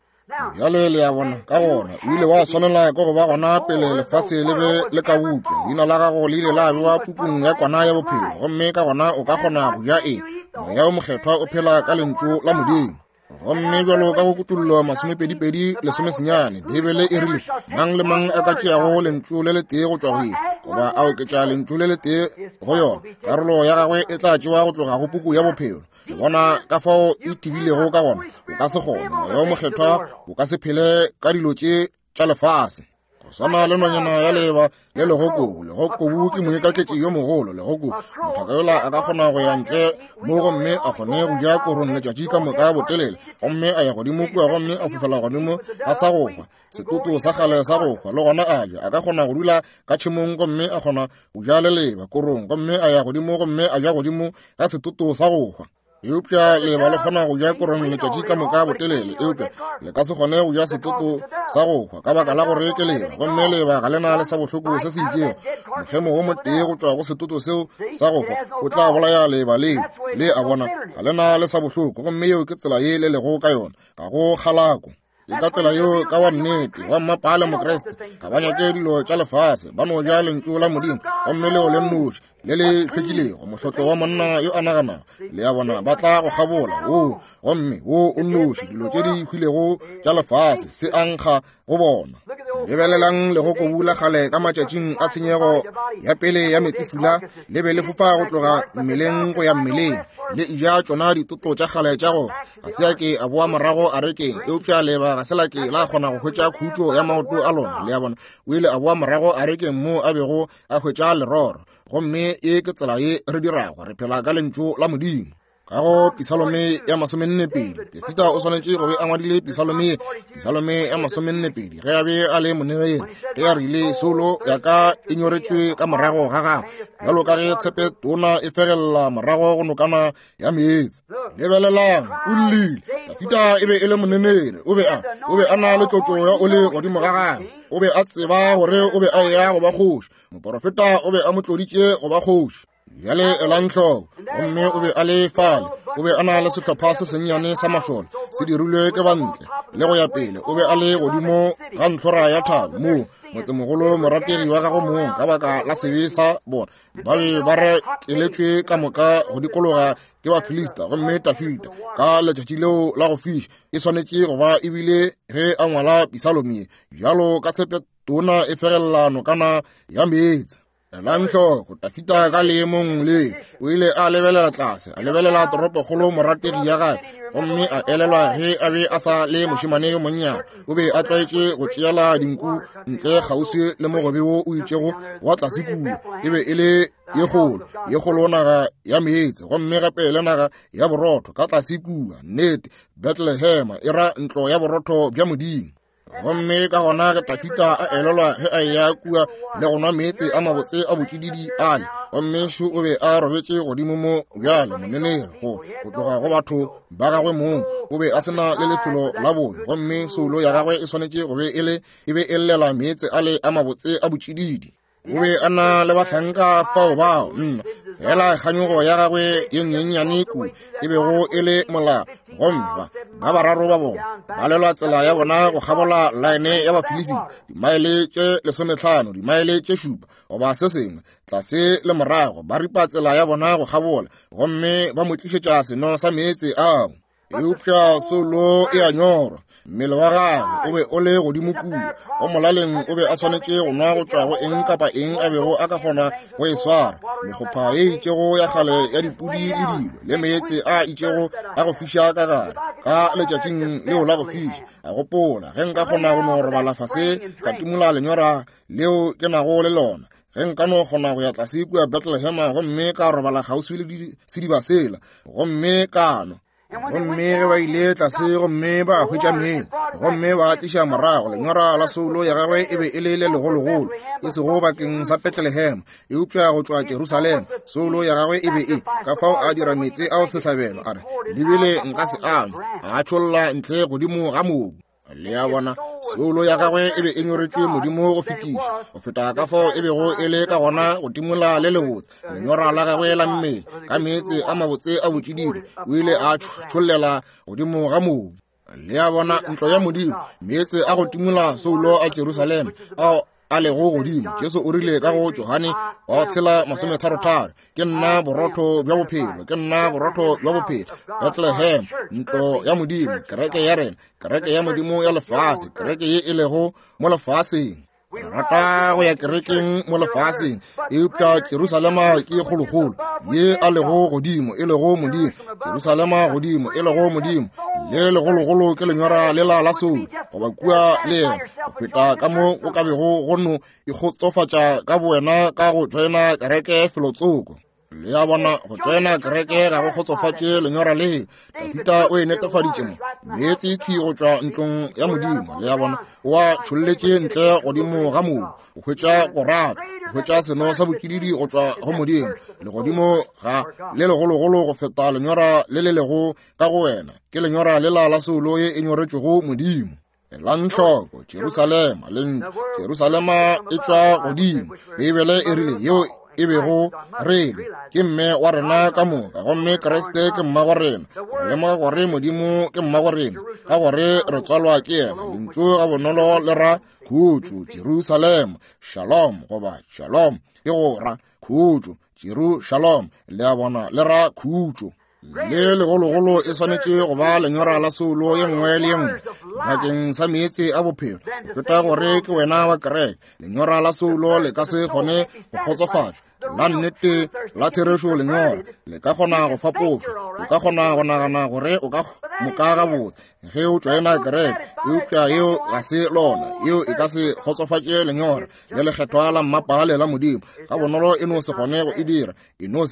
Bjale le a bona, ka gona o ile wa swanela ke go ba gona pele lefase le be le ka bopša. Leina la gago le ile la bewa pukung ya kwana ya bophelo, gomme ka gona o ka kgona go ja eng? Moya o Mokgethwa o phela ka Lentšu la Modimo. Gomme bjalo ka go Kutollo masomepedipedi lesomesenyane, Beibele e rile, Mang le mang a ka tšeago lentšu le letee go tšwa go ye, goba a oketša lentšu le letee go yona, karolo ya gagwe e tla tšewa go tloga go puku ya bophelo. Le bona ka fao e tibilego ka gona? O ka se kgone. Moya o Mokgethwa o ka se phele ka dilo tše tša lefase. Go swana le nonyana ya leba le legokobu. Legokobu ke moikaketši yo mogolo. Legokobu, mothaka yola a ka kgona go ya ntle mo gomme a kgone go ja korong letšatši ka moka botelele, gomme a ya godimo kua gomme a fofela godimo ga sa go hwa, setoto sa kgale sa go hwa, le gona a ja. A ka kgona go dula ka tšhemong gomme a kgona go ja leleba korong, gomme a ya godimo gomme a ja godimo ga setoto sa go hwa. Eupša leba le kgona go ja korong letšatši ka moka botelele, eupša le ka se kgone go ja setoto sa go hwa ka baka la gore ke leba, gomme leba ga le na le sa bohloko se se itšego. Mohlemo wo motee go tšwa go setoto seo sa go hwa o tla bolaya leba leo. Le a bona, ga le na le sa bohloko, gomme yeo ke tsela ye le lego ka yona. Ga go kgalako. Ke ka tsela yeo ka wa nnete wa mmapale Mokriste ga ba nyake dilo tša lefase, ba no ja Lentšu la Modimo, gomme leo le nnoši le le hlwekilego, mohlotlo wa monna yo a naganago. Le a bona, ba tla go kgabola woo, gomme wo o nnoši, dilo tše di hwilego tša lefase se a nkga go bona. Lebelelang legokobu la kgale ka matšatšing a tshenyego ya pele ya meetsefula, le be le fofa go tloga mmeleng go ya mmeleng, le eja tšona ditoto tša kgale tša go ga se a ke a boa morago a rekeng, eupša leba ga se la ke la kgona go hwetša khutšo ya maoto a lona. Le a bona, o ile a boa morago a rekeng moo a bego a hwetša leroro. Gomme ye ke tsela ye re dirago, re phela ka Lentšu la Modimo. Ka go Pisalome ya masomennepedi, Dafida o swanetše go be a ngwadile Pisalome ye, Pisalome ya masomennepedi, ge a be a le monegeng, ge a rile, Soulo ya ka e nyoretšwe ka morago ga gago, bjalo ka ge tshepe tona e fegelela morago go nokana ya meetse. Lebelelang, o llile. Dafida e be e le monenere, o be a, o be a na le tlotšo ya oli godimo ga gagwe. O be a tseba gore o be a eya go ba kgoši. Moporofeta o be a mo tloditše go ba kgoši. Bjale elang hloko, gomme o be a le fale, o be a na le sehlopha se sennyane sa mašole se dirilwe ke bantle le go ya pele. O be a le godimo ga ntlhora ya thaba moo motsemogolo morategi wa gagwe mong, ka baka la sebe sa bona, ba be ba rekeletšwe ka moka go dikologa ke Bafilista. Gomme Dafida ka letšatši leo la go fiša e swanetše go ba ebile ge a ngwala Pisalome ye, bjalo ka tshepe tona e fegelela nokana ya meetse. Elang hloko, Dafida ka leemong le o ile a lebelela tlase, a lebelela toropokgolo morategi ya gagwe, gomme a elelwa ge a be a sa le mošemane yo monnyane, o be a tlwaetše go tšeela dinku ntle kgauswi le mogobe wo o itšego wa tlase kua. E be e le ye kgolo, ye kgolo naga ya meetse, gomme gape le naga ya borotho ka tlase kua. Nnete, Bethlehema e ra ntlo ya borotho bja Modimo. Gomme ka gona ge Dafida a elelwa ge a eya kua le go nwa meetse a mabotse a botšididi ale, gomme šo o be a robetše godimo mo bjale monenere go tloga go batho ba gagwe mong, o be a se na le lefelo la boyo, gomme soulo ya gagwe e swanetše go be e le e be e llela meetse ale a mabotse a botšididi. O be a na le bahlanka fao bao, nna, fela kganyogo ya gagwe ye nyenyane kudu e bego e le molao. Gomme ba bararo ba bona ba lelwa tsela ya bona go kgabola laene ya Bafilisita, dimaele tše 15, dimaele tše 7 goba se sengwe, tlase le morago, ba ripa tsela ya bona go kgabola, gomme ba mo tlišetša seno sa meetse ao. Eupša soulo e a nyorwa, mmele wa gagwe o be o le godimo kua, go molaleng o be a swanetše go nwa go tšwa go eng kapa eng a bego a ka kgona go e swara, mekgopha ye itšego ya kgale ya dipudi le dilo, le meetse a itšego a go fiša ka gare ka letšatšing leo la go fiša. A gopola, ge nka kgona go no robala fase ka timola lenyora leo ke nago le lona, ge nka no kgona go ya tlase kua Bethlehema gomme ka robala kgauswi le sediba sela gomme ka nwa. Gomme ge ba ile tlase gomme ba hwetša meetse gomme ba tliša morago, lenyora la soulo ya gagwe e be e le le legologolo, e sego bakeng sa Bethlehem, eupša go tšwa Jerusalema. Soulo ya gagwe e be e ka fao a dira meetse ao sehlabelo, a re, lebile nka se anwe, a tšholla ntle godimo ga mobu. Le a bona, soulo ya gagwe e be e nyoretšwe Modimo go fetiša, go feta ka fao e bego e le ka gona go timola le lebotse lenyora la gagwe la mmele ka meetse a mabotse a botšididi, o ile a tšhollela godimo ga mobu. Le a bona, ntlo ya Modimo, meetse a go timola soulo a Jerusalema ao a lego godimo. Jesu o rile ka go Johane wa 6:33, ke nna borotho bja bophelo, ke nna borotho bja bophelo. Bethlehem, ntlo ya Modimo, kereke ya rena, kereke ya Modimo ya lefase, kereke ye e lego mo lefaseng. Re rata go ya kerekeng mo lefaseng, eupša Jerusalema ke kgolokgolo ye a lego godimo, e lego Modimo. Jerusalema godimo, e lego Modimo, le legologolo ke lenyora lela la soulo, goba kua le yena, go feta ka mo o ka bego go no ikgotsofatša ka bowena ka go joina kereke felotsoko. Le a bona, go tšoena kereke ga go kgotsofatše lenyora le. Dafita o e netefaditše mo, meetse thwi go tšwa ntlong ya Modimo. Le a bona, o a tšholletše ntle godimo ga mobu, o hwetša go rata, o hwetša seno sa botšididi go tšwa go Modimo. Legodimo ga le legologolo go feta lenyora le le lego ka go wena, ke lenyora lela la soulo ye e nyoretšwego Modimo. Elang hloko, Jerusalema, lentšu Jerusalema e tšwa godimo. Beibele e rile yeo e bego re le ke mme wa rena ka moka, gomme Kriste ke mmago rena. Re lemoga gore Modimo ke mmago rena ka gore re tswalwa ke yena. Lentšu ga bonolo le ra khutšo, Jerusalema, shalom goba shalom ke go ra khutšo, Jeru shalom, le a bona, le ra khutšo. Le legologolo e swanetše go ba lenyora la soulo ye nngwe le ye nngwe bakeng sa meetse a bophelo, go feta gore ke wena wa kereke. Lenyora la soulo le ka se kgone go kgotsofatšwa. La nnete la therešo lenyora le ka kgona go fapošwa. O ka kgona go nagana gore o ka moka gabotse ge o tšoena kereke, eupša yeo ga se lona. Yeo e ka se kgotsofatše lenyora le lekgethwa la mmapale la Modimo. Ga bonolo e no se kgone go e dira, e no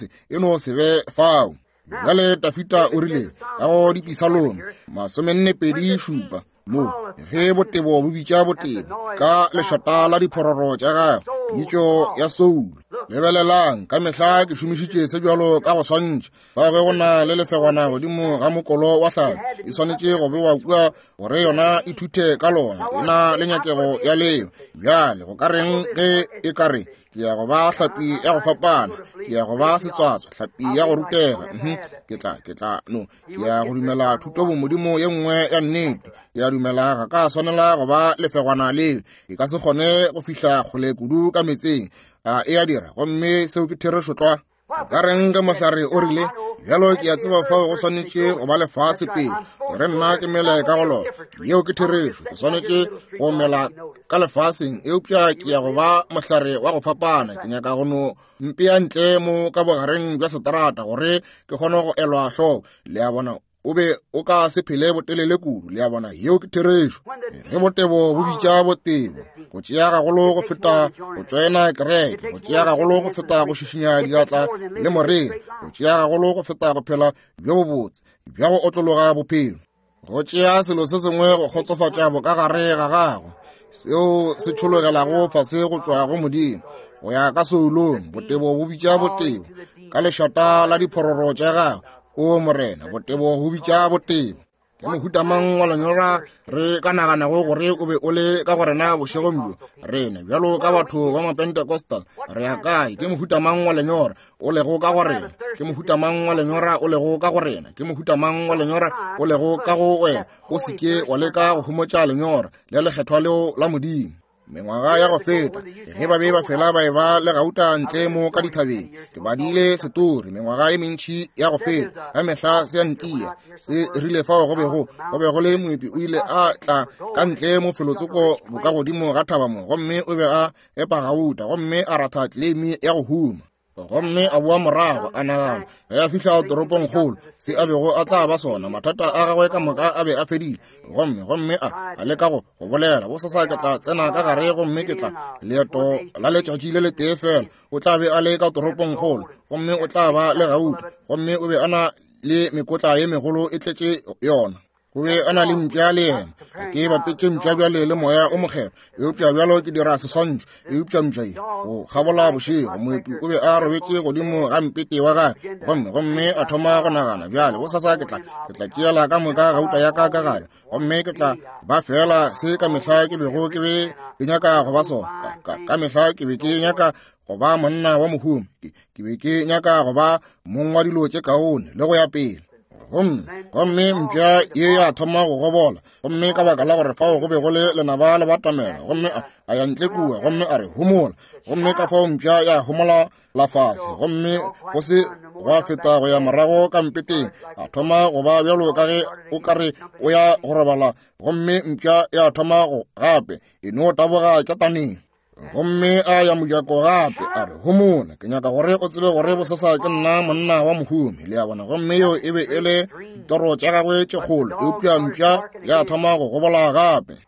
se be fao. Bjale Dafita o rile ka go Dipisalome 42:7, mo ge botebo bo bitša botebo ka lešata la diphororo tša gagwe, pitšo ya soulo. Lebelelang, ka mehla ke šomišitše se bjalo ka go swantšha. Fa ge go na le lefegwana godimo ga mokolo wa hlapi, e swanetše go bewa kua gore yona e thuthe ka lona, e na le nyakego ya leo. Bjale go ka reng ge e ka re, ke ya go ba hlapi ya go fapana, ke ya go ba setswatswa, hlapi ya go rutega, ke tla no, ke ya go dumela thuto bomodimo ye nngwe ya nnete, ke ya dumela ga ka swanela go ba lefegwana leo, e ka se kgone go fihla kgole kudu ka metseng, a e a dira, gomme seo ke therešo tlwa. Ka reng ge mohlare o rile, bjalo ke a tseba fao go swanetše go ba lefase pele gore nna ke mele ka go lona. Yeo ke therešo, ke swanetše go mela ka lefaseng, eupša ke ya go ba mohlare wa go fapana. Ke nyaka go no mpea ntle mo ka bogareng bja seterata gore ke kgone go elwa hloko. Le a bona, o be o ka se phele botelele kudu. Le a bona, yeo ke therešo. Ge botebo bo bitša botebo, go tšea gagolo go feta go tšoena kereke, go tšea gagolo go feta go šišinya diatla le moreri, go tšea gagolo go feta go phela bjo bobotse bja go otlologa bophelo, go tšea selo se sengwe go kgotsofatša bokagare ga gago seo se tšhologelago fase go tšwa go Modimo go ya ka soulong. Botebo bo bitša botebo ka lešata la diphororo tša gago. O Morena, botebo go bitša botebo. Ke mohuta mang wa lenyora re ka naganago gore o be o le ka go rena bošegong bjo? Rena bjalo ka batho ba Mapentecostal re ya kae? Ke mohuta mang wa lenyora o lego ka go rena? Ke mohuta mang wa lenyora o lego ka go rena? Ke mohuta mang wa lenyora o lego ka go wena? O se ke wa leka go homotša lenyora le lekgethwa leo la Modimo. Mengwaga ya go feta, ge ba be ba fela ba eba le gauta ntle mo ka dithabeng, ke badile setori mengwaga e mentši ya go feta, ka mehla se a ntia, se rile fao go bego go be go le moepi o ile a tla ka ntle mo felotsoko bokagodimo ga thaba mo, gomme o be a epa gauta, gomme a ratha tleleimi ya go huma. Gomme a boa morago a nagana ge a fihla toropongkgolo se a bego a tla ba sona, mathata a gagwe ka moka a be a fedile. Gomme gomme a a leka go go bolela, bosasa ke tla tsena ka gare gomme ke tla leeto la letšatši le letee fela, o tla be a le ka toropongkgolo gomme o tla ba le gauta. Gomme o be a na le mekotla ye megolo e tletše yona. O be a na le mpša le yena. Ke bapetše mpša bjale le moya o mokgethwa, eupša bjalo ke dira seswantšho. Eupša mpša ye go kgabola bošego, moepi o be a robetše godimo ga mpete wa gagwe, gomme gomme a thoma go nagana, bjale bosasa ke tla ke tla tšeela ka moka gauta ya ka ka gare, gomme ke tla ba feela se ka mehla ke bego ke be ke nyaka go ba sona. Ka, ka mehla ke be ke nyaka go ba monna wa mohumi, ke be ke nyaka go ba mong wa dilo tše kaone le go ya pele. Gomme gomme mpša ye ya thoma go gobola, gomme ka baka la gore fao go be go le lenaba le batamela, gomme a ya ntle kua gomme a re homola, gomme ka fao mpša ya homola la fase, gomme go se gwa feta go ya morago ka mpeteng, a thoma go ba bjalo ka ge o ka re o ya go robala, gomme mpša ya thoma go gape e no taboga tšataneng. Gomme a ya mojako gape a re, homola, ke nyaka gore o tsebe gore bosasa ke nna monna wa mohumi. Le a bona? Gomme yeo e be e le ditoro tša gagwe tše kgolo, eupša mpša ya thoma go gobola gape.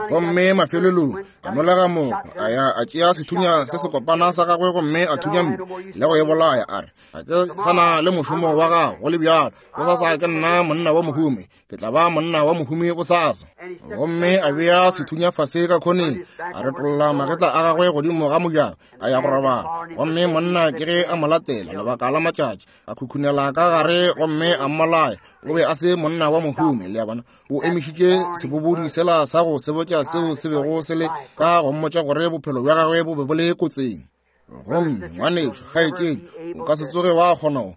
Gomme mafelelong a nolega moko, a ya a tšea sethunya se sekopana sa gagwe gomme a thunya mpša le go e bolaya, a re, ga ke sa na le mošomo wa gago go le bjalo, bosasa ke nna monna wa mohumi, ke tla ba monna wa mohumi bosasa. Gomme a bea sethunya fase ka khoneng, a retolla magetla a gagwe godimo ga mojako, a ya go robala. Gomme monna ke ge a mo latela lebaka la matšatši, a khukhunela ka gare gomme a mmolaya. O be a se monna wa mohumi, le a bona. O emišitše sebobodi sela sa go sebotša seo se bego se le ka go mmotša gore bophelo bja gagwe bo be bo le kotsing. Gomme ngwanešu, kgaetšedi, o ka se tsoge wa kgona, o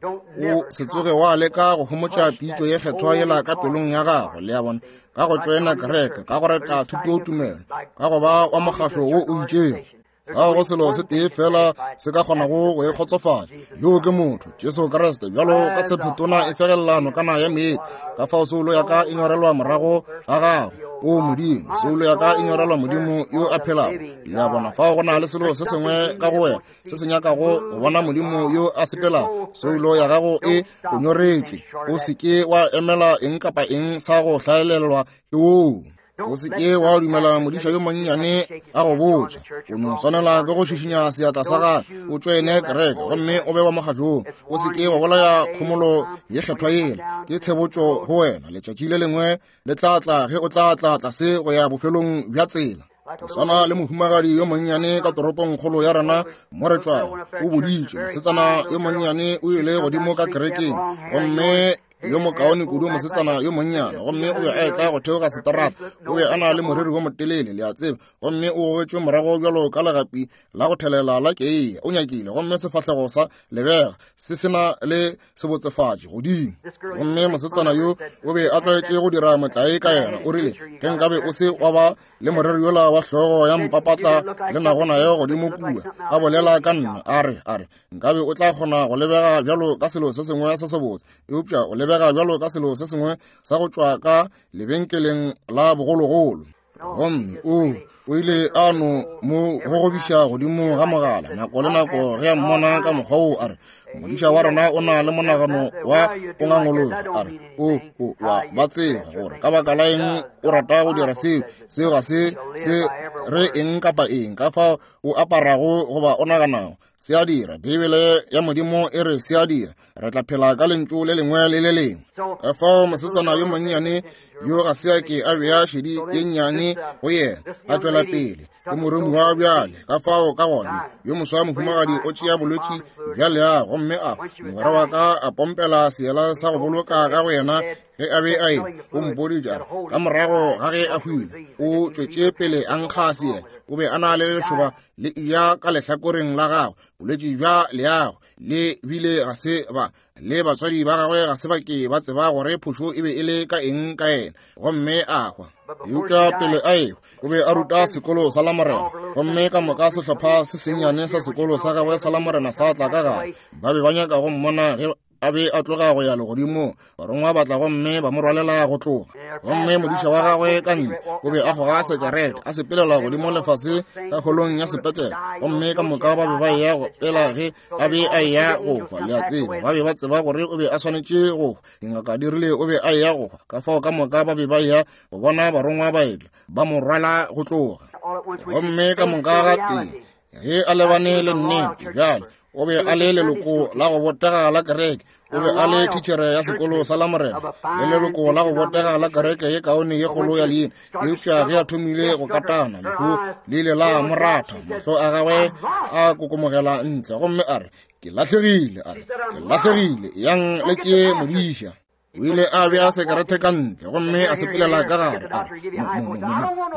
se tsoge wa leka go homotša pitšo ye kgethwa yela ka pelong ya gago, le a bona, ka go tšoena kereke, ka go reta thutotumelo, ka go ba wa mokgahlo wo o itšego. Ga go selo se tee fela se ka kgonago go e kgotsofatša, yoo ke motho, Jesu Kriste. Bjalo ka tshephetona e fegelela nokana ya meetse, ka fao soulo ya ka e nyorelwa morago ga gago, o Modimo. Soulo ya ka e nyorelwa Modimo yo a phelago. Le a bona, fao go na le selo se sengwe ka go wena se se nyakago go bona Modimo yo a sepelago. Soulo ya gago e go nyoretšwe. O se ke wa emela eng kapa eng sa go hlaelelwa ke woo. O se ke wa dumela modiša yo monnyane a go botša. O no swanela ke go šišinya seatla sa gagwe, o tšoene kereke gomme o be wa mokgahlong. O se ke wa bolaya khomolo ye kgethwa yela. Ke tshebotšo go wena. Letšatši le lengwe le tla tla ge o tla tla tlase go ya bofelong bja tsela. Go swana le mohumagadi yo monnyane ka toropongkgolo ya rena mo re tšwago, o boditše mosetsana yo monnyane o ile godimo ka kerekeng, gomme yo mokaone kudu mosetsana yo monnyane, gomme o be a etla go theoga seterata, o be a na le moriri wo motelele, le a tseba, gomme o gogetšwe morago bjalo ka legapi la go thelela la keiya, o nyakile, gomme sefahlego sa lebega se se na le sebotsefatši godimo. Gomme mosetsana yo o be a tlwaetše go dira motlae ka yena, o rile, ge nkabe o se wa ba le moreri yola wa hlogo ya mpapatla le nago nayo godimo kua, a bolela ka nna, a re, a re, nkabe o tla kgona go lebega bjalo ka selo se sengwe se sebotse, eupša o lebega bjalo ka selo se sengwe sa go tšwa ka lebenkeleng la bogologolo. Gomme o o ile a no mo gogobiša godimo ga mogala nako le nako ge a mmona ka mokgwa wo, a re, modiša wa rena o na le monagano wa o ngangologa. A re, o o wa ba tseba gore ka baka la eng o rata go dira seo, seo ga se se re eng kapa eng ka fao o aparago goba o naganago. Se a dira. Beibele ya Modimo e re se a dira. Re tla phela ka lentšu le lengwe le le lengwe. Ka fao mosetsana yo monnyane yo ga se a ke a bea šedi ye nnyane go yena, a tšwela pele. Ke moromiwa bjale. Ka fao ka gona yo moswa mohumagadi o tšea bolwetši bja leago, gomme a mogwera wa ka a pompela seela sa go boloka ka go yena ge a be a e o mpoditše a re ka morago ga ge a hwile o tšwetše pele a nkga seela. O be a na le lešoba le eya ka lehlakoreng la gagwe, bolwetši bja leago, le bile ga se ba le batswadi ba gagwe ga se ba ke ba tseba gore phošo e be e le ka eng ka yena, gomme a hwa. Eupša pele a ehwa o be a ruta sekolo sa Lamorena, gomme ka moka sehlopha se sennyane sa sekolo sa gagwe sa Lamorena sa tla ka gare. Ba be ba nyaka go mmona ge a be a tloga go ya legodimong. Barongwa ba tla gomme ba mo rwalela go tloga. Gomme modiša wa gagwe ka ntle o be a goga sekerete, a sepelela godimo lefase ka holong ya sepetlele, gomme ka moka ba be ba eya go pela ge a be a eya go hwa. Le a tseba, ba be ba tseba gore o be a swanetše go hwa. Dingaka di rile o be a eya go hwa, ka fao ka moka ba be ba eya go bona barongwa ba etla ba mo rwala go tloga. Gomme ka moka ga tee ge a lebane le nnete bjale, o be a le leloko la go botega la kereke, o be a le thitšhere ya sekolo sa Lamorena le leloko la go botega la kereke ye kaone ye kgolo ya leina. Eupša ge a thomile go katana, lehu le ile la mo ratha, mahlo a gagwe a kokomogela ntle, gomme a re, Ke lahlegile. A re, Ke lahlegile. Yang le tšee modiša. O ile a bea sekerete ka ntle gomme a sepelela ka gare. A re,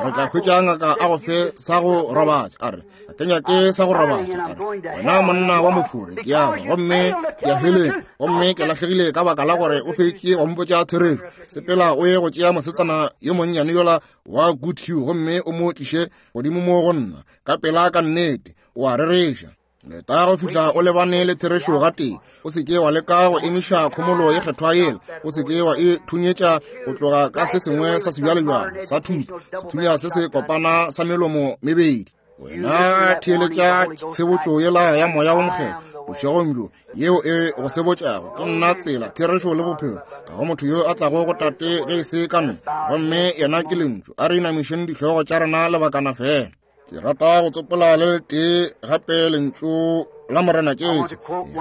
re tla hwetša ngaka a go fe sa go robatša. A re, ga ke nyake sa go robatša. A re, wena monna wa mofure, ke ya gomme ke ya heleng, gomme ke lahlegile ka baka la gore o fetše go mpotša therešo. Sepela o ye go tšea mosetsana yo monnyane yola wa Goodhue gomme o mo tliše godimo mo go nna ka pela. Ka nnete o a rereša. Leta go fihla o lebane le therešo gatee. O se ke wa leka go emiša khomolo ye kgethwa yela. O se ke wa e thunyetša go tloga ka se sengwe sa sebjalebjale sa thuto, sethunya se se kopana sa melomo mebedi. Wena theeletša tshebotšo yela ya Moya wo Mokgethwa bošegong bjo, yeo e go sebotšago, Ke nna tsela, therešo le bophelo. Ga go motho yo a tlago go Tate ge e se ka nna. Gomme yena ke Lentšu. A re inamišeng dihlogo tša rena lebakana fela. Ke rata go tsopola le letee gape lentšu la Morena Jesu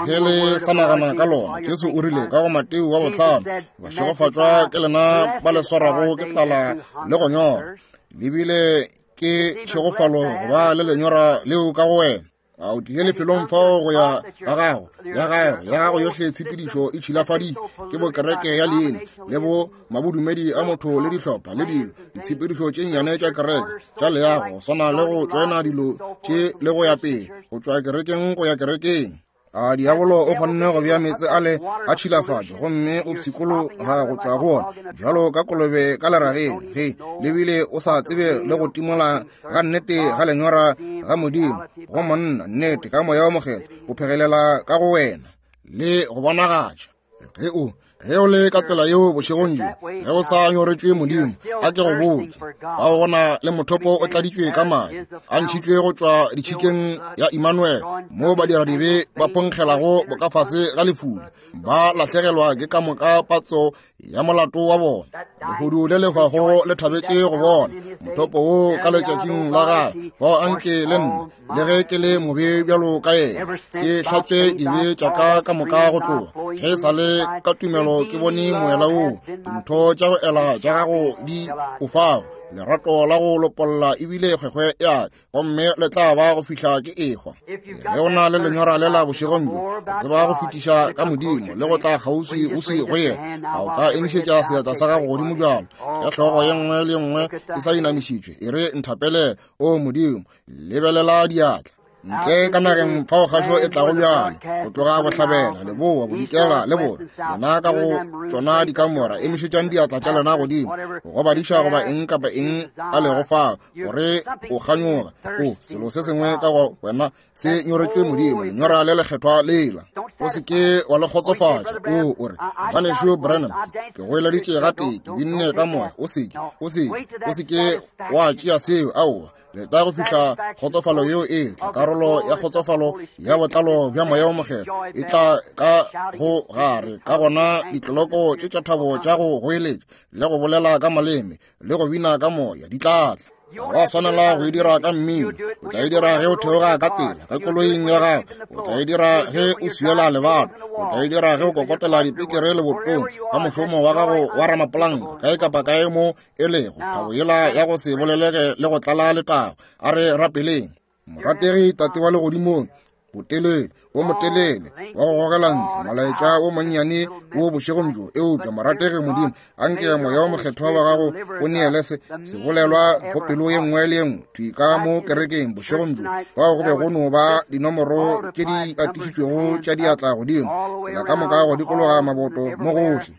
ge le sa nagana ka lona. Jesu o rile ka go Mateo wa bohlano, Bašegofatšwa ke lena ba le swarago ke tlala le go nyora, le bile ke tšhegofalo go ba le lenyora leo ka go wena. A o tlile lefelong fao go ya ga gago, ya gago, ya gago yohle tshepedišo e tšhilafaditšwe ke bokereke ya leina le bo mabodumedi a motho le dihlopha le dilo, ditshepedišo tše nnyane tša kereke tša leago, go swana le go tšoena dilo tše le go ya pele, go tšwa kerekeng go ya kerekeng. A diabolo o kgonne go bea meetse ale a tšhilafatšo gomme o pshikologa go tšwa go ona bjalo ka kolobe ka lerageng, ge le bile o sa tsebe le go timola ga nnete ga lenyora ga Modimo go monna, nnete ka Moya wo Mokgethwa o phegelela ka go wena le go bonagatša. Ge o ge o le ka tsela yeo bošegong bjo, ge o sa nyoretšwe Modimo, a ke go botše, fao go na le mothopo o tladitšwe ka madi a ntšhitšwe go tšwa ditšhikeng ya Immanuel, mo badiradibe ba phonkgelago bokafase ga lefula, ba lahlegelwa ke ka moka patso ya molato wa bona. Lehodu le le hwago le thabetše go bona mothopo wo ka letšatšing la gagwe. Fao anke le nna, le ge ke le mobe bjalo ka yena, ke hlatswe dibe tša ka ka moka go tloga ge e sa le ka tumelo ke bone moela woo dintho tša go ela tša gago di o fago, lerato la go lopolla ebile kgwekgwe ya gomme le tla ba go fihla ke ehwa. Ge o na le lenyora lela bošegong bjo, o tseba go fetiša ka Modimo le go tla kgauswi o se go yena, a o ka emišetša seatla sa gago godimo bjalo, ge hlogo ye nngwe le ye nngwe e sa inamišitšwe, e re, Nthapelele, o Modimo. Lebelela diatla ntle ka nageng fao kgašo e tlago bjale, go tloga bohlabela, leboa, bodikela le borwa. Lena ka go tšona dikamora, emišetšang diatla tša lena godimo go badiša goba eng kapa eng a lego fao, gore o kganyoga o selo se sengwe ka go wena se nyoretšwe Modimo, lenyora le lekgethwa lela. O se ke wa le kgotsofatša. O o re, Ngwanešu Branham, ke goeleditše gatee, ke binne ka moya. O se ke, o se ke, o se ke wa tšea seo. Aowa, leta go fihla kgotsofalo yeo e tla. Karolo ya kgotsofalo ya botlalo bja Moya wo Mokgethwa e tla ka go gare. Ka gona ditloloko tše tša thabo tša go goeletša le go bolela ka maleme le go bina ka moya di tla tla. Ga wa swanela go e dira ka mmino. O tla e dira ge o theoga ka tsela, ka koloing ya gago. O tla e dira ge o swiela lebato. O tla e dira ge o kokotela dipikere lebotong, ka mošomo wa gago wa ramapolanka, kae kapa kae mo e lego. Thabo yela ya go se bolelege le go tlala letago. A re rapeleng. Morategi Tate wa Legodimong, botelele wo motelele wa go gogela ntle molaetša wo monnyane wo bošegong bjo, eupša morategi Modimo, anke Moya wo Mokgethwa wa gago o neele se sebolelwa go pelo ye nngwe le ye nngwe thwi ka mo kerekeng bošegong bjo, fao go be go no ba dinomoro tše di atišitšwego tša diatla godimo, tsela ka moka go dikologa maboto mo gohle.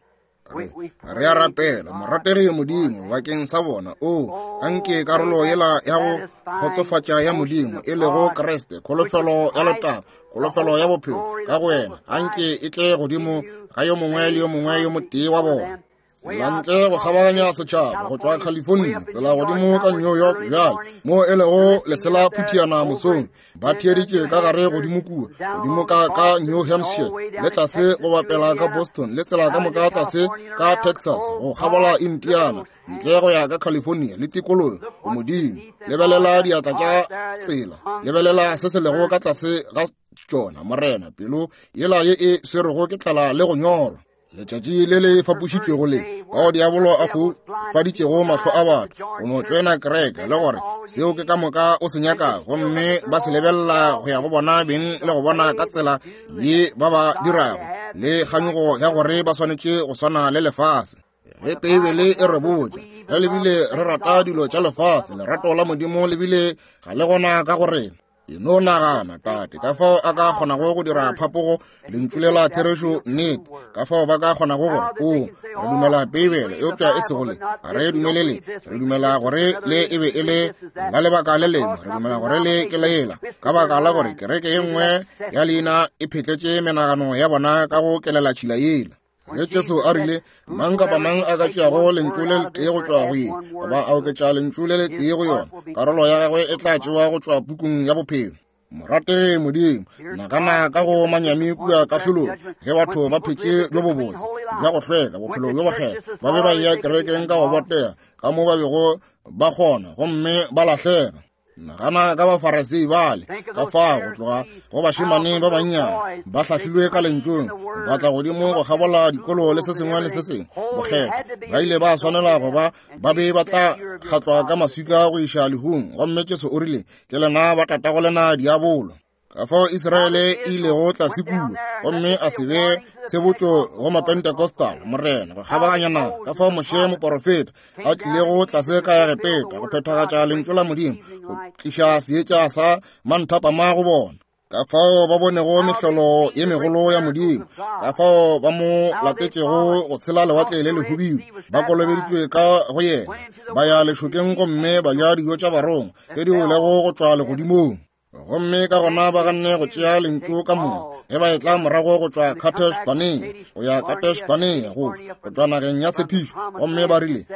Re a rapela, morategi Modimo, bakeng sa bona. O anke karolo yela ya go kgotsofatša ya Modimo, e lego Kriste, kholofelo ya letago, kholofelo ya bophelo ka go wena, anke e tle godimo ga yo mongwe le yo mongwe yo motee wa bona. Tsela ntle go kgabaganya setšhaba go tšwa California, tsela godimo ka New York bjale, mo e lego lesela phuthiana mosong, ba theeditše ka gare godimo kua, godimo ka ka New Hampshire, le tlase go bapela ka Boston, le tsela ka moka tlase ka Texas, go kgabola Indiana, ntle go ya ka California le tikologo. O Modimo, lebelela diatla tša tsela, lebelela se se lego ka tlase ga tšona, Morena, pelo yela ye e swerego ke tlala le go nyorwa. Letšatši le le fapošitšwego le, bao diabolo a foufaditšego mahlo a batho go no tšoena kereke, le gore seo ke ka moka o se nyakago, gomme ba se lebelela go ya go bona beng le go bona ka tsela ye ba ba dirago, le kganyogo ya gore ba swanetše go swana le lefase. Ge Beibele e re botša, ge le bile re rata dilo tša lefase, lerato la Modimo le bile ga le gona ka go rena. E no nagana, Tate, ka fao a ka kgonago go dira phapogo lentšu le la therešo nnete, ka fao ba ka kgonago gore, o, re dumela Beibele, eupša e sego le, ga re dumele le, re dumela gore le e be e le la lebaka le lengwe, re dumela gore le ke lela, ka baka la gore kereke ye nngwe ya leina e phetletše menagano ya bona ka go kelela tšhila yela. Ge Jesu a rile, mang kapa mang a ka tšeago lentšu le letee go tšwa go ye, goba a oketša lentšu le letee go yona, karolo ya gagwe e tla tšewa go tšwa pukung ya bophelo. Morategi Modimo, nagana ka go manyami kua kahlolong, ge batho ba phetše bjo bobotse, bja go hlweka, bophelo bjo bokgethwa, ba be ba eya kerekeng ka go botega, ka mo ba bego ba kgona, gomme ba lahlega. Nagana ka Bafarasei bale ka fao, go tloga go bašemane ba bannyane ba hlahlilwe ka lentšung, ba tla godimo go kgabola dikolo le se sengwe le se sengwe bokgethwa, ba ile ba swanela go ba ba be ba tla kgatlwa ka maswika go iša lehung. Gomme Jesu o rile, Ke lena ba tatago lena diabolo. Ka fao Israele e ilego tlase kua, gomme a se be tshebotšo go Mapentecostal, Morena, go kgabaganya naga. Ka fao Moshe moporofeta a tlilego tlase ka Egepeta go phethagatša lentšu la Modimo, go tliša seetša sa manthapama go bona. Ka fao ba bonego mehlolo ye megolo ya Modimo, ka fao ba mo latetšego go tshela lewatle le lehubidu, ba kolobeditšwe ka go yena, ba ya lešokeng gomme ba ja dijo tša barongwa tše di welego go tšwa legodimong. Gomme ka gona ba ganne go tšea lentšu ka moka ge ba etla morago go tšwa Kadesh Barnea go ya Kadesh Barnea, go tšwa nageng ya tshepišo, gomme ba rile,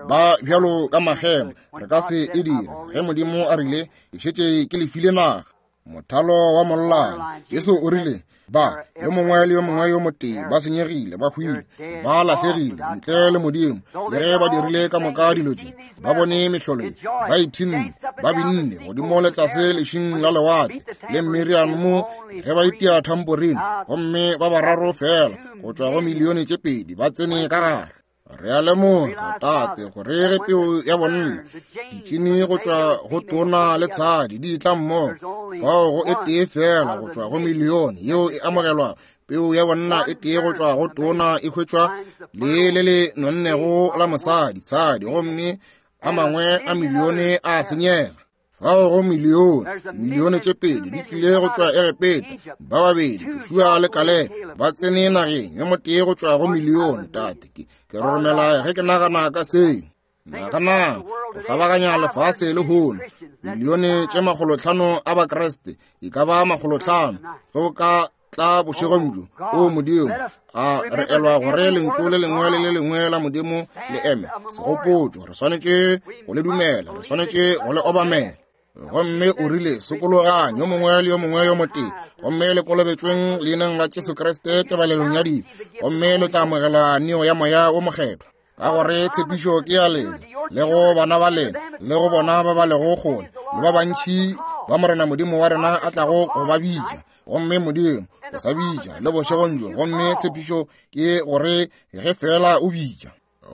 Ba bjalo ka magema, re ka se e dire. Ge Modimo a rile, Ke šetše ke le file naga, mothalo wa mollane, Jesu o rile, Ba, yo mongwe le yo mongwe yo motee, ba senyegile, ba hwile, ba lahlegile, ntle le Modimo. Le ge ba dirile ka moka dilo tše, ba bone mehlolo ye, ba ipshinne, ba binne godimo le tlase lešing la lewatle, le Miriam mo ge ba itia thamporine, gomme ba bararo feela go tšwa go milione tše pedi ba tsene ka gare. Re a lemoga, Tate, gore ge peo ya bonna, ditšini go tšwa go tona le tshadi di tla mmogo, fao go e tee fela go tšwa go milione yeo e amogelwa. Peu ya bonna e tee go tšwa go tona e hwetšwa le le le nonnego la mosadi, tshadi, gomme a mangwe a milione a senyega. Fao go milione, milione tše pedi di tlile go tšwa Egepeta, ba babedi, Joshua le Kalebe, ba tsene nageng, yo motee go tšwa go milione. Tate, ke roromela ge ke nagana ka seo. Nagana go kgabaganya lefase lehono, milione tše 500 a Bakriste, e ka ba 500, ge o ka tla bošegong bjo, o Modimo, a re elwa gore lentšu le lengwe le le lengwe la Modimo le eme segopotšo. Re swanetše go le dumela, re swanetše go le obamela. Gomme o rile, Sokologang, yo mongwe le yo mongwe yo motee, gomme le kolobetšweng leineng la Jesu Kriste tebalelong ya dibe, gomme le tla amogela neo ya Moya wo Mokgethwa. Ka gore tshepišo ke ya lena, le go bana ba lena, le go bona ba ba lego kgole, le ba bantši ba Morena Modimo wa rena a tlago go ba bitša. Gomme Modimo o sa bitša le bošegong bjo, gomme tshepišo ke gore ge fela o bitša.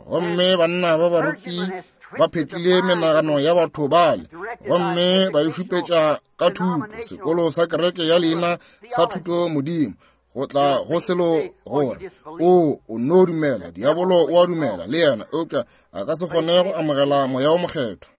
Gomme banna ba baruti ba phetlile menagano ya batho bale, gomme ba e šupetša ka thuto, sekolo sa kereke ya leina sa thuto Modimo, go tla go selo gore o no dumela. Diabolo o a dumela le yena, eupša a ka se kgone go amogela Moya o Mokgethwa.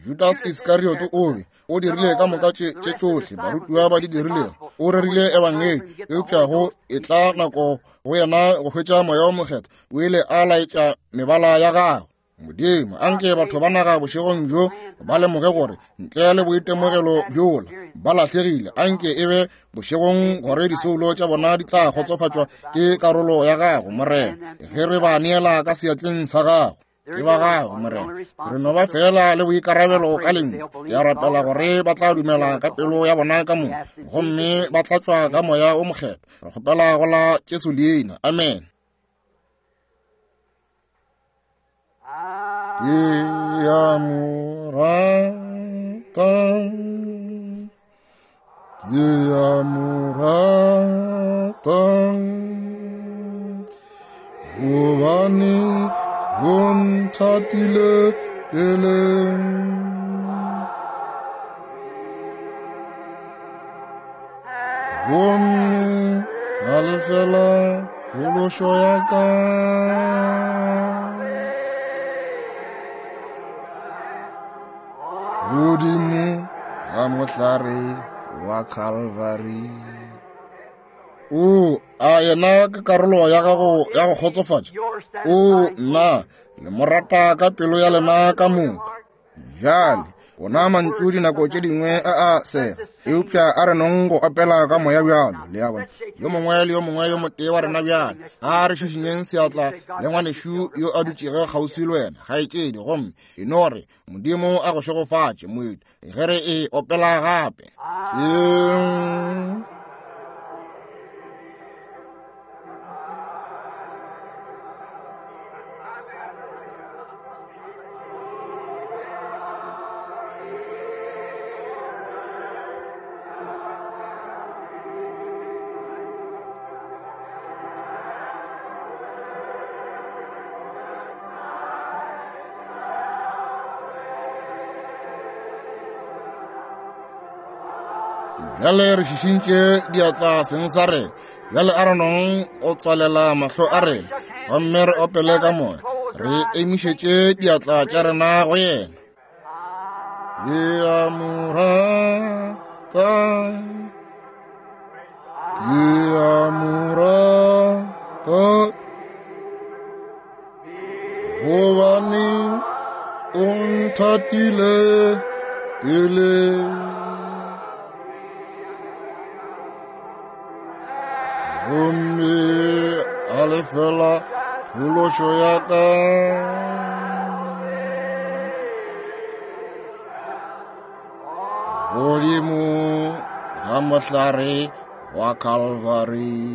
Judas Iskariot o be o dirile ka moka tše tšohle barutiwa ba di dirilego, o rerile ebangedi, eupša go e tla nako go yena go hwetša Moya o Mokgethwa, o ile a laetša mebala ya gagwe. Modimo, anke batho ba naga bošegong bjo ba lemoge gore ntle le boitemogelo bjola ba lahlegile. Anke e be bošegong gore disoulo tša bona di tla kgotsofatšwa ke karolo ya gago, Morena, ge re ba neela ka seatleng sa gago. Ke ba gago, Morena. Re no ba fela le boikarabelo ka lentšu. Ke a rapela gore ba tla dumela ka pelo ya bona ka moka, gomme ba tla tšwa ka Moya o Mokgethwa. Re kgopela go la Jesu leina. Amen. Ke a mo rata, ke a mo rata, gobane o nthatile pele. Gomme la lefela phološo ya ka. Godimo ga mohlare wa Calvary. O a yena ke karolo ya gago ya go kgotsofatša. O nna le mo rata ka pelo ya lena ka moka. Bjale ona mantšu dinako tše dingwe a a sega, eupša a re nong go opela ka moya bjalo, le a bona. Yo mongwe le yo mongwe yo motee wa rena bjale a re šišinyeng seatla le ngwanešu yo a dutšego kgauswi le wena, kgaetšedi, gomme e no re Modimo a go šegofatše, moeti, ge re e opela gape. Ke Bjale re šišintše diatla seng sa rena. Bjale a re nong go tswalela mahlo a rena gomme re opele ka moya, re emišetše diatla tša rena go yena. Ke a mo rata, ke a mo rata, gobane o nthatile pele. Gomme a lefela phološo ya ka. Godimo ga mohlare wa Calvary.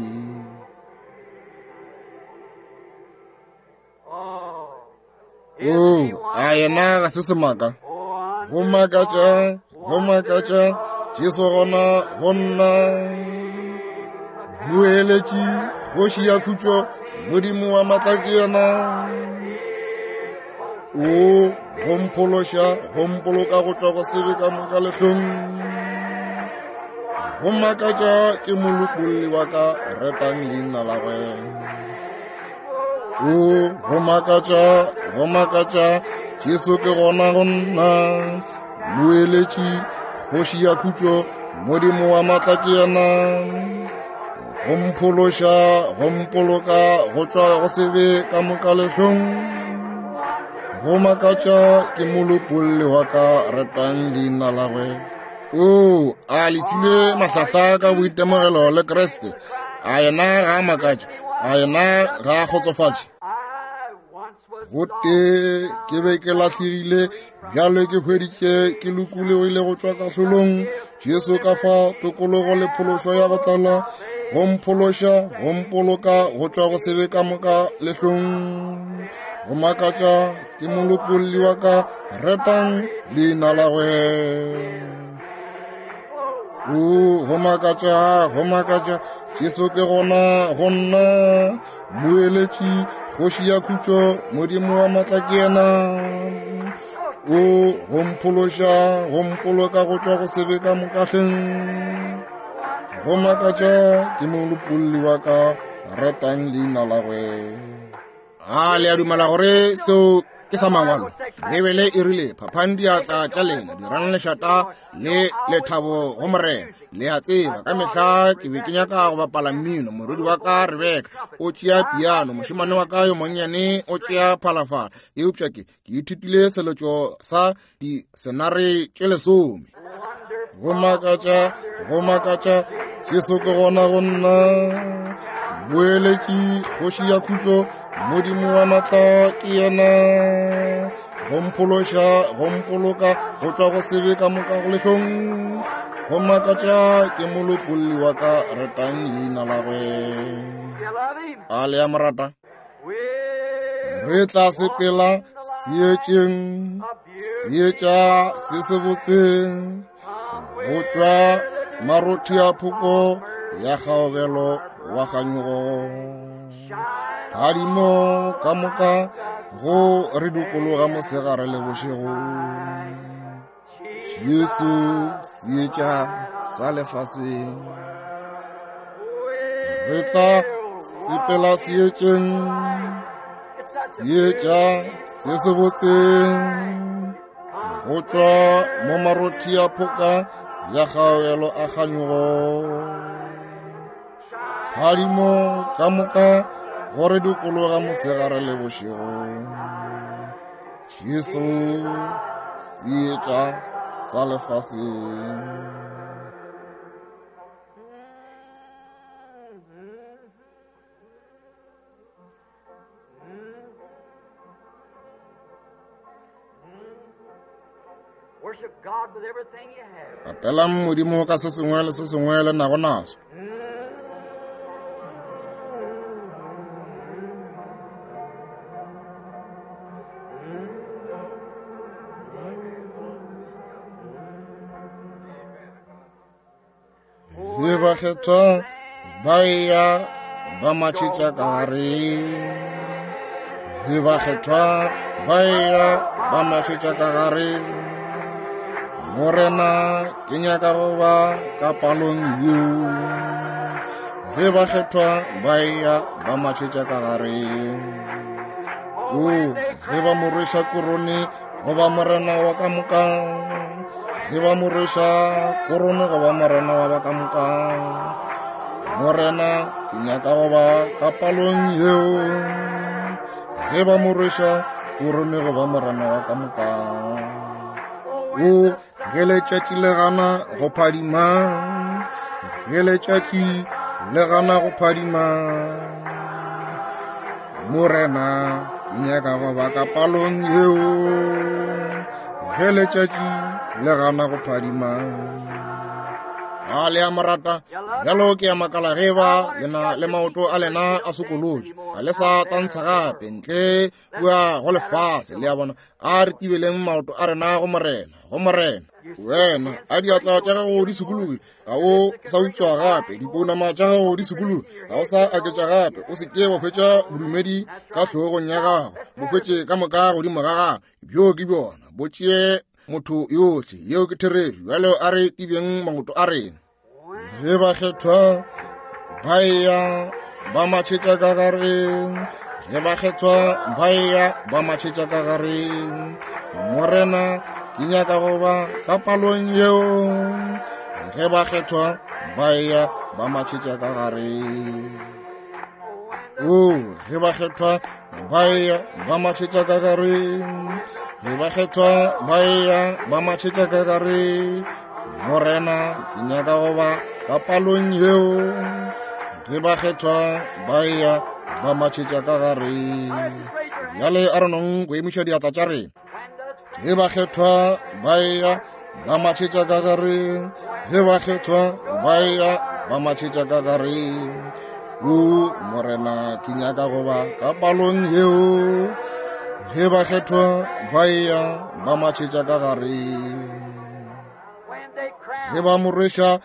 O a yena ga se semaka. Go makatša, go makatša, Jesu gona go nna. Moeletši, kgoši ya khutšo, Modimo wa matla ke yena. O go mphološa, go mpoloka go tšwa go sebe ka moka lehlong. Go makatša ke molopolli wa ka, retang leina la gwe. O go makatša, go makatša, Jesu ke gona go nna. Moeletši, kgoši ya khutšo, Modimo wa matla ke yena. Go mphološa, go mpoloka go tšwa go sebe ka moka lehlong. Go makatša ke molopolli wa ka, retang leina la gwe. O a le filwe mahlahla ka boitemogelo le Kriste. A yena ga a makatše, a yena ga a kgotsofatše. Gotee ke be ke lahlegile, bjale ke hweditše ke lokologile go tšwa kahlolong. Jesu ka fa tokologo le phološo ya go tlala, go mphološa, go mpoloka go tšwa go sebe ka moka lehlong. Go makatša ke molopolli wa ka, retang leina la gwe. O go makatša, go makatša, Jesu ke gona go nna, moeletši, kgoši ya khutšo, Modimo wa matla ke yena. O go mphološa, go mpoloka go tšwa go sebe ka mokahleng. Go makatša ke molopolli wa ka, retang leina la gwe. A le a dumela gore seo ke sa mangwalo? Beibele e rile, phaphang diatla tša lena, dirang lešata le lethabo go Morena. Le a tseba, ka mehla ke be ke nyaka go bapala mmino. Morwedi wa ka Rebeka o tšea piano, mošemane wa ka yo monnyane o tšea phalafala, eupša ke ithutile seletšo sa disenare tše 10. Go makatša, go makatša, Jesu ke gona go nna, moeletši, kgoši ya khutšo, Modimo wa matla ke yena, go mphološa, go mpoloka go tšwa go sebe ka moka go lehlong. Go makatša ke molopolli wa ka, retang leina la gwe. A le a mo rata? Re tla sepela seetšeng, seetša se sebotse, go tšwa marothi a phoko ya kgaogelo wa kganyogo. Phadimo ka moka go re dikologa mosegare le bošego. Jesu seetša sa lefaseng. Re tla sepela seetšeng, seetša se sebotse, go tšwa mo marothi a phoka ya kgaogelo a kganyogo. Phadimo ka moka go re dikologa mosegare le bošego. Jesu seetša sa lefaseng. Rapelang Modimo ka se sengwe le se sengwe le nago naso. Ge bakgethwa ba eya ba matšhetša ka gare, ge bakgethwa ba eya ba matšhetša ka gare, Morena ke nyaka go ba ka palong yeo. Ge bakgethwa ba eya ba matšhetša ka gare, o ge ba mo rweša korone goba morena wa ka moka, ge ba mo rweša korone goba morena wa ba ka moka, Morena ke nyaka go ba ka palong yeo. Ge ba mo rweša korone goba morena wa ka moka, o ge letšatši le gana go phadima, ge letšatši le gana go phadima, Morena ke nyaka go ba ka palong yeo. Ge letšatši le gana go phadima. A le a mo rata? Bjalo ke a makala ge ba lena le maoto a lena a sokolotše, ga le sa tantsha gape ntle kua go lefase. Le a bona? A re tibeleng maoto a rena go Morena, go Morena. Wena a diatla tša gago di sokologile, ga o sa utswa gape, dipounama tša gago di sokologile, ga o sa aketša gape. O se ke wa hwetša bodumedi ka hlogong ya gago, bo hwetše ka moka godimo ga gago. Bjo ke bjona, bo tšee motho yohle. Yeo ke therešo. Bjalo a re tibeng maoto a rena. Ge bakgethwa ba eya ba matšhetša ka gare, ge bakgethwa ba eya ba matšhetša ka gare, Morena ke nyaka go ba ka palong yeo. Ge bakgethwa ba eya ba matšhetša ka gare, o ge bakgethwa ba eya ba matšhetša ka gare, ge bakgethwa ba eya ba matšhetša ka gare, Morena ke nyaka go ba ka palong yeo. Ge bakgethwa ba eya ba matšhetša ka gare. Bjale a re nong go emiša diatla tša rena. Ge bakgethwa ba eya ba matšhetša ka gare, ge bakgethwa ba eya ba matšhetša ka gare, o Morena ke nyaka go ba ka palong yeo. Ge bakgethwa ba eya ba matšhetša ka gare, ge ba mo rweša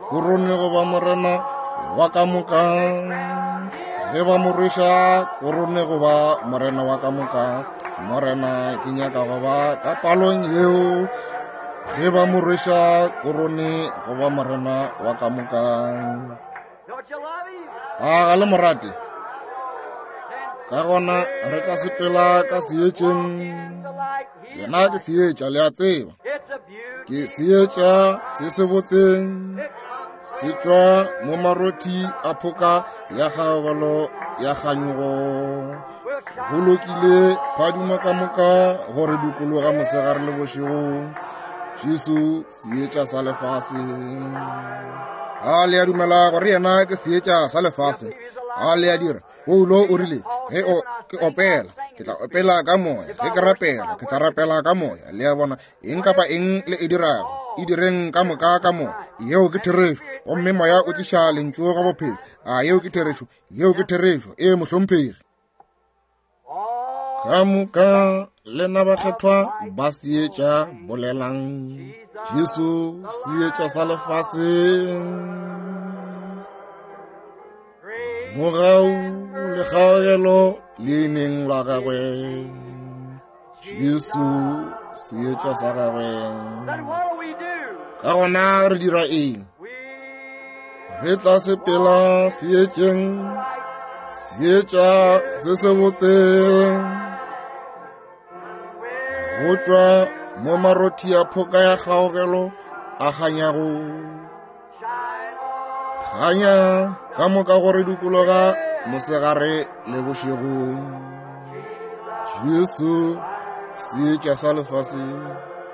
korone goba morena wa ka moka, ge ba mo rweša korone goba morena wa ka moka, morena ke nyaka go ba ka palong yeo, ge ba mo rweša korone goba morena wa ka moka. A ga le morate? Ka gona re tla sepela ka seetšeng. Yena ke seetša, le a tseba. Ke seetša se se botseng, se tšwa mo marothi a phoka ya kgaogelo ya kganyogo. Go lokile phadimo ka moka gore dikologa mosegare le bošego. Jesu seetša sa lefase. A le a dumela gore yena ke seetša sa lefase? A le a dira? Paulo o rile, ge o ke opela, ke tla opela ka moya, ge ke rapela, ke tla rapela ka moya. Le a bona, eng kapa eng le e dirago, e direng ka moka ka moya. Yeo ke therešo. Gomme moya o tliša lentšu ga bophelo. A yeo ke therešo? Yeo ke therešo. Ee, mohlomphegi. Ka moka lena bakgethwa ba seetša bolelang, Jesu seetša sa lefase. Mogau le kgaogelo leineng la gagwe, Jesu seetša sa gagwe. Ka gona re dira eng? Re tla sepela seetšeng, seetša se se botse, go tšwa mo marothi a phoka ya kgaogelo a kganyago. Kganya ka moka gore dikologa mosegare le bošego. Jesu seetša sa lefase.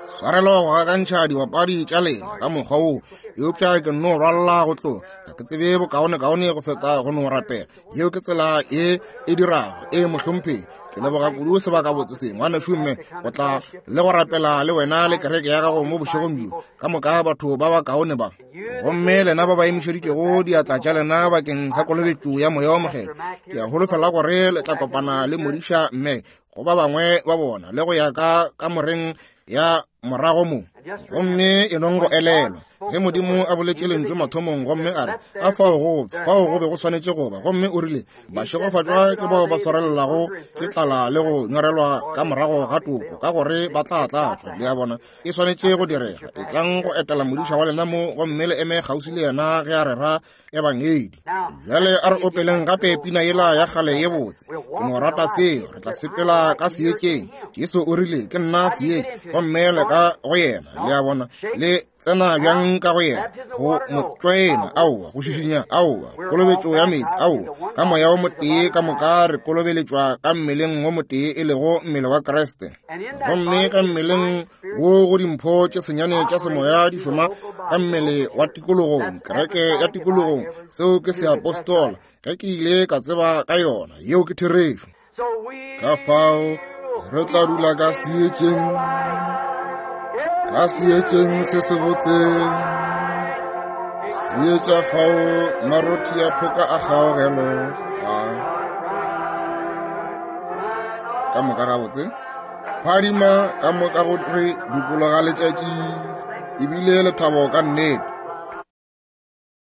Swarelo go gakantšha dibapadi tša lena ka mokgwa wo, eupša ke nno rwalla go tloga. Ga ke tsebe bokaonekaone go feta go no rapela. Yeo ke tsela e e dirago. E mohlomphegi, ke leboga kudu sebakabotse se, ngwanešu mme, go tla le go rapela le wena le kereke ya gago mo bošegong bjo. Ka moka batho ba bakaone ba, gomme lena ba ba emišeditšego diatla tša lena bakeng sa kolobetšo ya Moya wa Mokgethwa, ke a holofela gore le tla kopana le modiša mme go ba bangwe ba bona le go ya ka kamoreng ya morago mo. Gomme e nong go elelwa ge Modimo a boletše lentšu mathomong, gomme a re a fao go fao go be go swanetše go ba, gomme o rile bašegofatšwa ke bao ba swarelelago ke tlala le go nyorelwa ka morago ga toko, ka gore ba tla tlatšwa. Le a bona, e swanetše go direga. E tlang go etela modiša wa lena mo, gomme le eme kgauswi le yena ge a rera ebangedi. Bjale a re opeleng gape pina yela ya kgale ye botse. Ke no rata seo. Re tla sepela ka seetšeng. Jesu o rile, ke nna seetša, gomme le ka go yena. Le a bona, le tsena bjang ka go yena? Go mo tšoena? Aowa. Go šišinya? Aowa. Kolobetšo ya meetse? Aowa. Ka moya o motee ka moka re kolobeletšwa ka mmeleng o motee, e lego mmele wa Kriste. Gomme ka mmeleng wo go dimpho tše senyane tša semoya di šoma ka mmele wa tikologong, kereke ya tikologong. Seo ke seapostola, ge ke ile ka tseba ka yona. Yeo ke therešo. Ka fao re tla dula ka seetšeng, ka seetšeng se sebotse, seetša fao marothi a phoka a kgaogelo a ka moka gabotse phadima ka moka go re dikologa letšatši, ebile lethabo ka nnete.